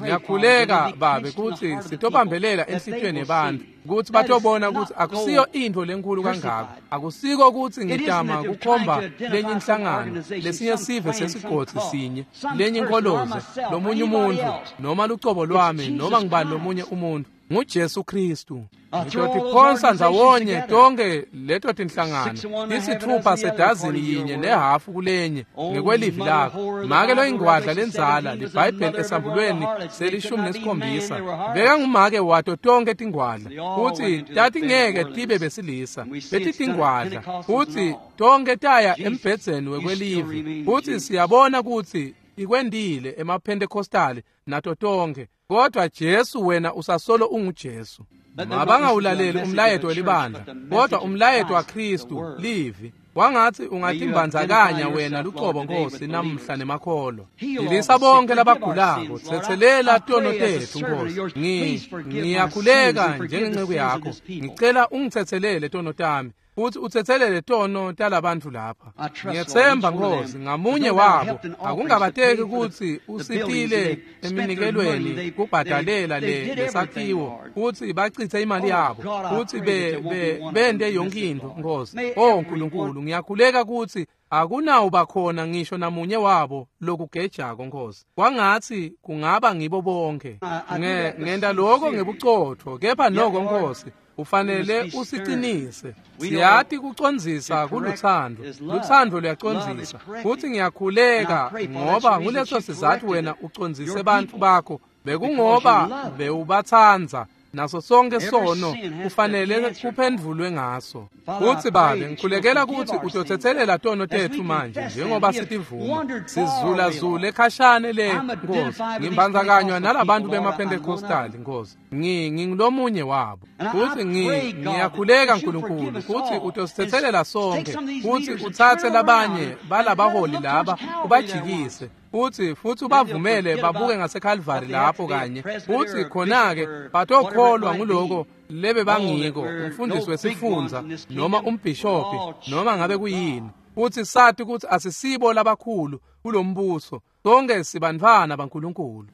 Speaker 2: Ngiyakhuleka Babe kutsi sitobambelela enhlitiyweni yebantfu, kutsi batobona kutsi akusiyo intfo lenkulu kangako. Akusiko kutsi ngitama kukhomba lenye inhlangano, lesinye sive sesigodzi sinye, lenye inkholoze, lomunye umuntfu, noma lucobo lwami, noma ngibani lomunye umuntfu. NguJesu Kristu. Ngitotiphonsa ndzawonye tonke leto tinhlangano, tisithupha sedazini yinye nehafu kulenye ngekwelivi lakho. Make loyingwadla lendzala, liBhayibheli esambulweni selishumi nesikhombisa, bekangumake wato tonke tingwadla, futsi tatingeke tibe besilisa, betitingwadla, futsi tonke taya embhedzeni wekwelivi, futsi siyabona kutsi ikwendile emaPentecostali nato tonke. Kodwa Jesu wena usasolo unguJesu. Mabangawulaleli umlayeto welibandla, kodwa umlayeto waKristu livi. Wangathi ungatimbandzakanya wena lucobo Nkosi namhla nemakholwa. Philisa bonke labagulako, tsetselela tono tetfu Nkosi. Ngiyakhuleka njengenceku yakho, ngicela ungitsetselele tono tami, futhi utsetselele tono talabantfu lapha. Ngiyetsemba Nkosi ngamunye wabo akungabateki kutsi usitile eminikelweni kubhadalela le lesakhiwo, futhi bacitse imali yabo, futhi be, be, bende yonke intfo Nkosi. Oh Nkulunkulu, ngiyakhuleka kutsi akunawuba khona ngisho namunye wabo lokugejako Nkosi. Kwangatsi kungaba ngibo bonke. Nge, ngenta lokho ngebucotfo, kepha noko Nkosi ufanele usiqinise. Siyati kucondzisa kulutsandvo, lutsandvo luyacondzisa. Futhi ngiyakhuleka ngoba nguleso sizatfu wena ucondzise bantfu bakho, bekungoba bewubatsandza. Naso sonke sono kufanele kuphendvulwe ngaso. Futsi Babe, ngikhulekela kutsi utotsetselela tono tetfu manje njengoba sitivuma. Sizulazule khashane le Nkosi. Ngimbandzakanywa nalabantu bemaPentecostali Nkosi. Ngi ngingulomunye wabo. Futsi ngi ngiyakhuleka Nkulunkulu kutsi utositsetselela sonke, kutsi utsatse labanye balabaholi laba ubajikise, futhi futhi ubavumele babuke ngaseKalvari lapho kanye, futhi khona-ke batokholwa nguloko lebe bangiko, umfundisi wesifundza noma umbhishobhi noma ngabe kuyini, futhi sathi kutsi asisibo labakhulu kulombuso, sonke sibantfwana baNkulunkulu.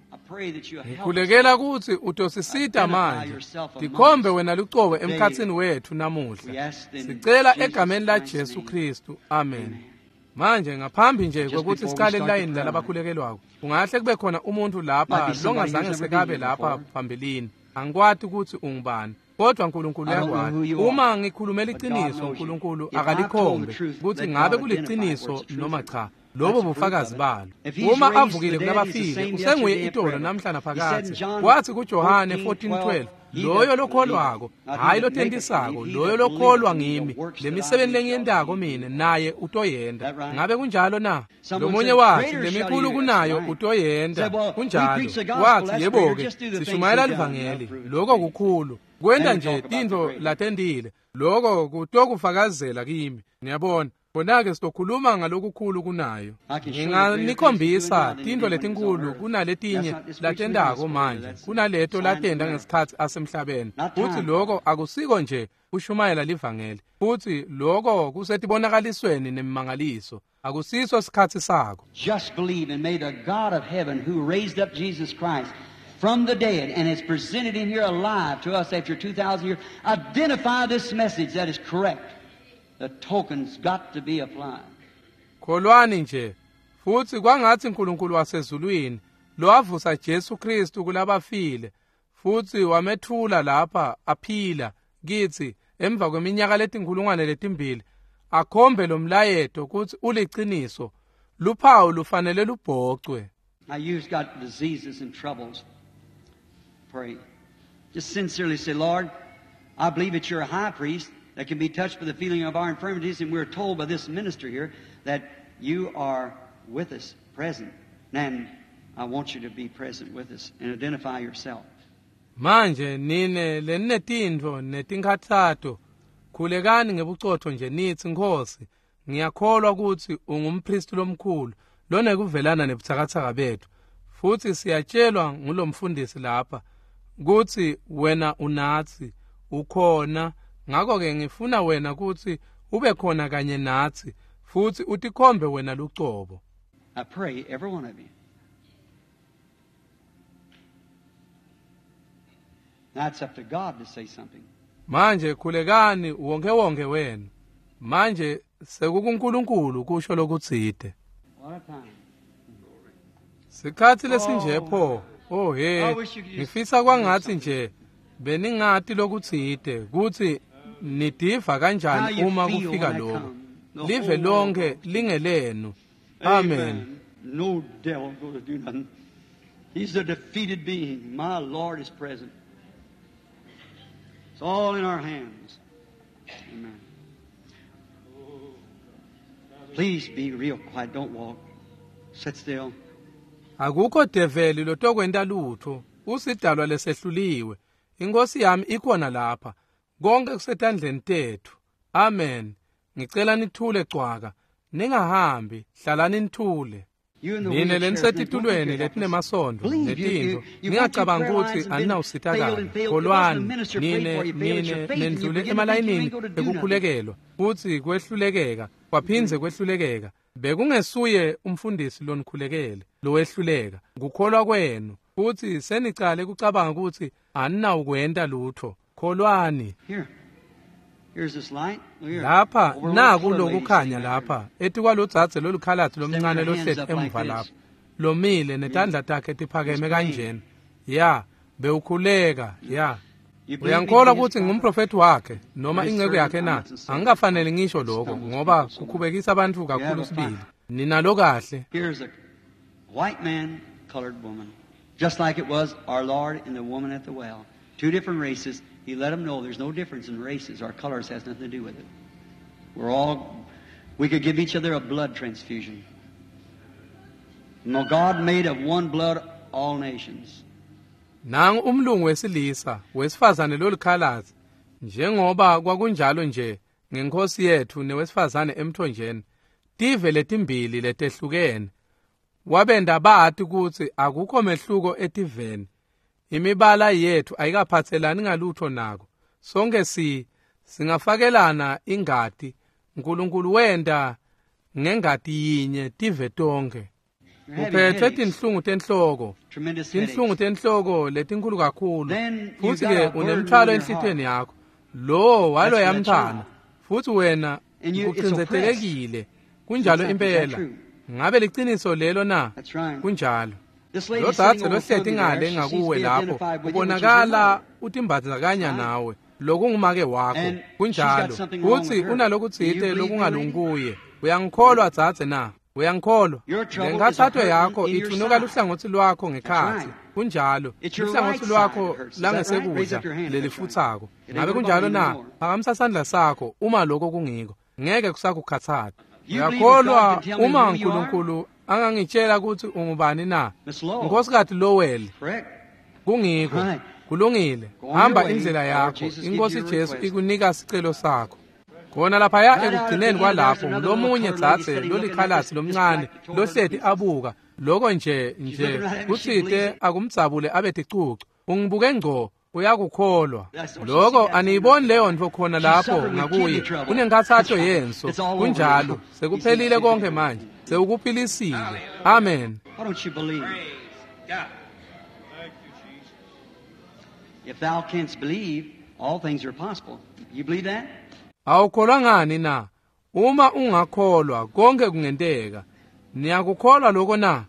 Speaker 2: Ngikhulekela kutsi utosisita manje, tikhombe wena lucobo emkhatsini wetfu namuhla. Sicela egameni la Jesu Kristu, amen. Manje ngaphambi nje kwekutsi sicale layini lalabakhulekelwako, kungahle kube khona umuntu lapha longazange sekabe lapha phambilini. Angikwati kutsi ungubani. Kodwa uNkulunkulu uyakwati. Uma ngikhulume liciniso, uNkulunkulu akalikhombe kutsi ngabe kuliciniso noma cha. Lobo bufakazi balo. Uma avukile kulabafile, usenguye itolo namhla naphakadze. Kwathi kuJohane fourteen twelve, loyo lokholwako, hayi lotentisako, loyo lokholwa ngimi, lemisebenti lengiyentako mine naye utoyenda. Ngabe kunjalo na? Lomunye wathi lemikhulu kunayo utoyenda. Kunjalo. Wathi yebo-ke, sishumayela livangeli, lokho kukhulu. Kwenta nje tintfo latentile, lokho kutokufakazela kimi. Niyabona? Khona-ke sitokhuluma ngalokukhulu kunayo. Nginganikhombisa tintfo letinkulu kunaletinye latentako manje, kunaleto latenta ngesikhatsi asemhlabeni. Futsi lokho akusiko nje kushumayela livangeli, futsi lokho kusetibonakalisweni nemimangaliso. Akusiso sikhatsi sako.
Speaker 1: Just believe, and may the God of heaven who raised up Jesus Christ from the dead and has presented him here alive to us after two thousand years, identify this message that is correct. The token's got to be applied.
Speaker 2: Kholwani nje, futsi kwangatsi uNkulunkulu wasezulwini lowavusa Jesu Kristu kulabafile futsi wamethula lapha aphila kitsi emva kweminyaka letinkhulungwane letimbili, akhombe lo mlayeto kutsi uliciniso. Luphawu lufanele lubhocwe.
Speaker 1: Now you've got diseases and troubles. Pray. Just sincerely say, Lord, I believe that you're a high priest that can be touched by the feeling of our infirmities, and we're told by this minister here that you are with us, present. And I want you to be present with us and identify yourself.
Speaker 2: Manje nine leninetintfo netinkhatsato, khulekani ngebucotho nje nitsi, Nkhosi, ngiyakholwa kutsi ungumpristi lomkhulu lonekuvelana nebutsakatsaka betfu, futsi siyatshelwa ngulomfundisi lapha kutsi wena unatsi, ukhona. Ngakho-ke ngifuna wena kutsi ube khona kanye natsi futsi utikhombe wena lucobo.
Speaker 1: I pray every one of you. Now it's up to God to say something.
Speaker 2: Manje khulekani wonke wonke wenu. Manje sekukuNkulunkulu kusho lokutsite.
Speaker 1: What a time.
Speaker 2: Sikhatsi lesinje pho. Oh he, ngifisa kwangatsi nje beningati lokutsite kutsi nidiva kanjani uma kufika lokho. Live lonke lingelenu. Amen.
Speaker 1: No devil going to do nothing. He's a defeated being. My Lord is present. It's all in our hands. Amen. Please be real quiet. Don't walk. Sit still.
Speaker 2: Akukho develi lotokwenta lutho. Usidalwa lesehluliwe. Inkosi yami ikhona lapha. Konke kusetandleni tethu. Amen. Ngicela nithule cwaka. Ningahambi, hlalani nithule. Nine lenisetitulweni letinemasondvo netintfo, ningacabangi kutsi aninawusitakala. Kholwani, nine nine nendlule emalayinini ekukhulekelwa, futsi kwehlulekeka, kwaphindze kwehlulekeka. Bekungesuye umfundisi lonikhulekele lowehluleka, kukholwa kwenu, futsi senicale kucabanga kutsi aninawukwenta lutho. Kholwani. Lapha naku lokukhanya lapha etikwalodzadze lolukhalatsi lomncane lohleti emuva lapha lomile netandla takhe tiphakeme kanjena. Ya, bewukhuleka. Ya, uyankholwa kutsi ngumprofethi wakhe noma inceku yakhe na? Angikafanele ngisho lokho ngoba kukhubekisa abantu kakhulu sibili. Ninalo kahle.
Speaker 1: Here's a white man, colored woman, just like it was our Lord and the woman at the well. Two different races. He let them know there's no difference in races. Our colors has nothing to do with it. We're all, we could give each other a blood transfusion. No, God made of one blood all nations.
Speaker 2: Nangu umlungu wesilisa, wesifazane lolukhalazi, njengoba kwakunjalo nje ngenkosi yethu newesifazane emthonjeni, tive letimbili letehlukene. Wabenda bati kutsi akukho mehluko etiveni. Imibala yethu ayikaphathelani ngalutho nako. Sonke si singafakelana ingati. uNkulunkulu wenta ngengati yinye tive tonke. Uphethe tinhlungu tenhloko, tinhlungu tenhloko letinkulu kakhulu, futsi ke unemthwalo enhlitiyweni yakho. Lo waloyamntfwana, futsi wena ucindzetelekile. Kunjalo impela. Ngabe liciniso lelo na? Kunjalo. Lo dzadze lohleti ngale ngakuwe lapho ubonakala utimbandzakanya nawe, lokungumake wakho. Kunjalo. Kutsi unalokutsite lokungalungi. Uyangikholwa dzadze na? Uyangikholwa? Lenkhatsato yakho ithunuka luhlangotsi lwakho ngekhatsi. Kunjalo. Luhlangotsi lwakho langesekudla lelifutsako. Ngabe kunjalo na? Phakamisa sandla sakho uma lokho kungiko. Ngeke kusakukhatsata. Uyakholwa uma uNkulunkulu angangitshela ukuthi ungubani na? Nkosikazi Lowell. Kungiko. Kulungile. Hamba indlela yakho. Inkosi Jesu ikunika sicelo sakho. Khona laphaya ekugcineni kwalapho lomunye dzadze lolikhalasi lomncane lohleti abuka lokho nje nje kutsite akumdzabule abe ticucu. Ungibuke ngco uyakukholwa lokho. Aniyiboni leyo ntfo khona lapho ngakuye? Unenkhatsato yenso. Kunjalo. Sekuphelile konke manje. Sewukuphilisile. Amen.
Speaker 1: If thou canst believe, all things are possible. You believe that?
Speaker 2: Awukholwa ngani na? Uma ungakholwa konke kungenteka. Niyakukholwa lokho na?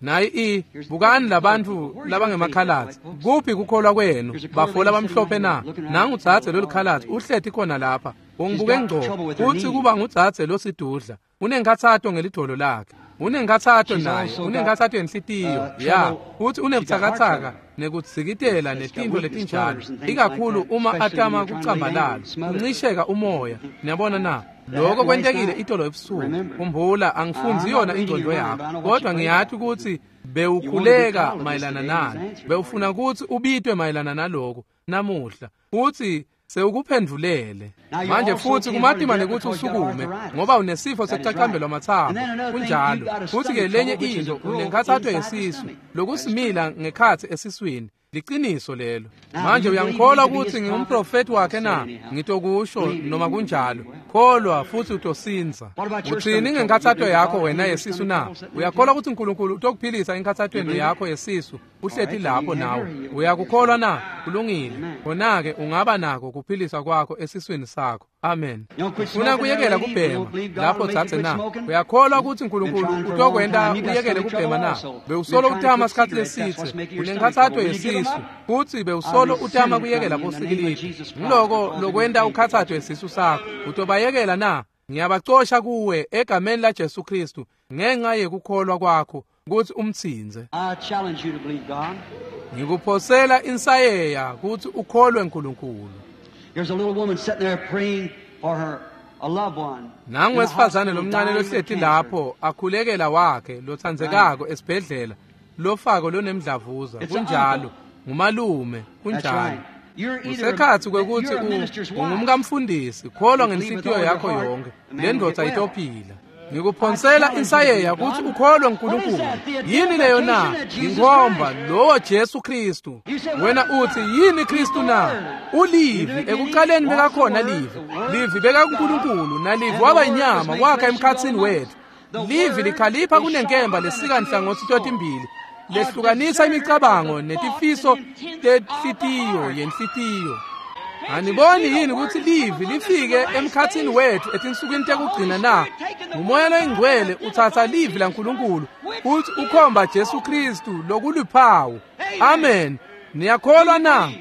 Speaker 2: Nayi i bukani labantu labangemakhalatsi. Kuphi kukholwa kwenu? Bafola bamhlophe na? Nangu dzadze lolikhalatsi uhleti khona lapha. Ungibuke ngco. Uthi kuba ngudzadze losidudla. Unenkhatsato ngelidolo lakhe. Unenkhatsato naye. Unenkhatsato yenhlitiyo. Ya, uthi unebutsakatsaka nekudzikitela netintfo letinjalo. Ikakhulu uma atama kucambalala, uncisheka umoya. Niyabona na? Lokho kwentekile itolo ebusuku. Khumbula, angifundzi yona ingqondo yakho, kodwa ngiyathi ukuthi bewukhuleka mayelana nalo. Bewufuna ukuthi ubitwe mayelana naloko namuhla. Uthi sewukuphendvulele. Manje futhi kumatima nekuthi usukume ngoba unesifo sekucacambelwa amathambo. Kunjalo. Futhi ke lenye into unenkhatsato yesisu lokusimila ngekhatsi esiswini. Liqiniso lelo. Manje uyangikholwa ukuthi ngingumprofeti wakhe na? Ngitokusho noma kunjalo. Kholwa futhi utosinza. Uthini ngenkhatsato yakho wena yesisu na? Uyakholwa ukuthi uNkulunkulu utokuphilisa enkhatsatweni yakho yesisu? Uhleti lapho nawe. Uyakukholwa na? Kulungile. Khona-ke ungaba nako kuphiliswa kwakho esiswini sakho. Amen. Ufuna kuyekela kubhema lapho dzadze na? Uyakholwa ukuthi uNkulunkulu utokwenta uyekele kubhema na? Bewusolo utama sikhatsi lesitse. Unenkhatsato yesisu futsi bewusolo utama kuyekela bosikilidi. Ngiloko lokwenta ukhatsato yesisu sakho. Utobayekela na? Ngiyabacosha kuwe egameni la Jesu Kristu ngenxa yekukholwa kwakho ukuthi umtsinze. Ngikuphosela insayeya ukuthi ukholwe uNkulunkulu.
Speaker 1: There's a little woman sitting there praying for her a loved one.
Speaker 2: Nangu wesifazane lomncane lohleti lapho akhulekela wakhe lotsandzekako esibhedlela lofako lonemdlavuza. Kunjalo. Ngumalume. Kunjalo. Usekhatsi kwekuthi ungumkamfundisi. Kholwa ngenhlitiyo yakho yonke. Le ndvodza itophila. Ngikuphonsela insayeya ukuthi ukholwe uNkulunkulu. Yini leyo na? Inkhomba lowo Jesu Kristu. Wena uthi yini Kristu na? Ulivi. Ekuqaleni bekakhona livi. Livi bekakuNkulunkulu nalivi waba inyama wakha emkhatsini wethu. Livi likhalipha kunenkemba lesika nhlangothi totimbili. Lehlukanisa imicabango netifiso tenhlitiyo yenhlitiyo. Aniboni yini ukuthi livi lifike emkhatsini wethu etinsukwini tekugcina na? Umoya loyingcwele uthatha livi laNkulunkulu uthi ukhomba Jesu Kristu lokuluphawu. Amen. Niyakholwa na?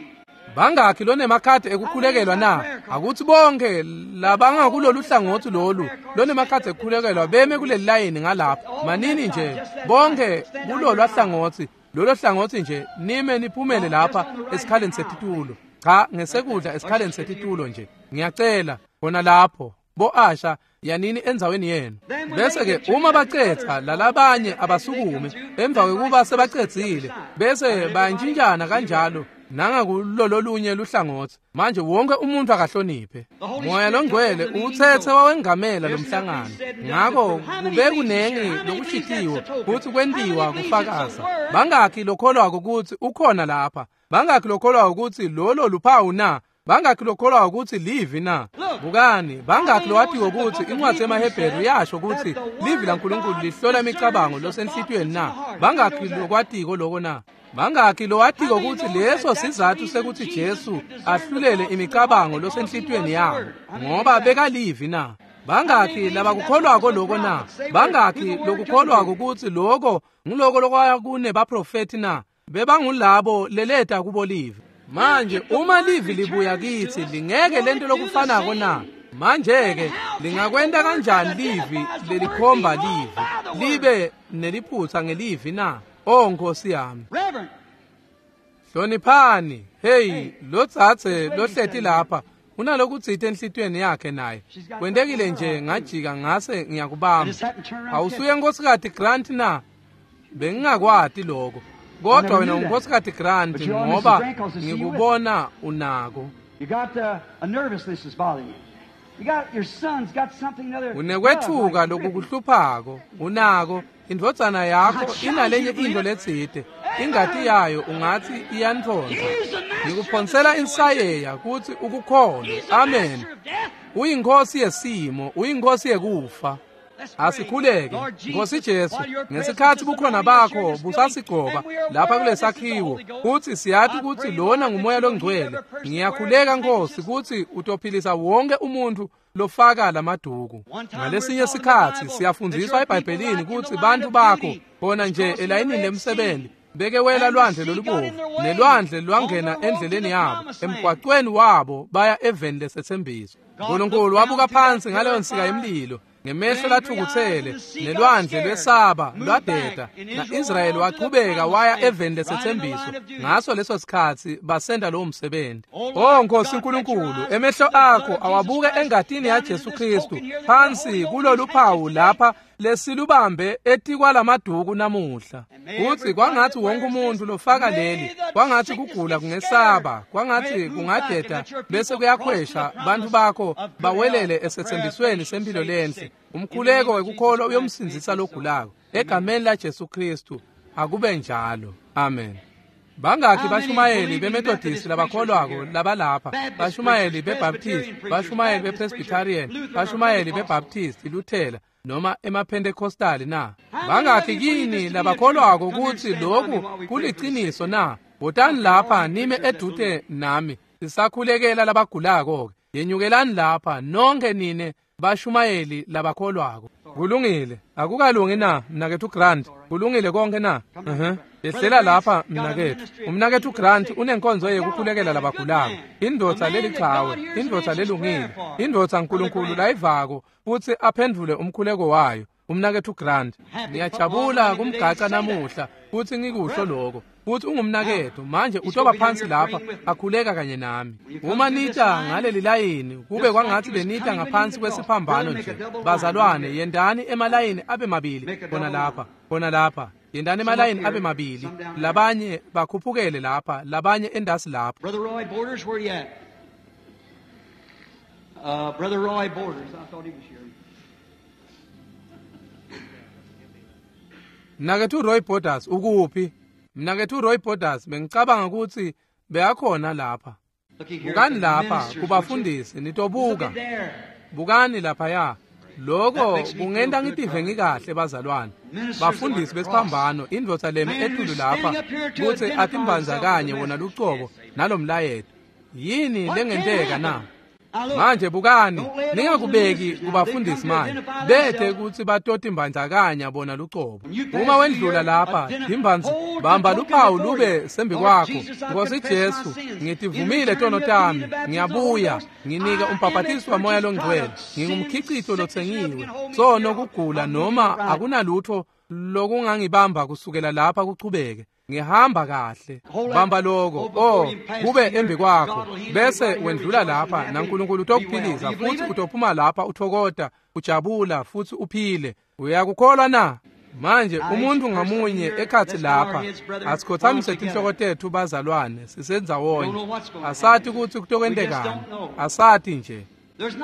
Speaker 2: Bangakhi lonemakhadi ekukhulekelwa na? Akuthi bonke labangakulolu hlangothi lolu lonemakhadi ekukhulekelwa beme kuleli layini ngalapha. Manini nje bonke kulolu hlangothi lolo hlangothi nje nime niphumele lapha esikhaleni setitulo. Cha, ngesekudla esikhaleni setitulo nje. Ngiyacela khona lapho bo Asha yanini endzaweni yenu. Bese ke uma bacetha lalabanye abasukume emva kwekuba sebacedzile bese bayantshintshana kanjalo nangakulololunye luhlangothi. Manje wonke umuntu akahloniphe. Moya longcwele uthethe wawengamela lomhlangano. Ngakho kube kunengi lokushitiwe futhi kwentiwa kufakaza. Bangakhi lokholwako ukuthi ukhona lapha? Bangakhi lokholwako ukuthi lolo luphawu na? Bangakhi lokholwa ukuthi livi na? Bukani, bangakhi lowatiwe ukuthi incwadi yemaHebheru yasho ukuthi livi laNkulunkulu lihlola imicabango losenhlitiyweni na? Bangakhi lokwatiko loko na? Bangakhi lowatiko ukuthi leso sizathu sekuthi Jesu ahlulele imicabango losenhlitiyweni yabo ngoba bekalivi na? Bangakhi labakukholwako loko na? Bangakhi lokukholwako ukuthi loko ngiloko lokwaya kunebaprofeti na? Bebangulabo leleta kubo livi. Manje uma livi libuya kithi lingeke lento lokufanako na? Manje-ke lingakwenta kanjani livi lelikhomba livi libe neliphutsa ngelivi na? O Nkosi yami. Hloniphani. Hey, lotsatse lohleti lapha unalokutsite enhlitiyweni yakhe naye. Kwentekile nje ngajika ngase ngiyakubamba. Awusuye Nkosikati Grant na? Bengingakwati lokho. Kodwa wena uNkosikati Grant ngoba ngikubona unako.
Speaker 1: You got uh, a nervousness is bothering you. You got your son's got something another.
Speaker 2: Unekwethuka lokukuhluphako unako indvodzana yakho inalenye into letsite ingati yayo ungathi iyanthonza. Ngikuphonsela insayeya kutsi ukukholwe. Amen. Uyinkosi yesimo, uyinkosi yekufa. Asikhuleke. Nkosi Jesu, ngesikhathi bukhona bakho busasigcoba lapha kulesakhiwo, kutsi siyati kutsi lona ngumoya longcwele. Ngiyakhuleka Nkosi kutsi utophilisa wonke umuntu lofaka lamaduku. Ngalesinye sikhatsi siyafundziswa eBhayibhelini kutsi bantu bakho bona nje elayinini lemsebenzi beke wela lwandle lolubovu nelwandle lwangena endleleni yabo emgwaqweni wabo baya eveni lesethembiso. Nkulunkulu wabuka phansi ngaleyo nsika yemlilo ngemehlo lathukutsele nelwandle lwesaba lwadeda, na-Israyeli wachubeka waya eveni lesethembiso. Ngaso leso sikhatsi basenda lowo msebenzi. O Nkosi Nkulunkulu, emehlo akho awabuke engatini yaJesu Kristu phansi kulolu phawu lapha lesilubambe etikwalamaduku namuhla. Kutsi kwangathi wonke umuntu lofaka leli, kwangathi kugula kungesaba, kwangathi kungadeda bese kuyakhwesha, bantu bakho bawelele esethembisweni sempilo lenhle. Umkhuleko wekukholwa uyomsindzisa logulako. Egameni laJesu Kristu akube njalo. Amen. Bangakhi bashumayeli beMethodist labakholwako labalapha, bashumayeli beBaptist, bashumayeli bePresbyterian, bashumayeli beBaptist, Luthela noma emaPentecostal na? Bangakhi kini labakholwako kutsi lokhu kuliciniso na? Wotani lapha nime edute nami sisakhulekela labagulako-ke. Yenyukelani lapha nonke nine bashumayeli labakholwako. Kulungile. Akukalungi na mnakethu Grant? Kulungile konke na? Uh-huh. Yehlela lapha mnakethu. Umnakethu Grant unenkonzo yekukhulekela labagulako. Indvodza lelichawe, indvodza lelungile, indvodza Nkulunkulu layivako futsi aphendvule umkhuleko wayo. Umnakethu Grant, ngiyajabula kumgaca namuhla futsi ngikusho lokho. Futsi ungumnakethu manje utoba phansi lapha akhuleka kanye nami. Uma nita ngaleli layini kube kwangathi benita ngaphansi kwesiphambano nje. Bazalwane, yendani emalayini abe mabili khona lapha, khona lapha. Yendani emalayini abe mabili, labanye bakhuphukele lapha, labanye endasi lapha.
Speaker 1: Brother Roy Borders, where you at? Uh, Brother Roy Borders, I thought he was here.
Speaker 2: Mnakethu Roy Borders ukuphi? Mnakethu Roy Borders bengicabanga ukuthi beyakhona lapha. Bukani lapha kubafundisi nitobuka. Bukani lapha ya. Lokho kungenta ngitive ngikahle bazalwane. Bafundisi besiphambano indvodza lemi etulu lapha kutsi atimbandzakanye wona lucobo nalomlayeto. Yini lengenteka na? Manje bukani, ningakubeki kubafundisi manje. Bethe kutsi batotimbandzakanya bona lucobo. Uma wendlula lapha, timbanzi bamba luphawu lube sembi kwakho. Nkosi Jesu, ngitivumile tono tami, ngiyabuya, nginika umbhaphatisi wamoya longcwele. Ngingumkhicito lotsengiwe. Sono kugula noma akunalutho lokungangibamba kusukela lapha kuchubeke. Ngihamba kahle. Bamba lokho, oh, kube embi kwakho. Bese wendlula lapha naNkulunkulu utokuphilisa futhi utophuma lapha uthokota, ujabula futhi uphile. Uyakukholwa na? Manje umuntu ngamunye ekhathi lapha asikhothamise tinhloko tethu bazalwane sisendzawonye. Asati kutsi kutokwentekani. Asati nje.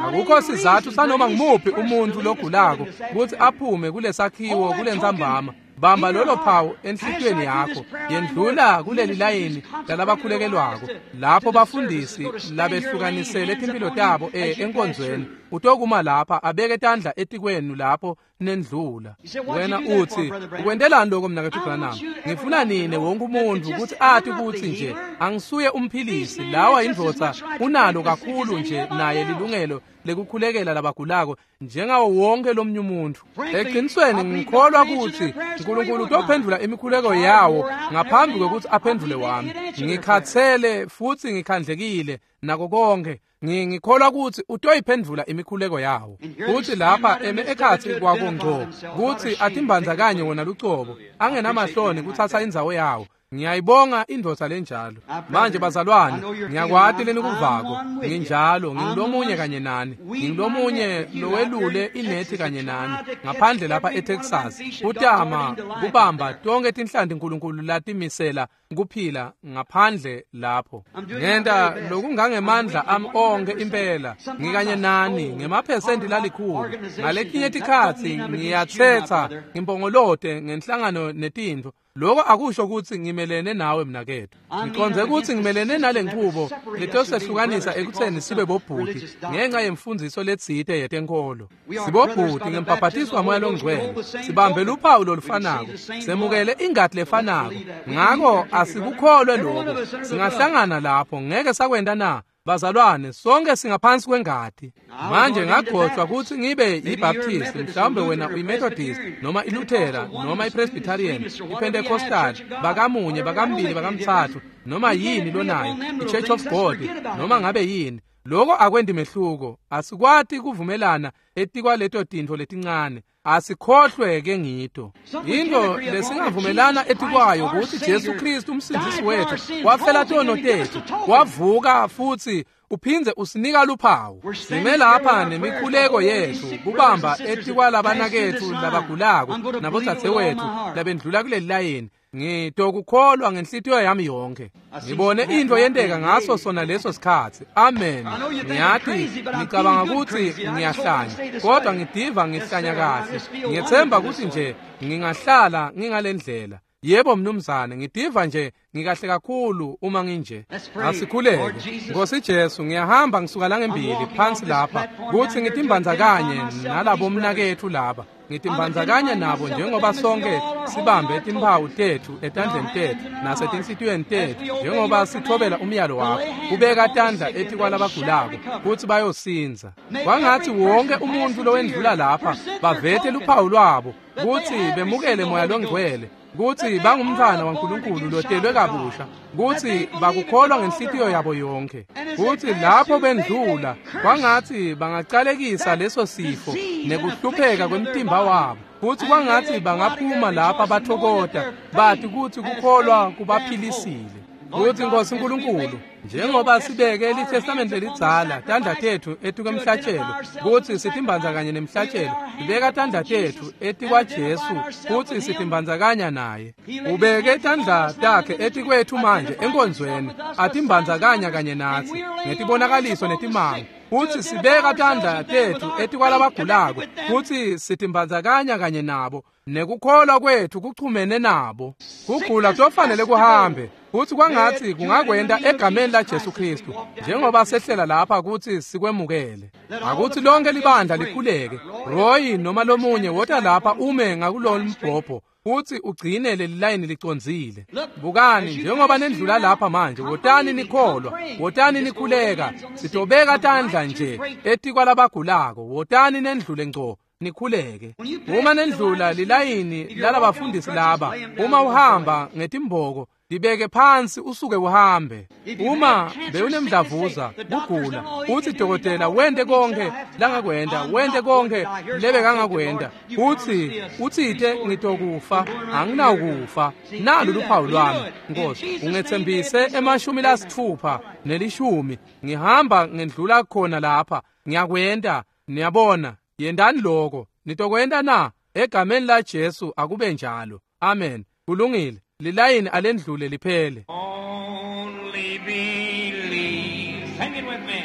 Speaker 2: Akukho sizathu sanoma ngimuphi umuntu logulako kutsi aphume kulesakhiwo kulentsambama. Bamba lolo phawu enhlitiyweni yakho, yendlula kuleli layini lalabakhulekelwako lapho bafundisi labehlukanisele timpilo tabo enkonzweni. Utokuma lapha abeke tandla etikwenu lapho nendlula. Wena utsi ukwentelani lokho mnakethu Branham? Ngifuna nine wonke umuntu kutsi ati kutsi nje angisuye umphilisi. Lawa indvodza unalo kakhulu nje naye lilungelo lekukhulekela labagulako njengawo wonke lomnye umuntu. Eqinisweni ngikholwa kutsi Nkulunkulu utophendvula imikhuleko yawo ngaphambi kwekutsi aphendvule wami. Ngikhatsele futsi ngikhandlekile nako konke. Ngikholwa kutsi utoyiphendvula imikhuleko yawo. Kutsi lapha eme ekhatsi kwako ngco, kutsi atimbandzakanye wona lucobo, angenamahloni kutsatsa indzawo yawo. Ngiyayibonga indvodza lenjalo. Manje bazalwane, ngiyakwati lenikuvako. Nginjalo, ngingulomunye kanye nani. Ngingulomunye lowelule inethi kanye nani ngaphandle lapha eTexas. Kutama kubamba tonke tinhlanti Nkulunkulu latimisela kuphila ngaphandle lapho. Ngenta lokungangemandla ami onke impela. Ngikanye nani ngemaphesenti lalikhulu. Ngaletinye tikhatsi ngiyatsetsa ngimpongolote ngenhlangano netintfo. Lokho akusho kutsi ngimelene nawe mnaketfu. Ngiqondze kutsi ngimelene nale nchubo letosehlukanisa ekutseni sibe bobhuti ngenxa yemfundziso letsite yetenkolo. Sibobhuti ngembhabhatiswa moya longcwele, sibambe luphawu lolufanako, semukele ingati lefanako. Ngako asikukholwe lokho. Singahlangana lapho, ngeke sakwenta na? Bazalwane, sonke singaphansi kwengati. Manje ngagcotshwa kutsi ngibe yiBaptist, mhlawumbe wena uyiMethodist, noma iLuthera, noma iPresbyterian, iPentecostal, bakamunye, bakambili, bakamtsatfu, noma yini lonayo, iChurch of God, noma ngabe yini. Lokho akwendi mehluko. Asikwati kuvumelana etikwaleto tintfo letincane. Asikhohlwe ke ngito. Into lesingavumelana etikwayo kutsi Jesu Kristu umsindzisi wetfu wafela tono tetfu, wavuka futsi uphindze usinika luphawu. Sime lapha nemikhuleko yetfu kubamba etikwalabanaketfu labagulako nabodzadzewetfu labendlula kuleli layini. Ngitokukholwa ngenhlitiyo yami yonke. Ngibone into yenteka ngaso sona leso sikhatsi. Amen. Ngiyati ngicabanga kutsi ngiyahlanya, kodwa ngidiva ngihlanya kahle. Ngiyethemba kutsi nje ngingahlala ngingalendlela. Yebo mnumzane, ngidiva nje ngikahle kakhulu uma nginje. Asikhuleke. Nkosi Jesu, ngiyahamba ngisuka la ngembili phansi lapha kutsi ngitimbandzakanye nalabo mnaketfu laba. Ngitimbandzakanya nabo njengoba sonke sibambe timphawu tetfu etandleni tetfu nasetinhlitiyweni tetfu njengoba sithobela umyalo wakho kubeka tandla etikwalabagulako kutsi bayosindza. Kwangatsi wonke umuntfu lowendlula lapha bavete luphawu lwabo kutsi bemukele moya longcwele, kutsi bangumntfwana waNkulunkulu lotelwe kabusha, kutsi bakukholwa ngenhlitiyo yabo yonke, kutsi lapho bendlula kwangatsi bangacalekisa leso sifo nekuhlupheka kwemtimba wabo, kutsi kwangatsi bangaphuma lapha bathokota bati kutsi kukholwa kubaphilisile. Kutsi Nkosi Nkulunkulu, njengoba sibeke liTestamente lelidzala tandla tetfu etikwemhlatshelo kutsi sitimbandzakanye nemhlatshelo, sibeka tandla tetfu etikwaJesu kutsi sitimbandzakanya naye. Ubeke tandla takhe etikwetfu manje enkonzweni, atimbandzakanya kanye natsi ngetibonakaliso netimanga. Kutsi sibeka tandla tetfu etikwalabagulako kutsi sitimbandzakanya kanye nabo, nekukholwa kwetfu kuchumene nabo. Kugula kufanele kuhambe, kutsi kwangatsi kungakwenta egameni la Jesu Kristu njengoba sehlela lapha kutsi sikwemukele. Akutsi lonke libandla likhuleke. Roy noma lomunye wota lapha ume ngakulolu mbhobho kutsi ugcine leli layini licondzile. Bukani njengoba nendlula lapha manje, wotani nikholwa, wotani nikhuleka. Sitobeka tandla nje etikwalabagulako, wotani nendlule ngco nikhuleke. Uma nendlula lilayini lalabafundisi laba, uma uhamba ngetimboko libeke phansi usuke uhambe. Uma bewunemdlavuza kugula, utsi dokotela wente konke langakwenta, wente konke lebekangakwenta, utsi utsite ngitokufa, anginawukufa, nalu luphawu lwami. Nkosi, ungetsembise emashumi lasitfupha nelishumi, ngihamba ngendlula khona lapha, ngiyakwenta. Niyabona, yendani lokho. Nitokwenta na? Egameni la Jesu akube njalo. Amen. Kulungile. Lilayini alendlule liphele.
Speaker 4: Only believe. Sing it with me.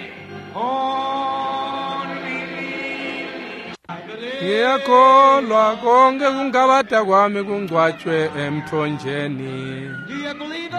Speaker 4: Only believe.
Speaker 2: Ngiyakholwa konke kungabata kwami kungcwatshwe emthonjeni.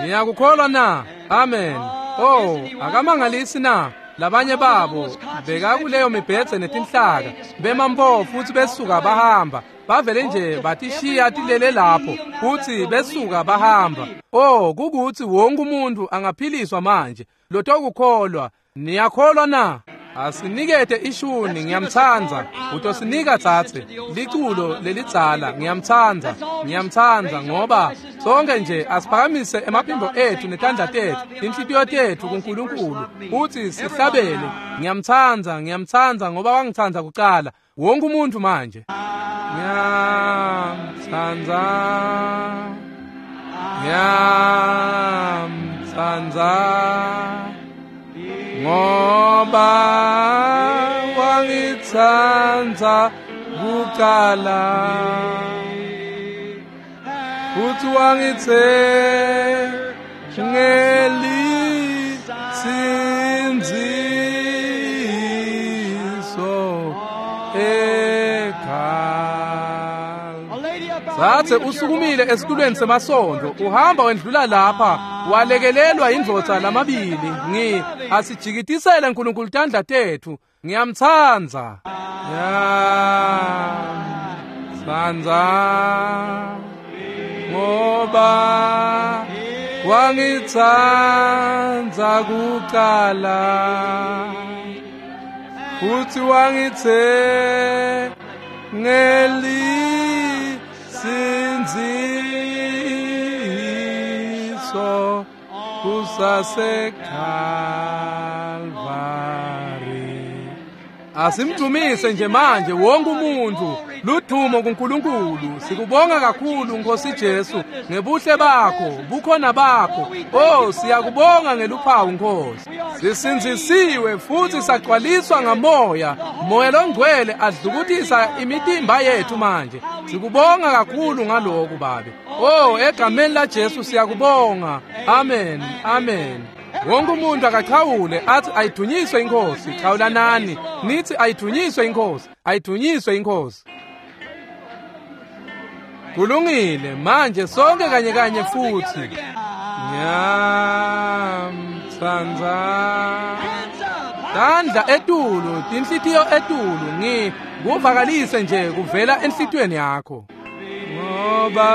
Speaker 2: Ngiyakukholwa na? Amen. Oh, akamangalisi na? Labanye babo bekakuleyo mibhedze netinhlaka, bema mpo futsi besuka bahamba. Bavele nje batishiya tilele lapho futsi besuka bahamba. Oh, kukutsi wonke umuntu angaphiliswa manje lotokukholwa. Niyakholwa na? Asinikete ishuni, ngiyamtsandza. Utosinika tsatse liculo lelidzala, ngiyamtsandza, ngiyamtsandza, ngoba sonke nje asiphakamise emaphimbo ethu netandla tethu, inhlitiyo tethu kuNkulunkulu, futhi sihlabele, ngiyamtsandza, ngiyamtsandza ngoba wangitsandza kucala. Wonke umuntu manje. Ngiyamtsandza, ngiyamtsandza, ngoba wangitsandza kucala, futhi wangithengelinsindziso ekhaya. Zathe usukumile esitulweni semasondo, uhamba wendlula lapha, walekelelwa indvodza lamabili. Ngi asijikitisele uNkulunkulu tandla tethu. Ngiyamtsandza, ngiyamtsandza, ngoba wangitsandza kucala, futhi wangithengelinsindziso kusaseKalvari. Asimdumise nje manje wonke umuntu, ludumo kuNkulunkulu. Sikubonga kakhulu Nkosi Jesu ngebuhle bakho, bukhona bakho. Oh, siyakubonga ngeluphawu Nkosi. Sisindzisiwe futhi sagcwaliswa ngamoya, Moya loNgcwele adlukutisa imitimba yethu manje. Sikubonga kakhulu ngalokhu Babe. Oh, egameni la Jesu siyakubonga. Amen, amen. Wonke umuntu akachawule athi ayidunyiswe inkosi. Chawulanani nithi ayidunyiswe inkosi, ayidunyiswe inkosi. Kulungile manje sonke kanye kanye futhi. Ngiyamtsandza, tandla etulu, tinhlitiyo etulu, ngi kuvakalise nje kuvela enhlitiyweni yakho, ngoba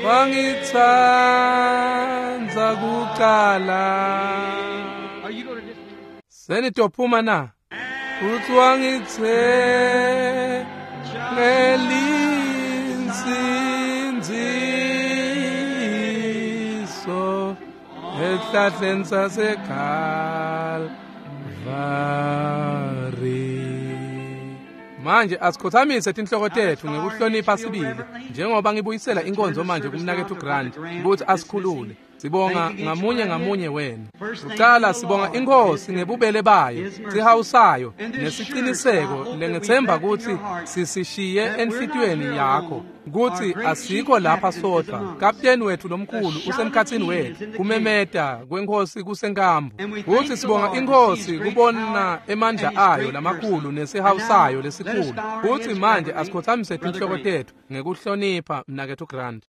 Speaker 2: wangitsandza kucala. Senitophuma na? Futhi wangithengelinsindziso ehlahleni saseKalvari. Manje asikhothamise tinhloko tethu ngekuhlonipha sibili, njengoba ngibuyisela inkonzo manje kumnakethu Grant ukuthi asikhulule. Sibonga ngamunye ngamunye wenu. Kucala sibonga inkosi ngebubele bayo, sihawu sayo nesiciniseko lengethemba ukuthi sisishiye enhlitiyweni yakho, ukuthi asikho lapha sodwa. Kapteni wethu lomkhulu usemkhathini wethu, kumemeta kwenkosi kusenkambu. Kuthi sibonga inkosi kubona emandla ayo lamakhulu nesihawu sayo lesikhulu. Kuthi manje asikhothamise tinhloko tethu ngekuhlonipha mnakethu Grant.